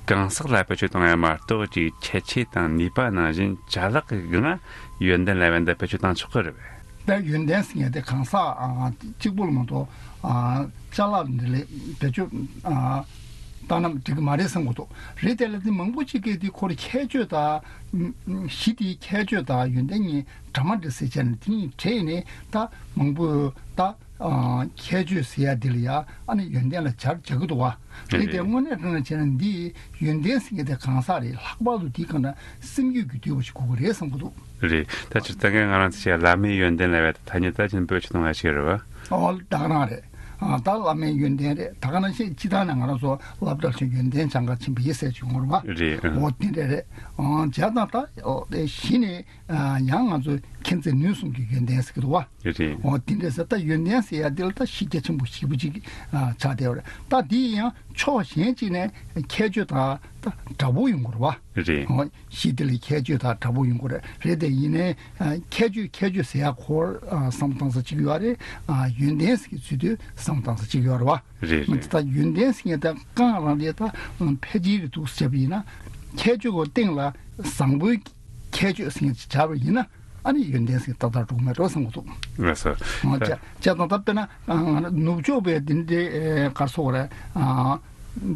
གང་ཟག་ལ་བེད་སྤྱོད་གཏོང་ཡ་མ་གཏོགས་ཅིག་ཁྱད་ཆོས་དང་ནུས་པ་ནང་བཞིན་ཅ་ལག་གི་སྒང་ཡོན་ཏན་ལབ་ཡ་འདི་བེད་སྤྱོད་བཏང་ཆོག་གི་རེད་པས། ད་ཡོན་ཏན་ཟེར་མཁན་དེ་གང་ཟག་ཨ་གཅིག་པུ་ལ་མ་གཏོགས་ཨ་ཅ་ལག་འདི་ལས་བེད་སྤྱོད་ཨ་བཏང་ན་འགྲིག་གི་མ་རེད་བསམ་གྱི་འདུག་རེད། དེ་ལ་དེ་མང་པོ་ཅིག་གིས་དེ་ཁོ་རང་ཁྱད་ཆོས་དང་གཞི་དེའི་ཁྱད་ཆོས་དང་ཡོན་ཏན་གཉིས་འདྲ་མི་འདྲ་ཟེར་བྱས་ནས་དེ་གཉིས་བྲལ་ནས་ད་མང་པོས་ད་ཨ་ཁྱད་ཆོས་ཟེར་ཡ་འདི་ལ་ཡ་ཨ་ནི་ཡོན་ཏན་ལ་སྦྱར་བྱ་གི་འདུག་བ། རེད། དེ་དངོས་གནས་དྲང་གནས་བྱས་ན་འདི་ཡོན་ཏན་ཟེར་མཁན་དེ་གང་ཟག་རེད། ལྷག་པར་དུ་དེའི་སྒང་ལ་སེམས་རྒྱུད་ཀྱི་འདུས་པ་ཞིག་དགོས་ཀྱི་རེད་བསམ་གྱི་འདུག་རེད། ད་སྤྱིར་བཏང་གི་ང་རང་ཚོ་ཞིག་བླ་མའི་ཡོན་ཏན་ལབ་ཡ་དེ་ཐ་སྙད་ད་ཅིག་བེད་སྤྱོད་གཏོང་ཡ་ཞིག་རེད་བ། ཨོ་ད་ག་རང་རེད། ཨ་ད་བླ་མའི་ཡོན་ཏན་རེད། ད་ག་ནང་བཞིན་སྤྱིར་བཏང་ནས་ང་རང་ཚོ་སློབ་གྲྭར་ཕྱིན་ཡོན་ཏན་སྦྱང་གར་ཕྱིན་པ་ཡིན་ཟེར་གྱི་ཡོད་རེད་བ། རེད། ཨ། འོ་དེ་འདྲ་རེད། ཨ་བྱས་ཙང་ད་ཨོ་དེ་གཞི་ནས་ཨ་ཡང་ང་ཚོས་མཁྱེན་བརྩེ་ནུས་གསུམ་གྱི་ཡོན་ཏན་ཟེར་གྱི་འདུག་བ། རེད། འོ་དེ་འདྲ་ཟེར། ད་ཡོན་ཏན་ཟེར་ཡ་དེ་ལ་ད་གཞི་རྒྱ་ཆེན་པོ་ཞེ་པོ་ཅིག་ཨ་ཆགས་བསྡད་ཡོད་རེད། ད་དེ་ཡང་ཕྱོགས་གཞན་གཅིག་ནས་ཁྱད་ཆོས་དང་ད་འདྲ་པོ་ཡོང་གི་རེད་བ། རེད། འོ། གཞི་དེ་ལ་ཁྱད་ཆོས་དང་འདྲ་པོ་ཡོང་གི་རེད། རེད་དེ་ཡིན་ནའི་ཨ་ཁྱད་ཆོས་ཁྱད་ཆོས་ཟེར་ཡ་ཁོ་ཨ་བསམ་བློ་བཏང་ས་གཅིག་ཡོད་རེད། ཨ་ཡོན་ཏན་ཟེར་གྱི་ཚུལ་དུ་བསམ་བློ་བཏང་ས་གཅིག་ཡོད་རེད་བ། རེད། མི་རེད། ད་ཡོན་ཏན་ཟེར་མཁན་ད་གང་རང་རེད། ད་ཕལ་ཆེར་རེད་འདུག་ཟེར་བ་ཡིན་ན་ཁྱད་ཆོས་ཀྱི་སྟེང་ལ་བཟང་པོའི་ཁྱད་ཆོས་ཟེར་མཁན་ཅིག་སྦྱར་བ་ཡིན་ན་ཨ་ནི་ཡོན་ཏན་ཟེར་མཁན་ཏག་ཏག་འགྲོ་གི་མེད་འགྲོ་བསམ་གྱི་འདུག་ལགས་སོ། ཨ་ད་བྱས་བྱས་ཙང་ད་དཔེར་ན་ང་རང་ནུབ་ཕྱོགས་པའི་འདི་འདྲའི་ག་རེ་ཟེར་དགོས་རེད། ཨ།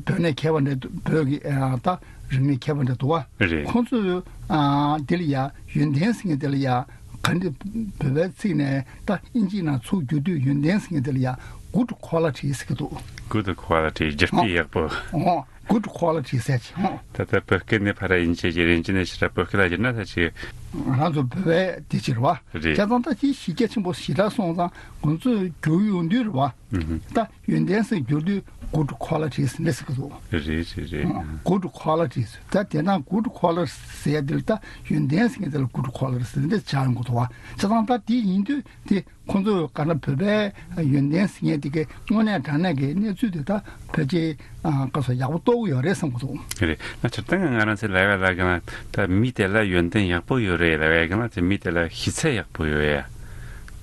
བོད་ནས་མཁས་པ་འདྲ་འདུག་བོད་ཀྱི་ཨ་ད་རིག་གནས་མཁས་པ་འདྲ་འདུག་བ། རེད། ཁོང་ཚོས་ཨ་དེ་ལ་ཡ་ཡོན་ཏན་ཟེར་མཁན་དེ་ལ་ཡ་ག་འདྲ་བོད་པའི་ཚིག་ནས་ད་ཨིན་ཇིའི་ནང་ཚུར་བསྒྱུར་དུས་ཡོན་ཏན་ཟེར་མཁན་དེ་ལ་ཡ་good quality་ཟེར་གྱི་འདུག Good quality། སྒྱུ་རྩལ་ཡག་པོ། ཨོ། Good quality་ཟེར་གྱི། ཨོ། ད་ལྟ་བོད་སྐད་ནས་ཕར་ཨིན་ཇི་བསྒྱུར། ཨིན་ཇི་ནས་ཕར་བོད་སྐད་ལ་བསྒྱུར་ན་ད་ཅིག་ ང་རང་ཚོ་བོད་པའི་དེ་ཕྱིར་བ། རེད། བྱས་ཙང་ད་ཅི་གཞི་རྒྱ་ཆེན་པོ་ཞེ་དྲག་སོང་ཙང་ཁོང་ཚོས་བསྒྱུར་ཡོང་དུས་རེད་བ། ཨུ་ཧུ། ད་ཡོན་ཏན་ཟེར་བསྒྱུར་དུས་good quality ཟེར་འདྲ་ཟེར་གི་འདུག་རེད་རེད་རེད། good quality ཟེར། ད་དེ་ན་good quality ཟེར་ཡ་དེ་ལ་ད་ཡོན་ཏན་ཟེར་མཁན་དེ་ལ་good quality ཟེར་འདྲ་ཆགས་ཡོང་གི་འདུག་བ། བྱས་ཙང་ད་དེ་ཡིན་དུས་དེ་ཁོང་ཚོས་ག་ན་བོད་པའི་ཡོན་ཏན་ཟེར་མཁན་དེ་གའི་དངོས་གནས་དྲང་གནས་ཀྱི་གནས་ཚུལ་དེ་ད་ཕལ་ཆེར་ཨ་ག་ཚོད་ཡག་པོ་རྟོགས་ཀྱི་ཡོད་རེད་བསམ་གི་འདུག་རེད། ང་སྤྱིར་བཏང་ང་རང་ཚོའི་ལབ་ཡ་ལ་ག་ན་ད་མི་དེ་ལ་ཡོན་ཏན་ཡག་པོ་ཡོད་རེད་ལབ་ཡ་ག་ན་དེ་མི་དེ་ལ་ཤེས་ཚད་ཡག་པོ་ཡོད་ཡ་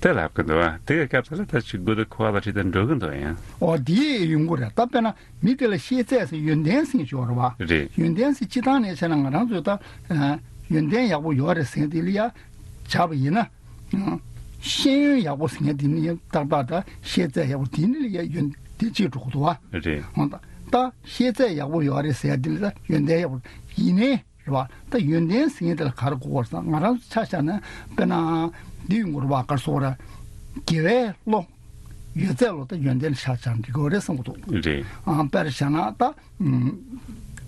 དེ་ལབ་གི་འདུག་ཨ། དེ་གའི་སྐབས་དེ་ལ་ད་ཅིག་good quality དེ་འགྲོ་གི་འདུག་ཡང་། ཨོ་དེ་ཡོང་གི་རེད། ད་དཔེར་ན་མི་དེ་ལ་ཤེས་ཚད་ཟེར་ཡོན་ཏན་ཟེར་མཁན་ཅིག་ཡོད་རེད་བ། རེད། ཡོན་ཏན་ཟེར་སྤྱིར་བཏང་ནས་བྱས་ན་ང་རང་ཚོས་ད་ཡོན་ཏན་ཡག་པོ་ཡོད་རེད་ཟེར་མཁན་དེ་ལ་ཡ་བྱས་པ་ཡིན་ན། ཤེས་ཡོན་ཡག་པོ་ཟེར་མཁན་དེ་ནི་ཏག་ཏག་ད་ཤེས་ཚད་ཡག་པོ་དེ་ནི་ལ་ཡ་ཡོན་ཏན་གཅིག་འགྲོ་གི་འདུག་བ། རེད། འོ་ད་ད་ཤེས་ཚད་ཡག་པོ་ཡོད་རེད་ཟེར་ཡ་དེ་ལ་ད་ཡོན་ཏན་ཡག་པོ་ཡིན་ནའི་རེད་བ། ད་ཡོན་ཏན་ཟེར་མཁན་དེ་ལ་ག་རེ་གོ་དགོས་རེད་ཟེར་ན་ང་རང་ཚོ་ཆ་བཞག་ན་དཔེར་ན་འདི་ཡོང་གི་རེད་བ། ག་རེ་ཟེར་དགོས་རེད། དགེ་བའི་བློ་ཡོད་ཚད་ལ་ད་ཡོན་ཏན་ཆ་བཞག་ན་འགྲིག་གི་རེད་བསམ་གི་འདུག་རེད། ཨ་དཔེར་བཞག་ན་ད་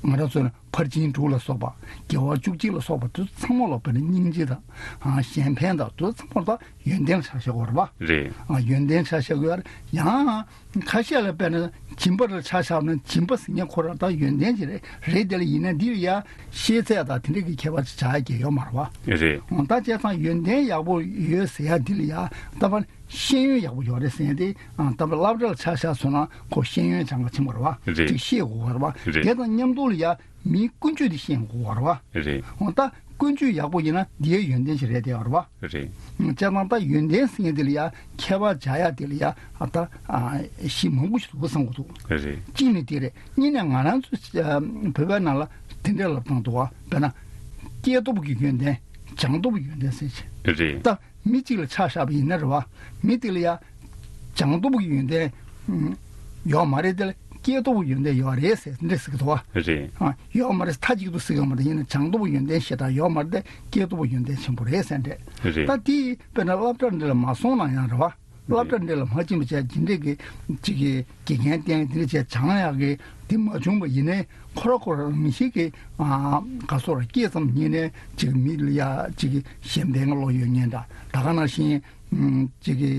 ང་རང་ཚོ་ནི་ཕར་ཕྱིན་དྲུག་ལ་སོགས་པ། དགེ་བ་བཅུ་གཅིག་ལ་སོགས་པ་དེ་ཚང་མ་ལ་དཔེར་ན་སྙིང་རྗེ་དང་། ཨ་གཞན་ཕན་དང་དེ་ཚང་མ་ལ་ཡོན་ཏན་ཆ་བཞག་དགོས་རེད་བ། རེད། ཨ་ཡོན་ཏན་ཆ་བཞག་དགོས་རེད། ཡང་ཁ་ཤས་ལ་དཔེར་ན་སྦྱིན་པ་ལ་ཆ་བཞག་ན་སྦྱིན་པ་ཟེར་མཁན་ཁོ་རང་ད་ཡོན་ཏན་ཅིག་རེད། རེད་དེ་ལ་ཡིན་ན་འདི་ལ་ཡ་ཤེས་ཚད་དང་དེ་འདྲ་གི་ཁྱད་པར་ཅིག་བྱ་ཡ་གི་ཡོད་མ་རེད་བ། རེད། ཨ་ད་བྱས་ཙང་ཡོན་ཏན་ཡག་པོ་ཡོད་ཟེར་ཡ་འདི་ལ་ཡ་ད་ཕར་ཤེས་ཡོན་ཡག་པོ་ཡོད་རེད་ཟེར་ཡ་དེ། ཨ་ད་ཕར་སློབ་གྲྭ་ལ་ཆ་བཞག་སོང་ན་ཁོ་ཤེས་ཡོན་སྦྱང་ག་ཕྱིན་པ་རེད་བ། རེད། ཅིག་ཤེས་དགོས་པ་རེད་བ། རེད། དེ་དང་མཉམ་དུ་ལ་ཡ་མིའི་ཀུན་སྤྱོད་དེ་ཤེས་དགོས་པ་རེད་བ། རེད། འོ་ད་ཀུན་སྤྱོད་ཡག་པོ་ཡིན་ན་འདིའི་ཡོན་ཏན་ཞིག་རེད་དེ་བ་རེད་བ། རེད། བྱས་ཙང་ད་ཡོན་ཏན་ཟེར་མཁན་དེ་ལ་ཡ་ཁྱད་པར་བྱ་ཡ་དེ་ལ་ཡ་ཨ་ད་ཨ་གཞི་མང་པོ་ཞིག་འདུག་བསམ་གི་འདུག་རེད། གཅིག་ནི་དེ་རེད། གཉིས་ནས་ང་རང་ཚོ་ཨ་བོད་པའི་ནང་ལ་དེ་འདྲའི་ལབ་སྟངས་འདུག་བ། དཔེར་ན་སྐྱེས་སྟོབས་ཀྱི་ཡོན་ཏན། སྦྱངས་སྟོབས་ཀྱི་ཡོན་ཏན་ཟེར་བྱས། རེད། ད་མི་གཅིག་ལ་ཆ་བཞག་པ་ཡིན་ན་རེད་བ། མི་དེ་ལ་ཡ་སྦྱངས་སྟོབས་ཀྱི་ཡོན་ཏན་ཡོད་མ་རེད། དེ་ལ་སྐྱེས་སྟོབས་ཀྱི་ཡོན་ཏན་ཡོད་རེད་ཟེར་འདྲ་ཟེར་གི་འདུག་བ། རེད། ཨ་ཡོད་མ་རེད། མཐའ་གཅིག་ཏུ་ཟེར་གི་མ་རེད། ཡིན་ན་སྦྱངས་སྟོབས་ཀྱི་ཡོན་ཏན་ཞེ་དྲག་ཡོད་མ་རེད། དེ་སྐྱེས་སྟོབས་ཀྱི་ཡོན་ཏན་ཆེན་པོ་རེད་ཟེར་འདྲ། རེད། ད་དེ་དཔེར་ན་སློབ་གྲྭ་འདི་ལ་མ་སོང་ན་ཡང་རེད་བ། སློབ་གྲྭ་འདི་ལ་མ་ཕྱིན་པ་བྱས་ཇི་འདྲས་ཀྱི་ཅིག་གི་དགེ་རྒན་བསྟེན་དེ་འདྲ་བྱས་སྦྱང་ཡག་གི་དེ་མ་བྱུང་བ་ཡིན་ནའི་ཁོ་ར་ཁོ་ར་མི་ཞིག་གི་ཨ་ག་སོགས་ར་སྐྱེས་ཙམ་ཉིད་ནས་ཅིག་མི་ལ་ཡ་ཅིག་གི་གཞན་ཕན་གྱི་བློ་ཡོད་མཁན་འདྲ། ད་ག་ནང་བཞིན་ཅིག་གི་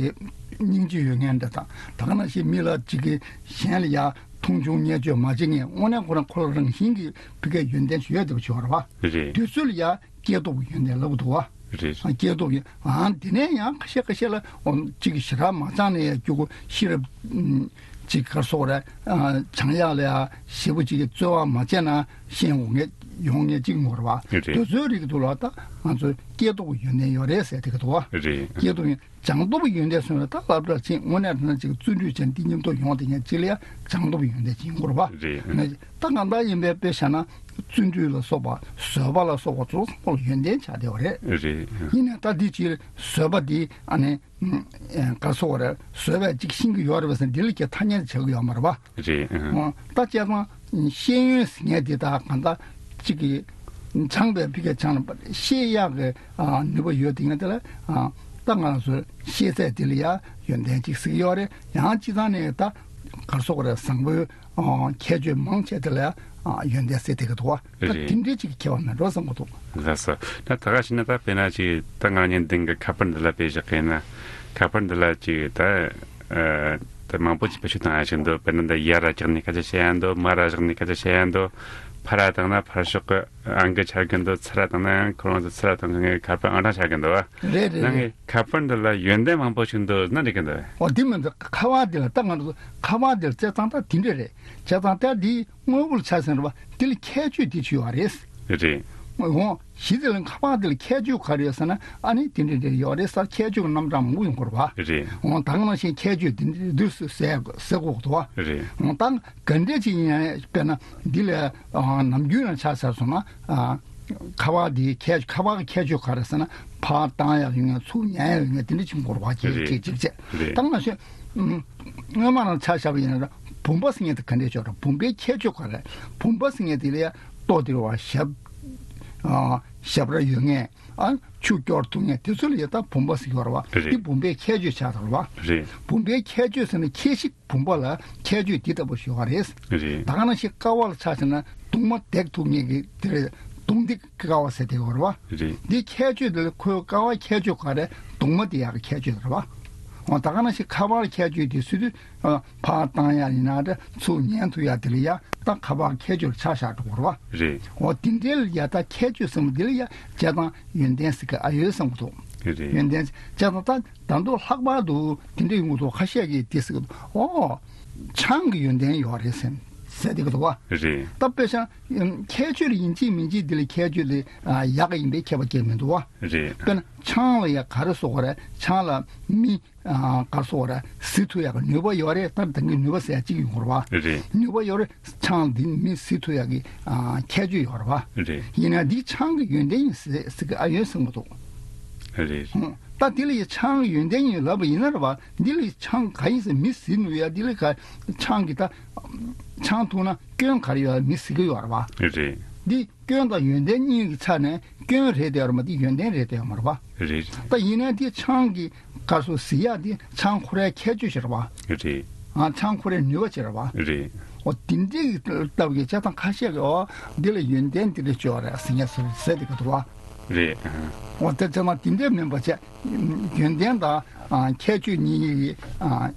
སྙིང་རྗེ་ཡོད་མཁན་འདྲ་དང་། ད་ག་ནང་བཞིན་མི་ལ་ཅིག་གི་གཞན་ལ་ཡ་མཐོང་ཆུང་བརྙས་བཅོས་མ་བྱེད་མཁན། དངོས་གནས་ཁོ་རང་ཁོ་རང་རང་བཞིན་གྱི་ཕ་གིའི་ཡོན་ཏན་ཞིག་ཡོད་བསྡད་པ་ཅིག་ཡོད་རེད་བ། རེད། དེ་ཚོ་ལ་ཡ་སྐྱེས་སྟོབས་ཀྱི་ཡོན་ཏན་ལབ་འདུག་བ། རེད། ཨ་སྐྱེས་སྟོབས་ཀྱི་ཨང་། དེ་ནས་ཡང་ཁ་ཤས་ཁ་ཤས་ལ་ཨོ་གཅིག་གི་ཞེ་དྲག་མ་སྦྱངས་ནས་ཡ་སྐྱུག་གུ་ཤེས་རབ་ཨམ་གཅིག་ག་རེ་ཟེར་དགོས་རེད། ཨ་སྦྱང་ཡག་ལ་ཡ་ཞེ་པོ་གཅིག་གི་རྩོལ་བ་མ་བྱས་ན་ཤེས་འོང་ངེས་ཡོང་ངེས་གཅིག་ཡོད་རེད་བ། རེད། དེ་ཚོའི་རིགས་དེ་ལ་ད་ང་ཚོ་སྐྱེས་སྟོབས་ཀྱི་ཡོན་ཏན་ཡོད་རེད་ཟེར་དེ་ག་འདུག་བ། རེད། སྐྱེས་སྟོབས་ཡོན། སྦྱངས་སྟོབས་ཡོན་ཏན་སོང་བས་ད་སློབ་གྲྭར་ཕྱིན་དངོས་གནས་དྲང་གནས་ཅིག་བརྩོན་འགྲུས་བྱས་ནས་འདི་མཉམ་དུ་ཡོང་བསྡད་མཁན་ཅིག་ལ་ཡ་སྦྱངས་སྟོབས་ཡོན་ཏན་ཅིག་ཡོང་གི་རེད་བ། རེད། ནས་ད་གང་ལྟར་ཡིན་པའི་དཔེ་བཞག་ན་བརྩོན་འགྲུས་ལ་སོགས་པ་བཟོད་པ་ལ་སོགས་པ་ཚོ་ཚང་མ་ལ་ཡོན་ཏན་ཆགས་བསྡད་པ་རེད། རེད། ཡིན་ནའི་ད་འདི་ཅིག་བཟོད་པ་འདི་ཨ་ནི་ཨ་ག་རེ་ཟེར་དགོས་རེད། བཟོད་པ་ཅིག་ཤེས་ཀྱི་ཡོད་རེད་པས་ཟེར་འདི་ལ་ཀྱང་ཐ་སྙད་ཆགས་ཀྱི་ཡོད་མ་རེད་བ། རེད། ཨ། འོ་ད་བྱས་ཙང་ཤེས་ཡོན་ཟེར་མཁན་འདི་ད་གང་ལྟར་ཅིག་གི་སྦྱངས་པའི་ཕ་གིར་སྦྱངས་པ་ཤེས་ཡག་གི་ཨ་ནུས་པ་ཡོད་དེ་ཡིན་དེ་ལ་ཨ་ད་ང་ཚོའི་ཤེས་ཚད་དེ་ལ་ཡ་ཡོན་ཏན་ཅིག་ཟེར་གྱི་ཡོད་རེད། ཡང་སྤྱིར་བཏང་ནས་ད་ག་རེ་ཟེར་དགོས་རེད། བཟང་པོའི་ཨ་ཁྱད་ཆོས་མང་ཆེ་དེ་ལ་ཡ་ཨ་ཡོན་ཏན་ཟེར་བསྡད་ཀྱི་འདུག་བ། ད་རེད། དེ་འདྲའི་ཅིག་གི་ཁྱད་པར་མེད་འགྲོ་བསམ་གྱི་འདུག་ལགས་སོ། ད་ད་ག་བྱས་ན་ད་དཔེར་ན་ཅིག་ད་ང་གཉིས་འདི་གི་ཁ་པར་འདི་ལ་དཔེ་བཞག་གི་ཡིན་ན། ཁ་པར་འདི་ལ་ཅིག་ད་ཨ་ད་མང་པོ་ཅིག་བེད་སྤྱོད་བཏང་ཡ་ཞིག་འདུག་དཔེར་ན་ད་ཡར་ར་བཀྱགས་ནས་སྐད་ཆ་བཤད་ཡ་འདུག་མར་ར་བཞག་ནས་སྐད་ཆ་བཤད་ཡ་འདུག་ཕར་ར་བཏང་ན་ཕར་ཕྱོགས་ཀྱི་ཨང་ཀི་འཆར་གི་འདུག་ཚུར་ར་བཏང་ན་ཡང་ཁོ་རང་ཚོ་ཚུར་ར་བཏང་གི། ངའི་ཁ་པར་ཨང་གྲངས་འཆར་གི་འདུག་བ། རེད་རེད་ནང་རེད། གི་ཁ་པར་འདི་ལ་ཡོན་ཏན་མང་པོ་ཞིག་འདུག་ན་འགྲིག་གི་འདུག་བས། ཨོ་དེ་མི་འདུག་ཁ་པར་འདི་ལ་ད་ང་ཚོ་ཁ་པར་འདི་ལ་བྱས་ཙང་ད་དེ་འདྲ་རེད། བྱས་ཙང་ད་འདི་དངོས་པོ་ལ་ཆ་མཚོན་རེད་བ། འདི་ལ་ཁྱད་ཆོས་འདི་ཅིག་ཡོད་རེད། རེད། འོ་གཞི་དེ་ལ་ཁ་པར་འདི་ལ་ཁྱད་ཆོས་ག་རེ་ཡོད་ཟེར་ན་ཨ་ནི་དེ་འདྲ་འདྲ་ཡོད་རེད་ཟེར། ཁྱད་ཆོས་ཀྱི་རྣམ་གྲངས་མང་པོ་ཡོང་གི་རེད་བ། རེད། འོ་ད་ག་ནང་བཞིན་ཁྱད་ཆོས་འདི་འདི་འདུག་ཟེར་ཟེར་དགོས་འདུག་བ། རེད། འོ་ད་ག་འདྲ་ཅིག་ཡིན་ཡང་དཔེར་ན་འདི་ལ་ཨ་ནམ་རྒྱུན་ལ་ཆ་བཞག་སོང་ན་ཨ། ཁ་པར་འདིའི་ཁྱད་ཁ་པར་གྱི་ཁྱད་ཆོས་ག་རེ་ཟེར་ན་ཕར་བཏང་ཡག་ཡོད་མཁན་ཚུར་ཉན་ཡག་ཡོད་མཁན་དེ་འདྲ་ཅིག་འགོར་བ་ཅིག་རེད། ཅིག་ཅིག་བྱས། རེད། ད་ང་ཚོས་ཨུམ་སྔོན་མ་རང་ཆ་བཞག་པ་ཡིན་ན་བུམ་པ་ཟེར་མཁན་དེ་ག་འདྲས་ཆགས་རེད། བུམ་པའི་ཁྱད་ཆོས་ག་རེ། བུམ་པ་ཟེར་མཁན་དེ་ལ་ཡ་ལྟོ་དེ་རེད་བ། ཞབས་ཨ་ཞབས་ར་ཡོད་མཁན་ཨ་ཆུ་སྐྱོར་ཐུབ་མཁན་དེ་ཚོ་ལ་ཡ་ད་བུམ་པ་ཟེར་གྱི་ཡོད་རེད་བ། རེད། འདི་བུམ་པའི་ཁྱད་ཆོས་ཆགས་ཚར་བ། རེད། བུམ་པའི་ཁྱད་ཆོས་ཟེར་ན་ཁྱད་གཞི། བུམ་པ་ལ་ཁྱད་ཆོས་འདི་ལྟ་བུ་ཞིག་ཡོད་རེད། རེད། ད་ག་ནང་བཞིན་ཀ་བ་ལ་ཆ་བཞག་ན་གདུང་མ་འདེགས་ཐུབ་མཁན་གྱི་དེ་རེད། གདུང་འདེགས་ཀ་བ་ཟེར་དེ་ཡོད་རེད་བ། རེད། འདི་ཁྱད་ཆོས་དེ་ལ་ཁོའི་ཀ་བ་ཁྱད་ཆོས་ག་རེ་གདུང་མ་དེ་ཡག་གི་ཁྱད་ཆོས་རེད་བ། འོ་ད་ག་ནང་བཞིན་ཁ་པར་ཁྱད་ཆོས་དེ་སུ་དུས་ཨ་ཕར་བཏང་ཡ་ཡིན་ན་འདྲ་ཚུར་ཉན་ཐུབ་ཡ་དེ་ལ་ཡ་ད་ཁ་པར་ཁྱད་ཆོས་ལ་ཆ་བཞག་འགྲོ་གི་རེད་བ། རེད། འོ་དེ་འདྲའི་ལ་ཡ་ད་ཁྱད་ཆོས་ཟེར་མཁན་དེ་ལ་ཡ་བྱས་ཙང་ཡོན་ཏན་ཟེར་གི་ཨ་ཡོད་བསམ་གི་འདུག་རེད། ཡོན་ཏན་བྱས་ཙང་ད་ད་མདོ་ལྷག་པར་དུ་དེ་འདྲ་ཡོང་གི་འདུག་ཁ་ཤས་ཀྱིས་དེ་ཟེར་གི་འདུག་འོ། ཆང་གི་ཡོན་ཏན་ཡོད་རེད་ཟེར་ཟེར་བསྡད་ཀྱི་འདུག་བ། རེད། ད་དཔེ་བཞག་ན་ཁྱད་ཆོས་ལ་ཡིན་གཅིག་མིན་གཅིག་འདི་ལ་ཁྱད་ཆོས་ལ་ཡག་གི་ཡིན་པའི་ཁྱད་པར་གཅིག་མི་འདུག་བ། རེད། དཔེར་ན་ཆང་ལ་ཡ་ག་རེ་ཟེར་དགོས་རེད། ཆང་ལ་མི་ག་རེ་ཟེར་དགོས་རེད། གཟི་ཐུབ་ཡག་གི་ནུས་པ་ཡོད་རེད། ད་ད་གིན་ནུས་པ་ཟེར་ཡག་གཅིག་ཡོང་གི་རེད་བ། རེད། ནུས་པ་ཡོད་རེད། ཆང་འདི་མི་གཟི་ཐུབ་ཡག་གི་ཁྱད་ཆོས་ཡོད་རེད་བ། རེད། ཡིན་ན་འདི་ཆང་གི་ཡོན་ཏན་ཡིན་ཟེར་ཟེར་གི་ཨ་ཡོད་ཟེར་གི་འདུག་རེད། ད་དེ་ལ་ཡི་ཆང་ཡོན་ཏན་ཡིན་ལབ་པ་ཡིན་ན་རེད་བ། འདི་ལ་ཡི་ཆང་ག་ཡིན་ཟེར་མི་གཟིགས་ནུས་ཡ། འདི་ལ་ག་ཆང་གི་ད་ཆང་འཐུང་ན་སྐྱོན་ག་རེ་ཡོད་མི་གཟིགས་གི་ཡོད་རེད་བ། རེད། འདི་སྐྱོན་དང་ཡོན་ཏན་གཉིས་ཀྱི་ཆ་ནས་སྐྱོན་རེད་དེ་ཡོད་རེད་མ། འདི་ཡོན་ཏན་རེད་དེ་ཡོད་མ་རེད་བ། རེད། ད་ཡིན་ན་འདི་ཆང་གི་ག་སོ་གཟིགས་ཡ་འདི་ཆང་ཁོ་རའི་ཁྱད་ཆོས་ཤིག་རེད་བ། རེད། ཨ་ཆང་ཁོ་རའི་ནུས་པ་ཅིག་རེད་བ། རེད། འོ་དེ་འདྲའི་སྟབས་ཀྱིས་བྱས་ཙང་ཁ་ཤས་ཀྱིས་འོ་འདི་ལ་ཡོན་ཏན་འདི་འདྲ་ཅིག་ཡོད་རེད་ཟེར་མཁན་ཟེར་ཟེར་དེ་ག་འདུག་བ། རེད། འོ་དེ་ཚང་མ་དེ་འདྲ་མིན་པ་བྱས། ཡོན་ཏན་དང་ཨ་ཁྱད་ཆོས་གཉིས་ཀྱི་ཨ་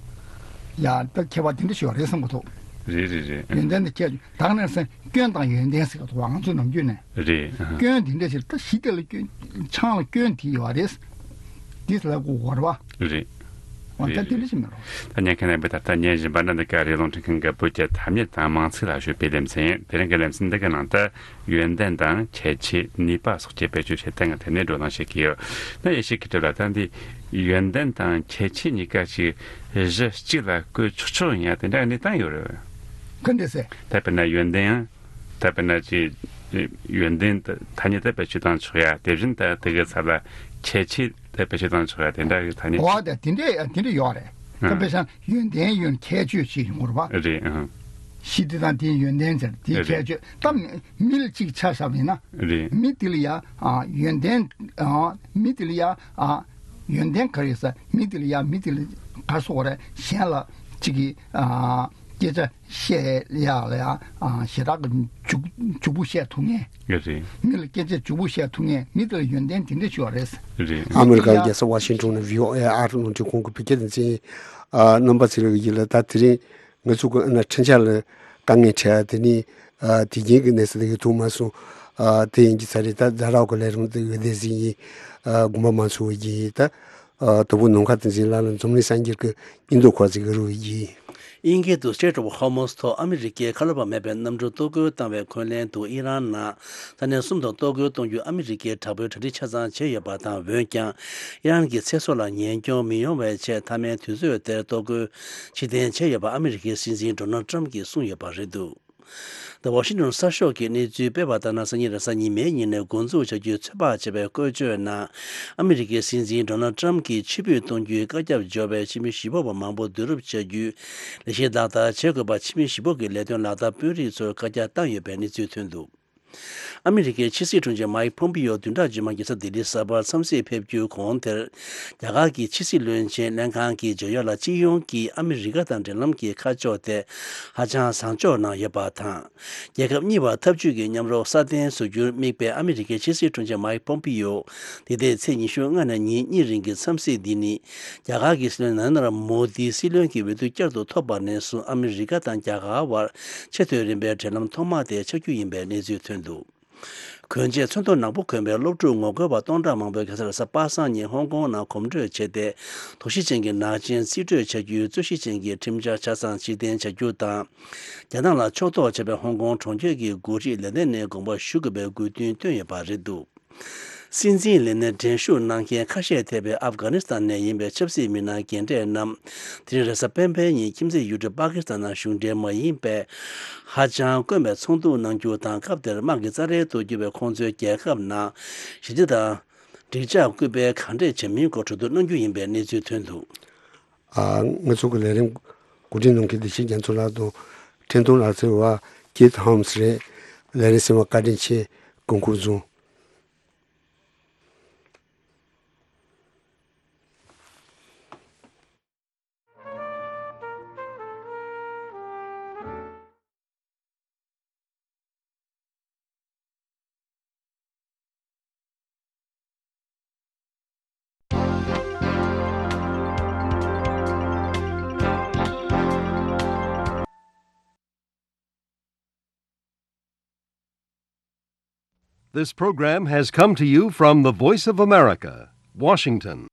ཡ་ད་ཁྱད་པར་དེ་འདྲ་ཞིག་ཡོད་རེད་བསམ་གྱི་འདུག་རེད་རེད་རེད། ཡོན་ཏན་དང་ཁྱད་ཆོས་ད་ག་ནས་སེ་སྐྱོན་དང་ཡོན་ཏན་ཟེར་གྱི་འདུག་ང་ཚོ་ནམ་རྒྱུན་ནས་རེད། སྐྱོན་དེ་འདྲ་ཞིག་ད་གཞི་དེ་ལ་སྐྱོན་ཆང་ལ་སྐྱོན་དེ་ཡོད་རེད། དེ་ལ་གོ་བར་བ། རེད། འོ་ད་དེ་འདྲ་ཞིག་མིན་རོ། ད་ཉན་མཁན་རྣམ་པས་ད་ལྟ་ཉན་བཞིན་པ་ན་འདི་ག་རེ་རླུང་འཕྲིན་ཁང་གི་བོད་ཀྱི་ཐ་སྙད་དང་མིང་ཚིག་ལ་ཞུགས་པའི་ལེ་ཚན་ཡིན། དེ་རིང་གི་ལེ་ཚན་འདི་གི་ནང་དུ་ཡོན་ཏན་དང་ཁྱད་ཆོས་ནུས་པ་སོགས་ཀྱི་བེད་སྤྱོད་བྱེད་སྟངས་ཀྱི་ཐད་ནས་བགྲོ་གླེང་བྱེད་ཀྱི་ཡོད། ན་ཡེ་ཤེས་མཁས་གྲུབ་ལགས། ད་འདི་ཡོན་ཏན་དང་ཁྱད་ཆོས་གཉིས་ཀ་ཞིག་གཞི་གཅིག་ལ་བཀོལ་ཆོག་ཆོག་ཡིན་ཡ་དེ་འདྲ་གནས་སྟངས་ཡོད་རེད། ག་འདྲ་ཟེར། ད་དཔེར་ན་ཡོན་ཏན་ཡང་ད་དཔེར་ན་ཅིག་ཡོན་ཏན་ད་ཐ་སྙད་དེ་བེད་སྤྱོད་བཏང་ཆོག་ཡ། དེ་བཞིན་ད་དེ་གི་ཚབ་ལ་ཁྱད་ཆོས་དེ་བེད་སྤྱོད་བཏང་ཆོག་ཡ་དེ་འདྲ་གི་ཐ་སྙད་འོ་ད་དེ་འདྲ་དེ་འདྲ་ཡོད་རེད། ད་ཨང་། དཔེ་བཞག་ན་ཡོན་ཏན་ཡོད་ན་ཁྱད་ཆོས་ཅིག་ཡོང་དགོས་རེད་པ། རེད་ཨང་། གཞི་དེ་དང་དེའི་ཡོན་ཏན་ཟེར་དེའི་རེད། ཁྱད་ཆོས་ད་མི་མི་ལ་གཅིག་ཆ་བཞག་པ་ཡིན་ན། རེད། མི་དེ་ལ་ཡ་ཨ་ཡོན་ཏན་ཨ་མི་དེ་ལ་ཡ་ཨ་ཡོན་ཏན་ག་རེ་ཟེར། མི་དེ་ལ་ཡ་མི་དེ་ལ་ག་རེ་ཟེར་དགོས་རེད། གཞན་ལ་གཅིག་གི་ཨ་སྐད་ཆ་བཤད་ཡག་ལ་ཡང་ཞེ་དྲག་གི་འཇུག་འཇུག་པོ་བཤད་ཐུབ་མཁན། རེད། མི་ལ་སྐད་ཆ་འཇུག་པོ་བཤད་ཐུབ་མཁན་མི་དེ་ལ་ཡོན་ཏན་དེ་འདྲ་ཞིག་ཡོད་རེད། རེད། ཨ་མི་རི་ཀའི་རྒྱལ་ས་ཝ་ཤིང་ཊོན་ནས་བྷི་ཨོ་ཨེ་ཨ་རི་རླུང་འཕྲིན་ཁང་གི་བོད་སྐད་སྡེ་ཚན་ཡིན། ཨ་རྣམ་པ་ཚོ་ལ་ཡིན་ལ་ད་དེ་རིང་ང་ཚོ་གི་ཨ་ན་འཕྲིན་བཅར་ལ་དཀའ་ངལ་འཕྲད་ཡ་དེ་ནི་ཨ་དེ་རྒྱུན་གྱི་གནས་ཚུལ་དེ་གི་ཐུག་མ་སོང་། ཨ་དེ་ཡིན་གྱི་ཚར་རེད། ད་ཛ་རག་གི་ལས་རིམ་དེ་གི་སྡེ་ཚན་ཡིན། ཨ་དགོངས་པ་མ་ཚོམ་གྱིས་ད། ཨ་དུ་བུ་ནམ་མཁའ་བསྟན་འཛིན་ལགས་ལ་འཛམ་གླིང་གསར་འགྱུར་གྱི་སྙིང་སྟོབས་ཁོ་ཚོས་བསྒྱུར་བ་ཡིན། དབྱིན་སྐད་དུ་Strait of Hormuz ཐོག་ཨ་མི་རི་ཀས་ཁ་ལོ་བ་མེད་པའི་གནམ་གྲུ་གཏོར་རྒོལ་བཏང་བའི་འཁོན་ལན་དུ་ཨི་རན་ནང་ས་གནས་གསུམ་དུ་གཏོར་རྒོལ་གཏོང་རྒྱུ་ཨ་མི་རི་ཀས་དྲག་པོའི་གྲ་སྒྲིག་ཆ་ཚང་བྱས་ཡོད་པ་དང་། འོན་ཀྱང་ཨི་རན་གྱི་ཚེ་སྲོག་ལ་ཉེན་སྐྱོན་མི་ཡོང་བའི་ཆེད་མཐའ་མའི་དུས་ཚོད་དེར་གཏོར་རྒོལ་ཕྱིར་འཐེན་བྱས་ཡོད་པ་ཨ་མི་རི་ཀའི་སྲིད་འཛིན་Donald Trump གྱིས་གསུངས་ཡོད་པ་རེད་འདུག་ད་ཝ་ཤིང་ཊོན་གསར་ཤོག་གིས་གནས་ཚུལ་སྤེལ་བ་ལྟར་ན། སང་ཉིན་རེས་གཟའ་ཉི་མའི་ཉིན་ནས་འགོ་འཛུགས་བྱ་རྒྱུའི་ཚོད་དཔག་བྱས་པའི་བཀོལ་སྤྱོད་ནང་། ཨ་མི་རི་ཀའི་སྲིད་འཛིན་Donald Trump གྱིས་ཕྱིར་འབུད་གཏོང་རྒྱུའི་བཀའ་ཁྱབ་འབྱོར་བའི་ཕྱི་མི་བཞི་པ་བ་མང་པོ་བསྡུ་རུབ་བྱ་རྒྱུའི་ལས་གཞི་ལག་བསྟར་བྱེད་དགོས་པ་ཕྱི་མི་བཞི་པོ་གི་ལས་དོན་ལག་བསྟར་དཔོན་རིགས་ཚོར་བཀའ་རྒྱ་བཏང་ཡོད་པའི་གནས་ཚུལ་ཐོན་འདུག་ཨ་མི་རི་ཀའི་ཕྱི་སྲིད་དྲུང་ཆེ་མཱིག་ཕོམ་པིའོ་བདུན་ཕྲག་རྗེས་མ་རྒྱལ་ས་ལྡི་ལི་གསར་པར་འཚམས་གཟིགས་ཕེབས་རྒྱུའི་གོང་དེར། རྒྱ་གར་གྱི་ཕྱི་སྲིད་བློན་ཆེན་ལྷན་ཁང་གིས་བརྗོད་ཡོད་ལ། སྤྱི་ཡོངས་ཀྱིས་ཨ་མི་རི་ཀ་དང་འབྲེལ་ལམ་གྱི་ཁ་ཕྱོགས་དེ་ཧ་ཅང་བཟང་ཕྱོགས་ནང་ཡོད་པ་དང་། རྒྱལ་ཁབ་གཉིས་བར་འཐབ་ཇུས་ཀྱི་མཉམ་རོགས་སྲ་བརྟན་བཟོ་རྒྱུར་དམིགས་པའི་ཨ་མི་རི་ཀའི་ཕྱི་སྲིད་དྲུང་ཆེ་མཱིག་ཕོམ་པིའོ་འདི་ཟླའི་ཚེས་ཉི་ཤུ་ལྔ་ནས་ཉིན་གཉིས་རིང་གི་འཚམས་གཟིགས་འདི་ནི། རྒྱ་གར་གྱི་སྲིད་བློན་ནཱ་རེན་དྲ་མོ་དིའི་སྲིད་བློན་གྱི་འོས་བསྡུ་བསྐྱར་དུ་ཐོབ་པ་ནས་བཟུང་ཨ་མི་རི་ཀ་དང་རྒྱ་གར་བར་ཆེས་མཐོའི་རིམ་པའི་འབྲེལ་ལམ་ཐོག་མ་དེ་ཆགས་རྒྱུ་ཡིན་པའི་གནས་ཚུལ་ཐོན་འདུག་གོན་ཆས་ཚོན་མདོག་ནག་པོ་གོན་པའི་སློབ་ཕྲུག་ངོ་རྒོལ་བ་སྟོང་ཕྲག་མང་པོས་རྒྱལ་ས་རེས་གཟའ་པ་སངས་ཉིན་ཧོང་ཀོང་ནང་གོམ་བགྲོད་བྱས་ཏེ། དོགས་གཞི་ཅན་གྱི་ནག་ཅན་རྩིས་སྤྲོད་བྱ་རྒྱུའི་རྩོད་གཞི་ཅན་གྱི་ཁྲིམས་འཆར་ཆ་ཚང་ཕྱིར་འཐེན་བྱ་རྒྱུ་དང་། རྒྱ་ནག་ལ་ཕྱོགས་གཏོགས་བྱས་པའི་ཧོང་ཀོང་གྲོང་ཁྱེར་གྱི་འགོ་ཁྲིད་ལས་སྡེ་ནས་དགོངས་པ་ཞུ་དགོས་པའི་དགོས་འདུན་བཏོན་ཡོད་པ་རེད་འདུག་སྲིད་འཛིན་ལས་གནས་འགྲན་ཞུགས་གནང་མཁན་ཁ་ཤས་ཐེ་བའི་ཨབ་གྷ་ནི་སི་ཐན་ནས་ཡིན་པའི་ཆབ་སྲིད་མི་སྣ་རྒན་གྲས་རྣམས། དེ་རིང་རེས་གཟའ་སྤེན་པའི་ཉིན་ཁྱིམ་མཚེས་ཡུལ་གྲུ་པ་ཀི་སི་ཐན་ནང་གཞུང་འབྲེལ་མ་ཡིན་པའི་ཧ་ཅང་དཀོན་པའི་ཚོགས་འདུ་གནང་རྒྱུ་དང་། སྐབས་དེར་དམག་གི་རྩ་རལ་དུ་གྱུར་པའི་ཁོང་ཚོའི་རྒྱལ་ཁབ་ནང་ཞི་བདེ་དང་འགྲིག་འཇགས་སྐུལ་སྤེལ་གང་འདྲས་བྱེད་མིན་སྐོར་གྲོས་བསྡུར་གནང་རྒྱུ་ཡིན་པའི་གནས་ཚུལ་ཐོན་འདུག་ཨ། ང་ཚོ་གི་ལས་རིམ་གོ་སྒྲིག་གནང་མཁན་བདེ་ཆེན་རྒྱ་མཚོ་ལགས་དང་འཕྲིན་གཏོང་ལག་རྩལ་བ་ཀེ་ཐི་ཧམ་སི་རེད། ལས་རིམ་གསན་པར་བཀའ་དྲིན་ཆེ། སྐུ་ཁམས་བཟང་། This program has come to you from the Voice of America, Washington.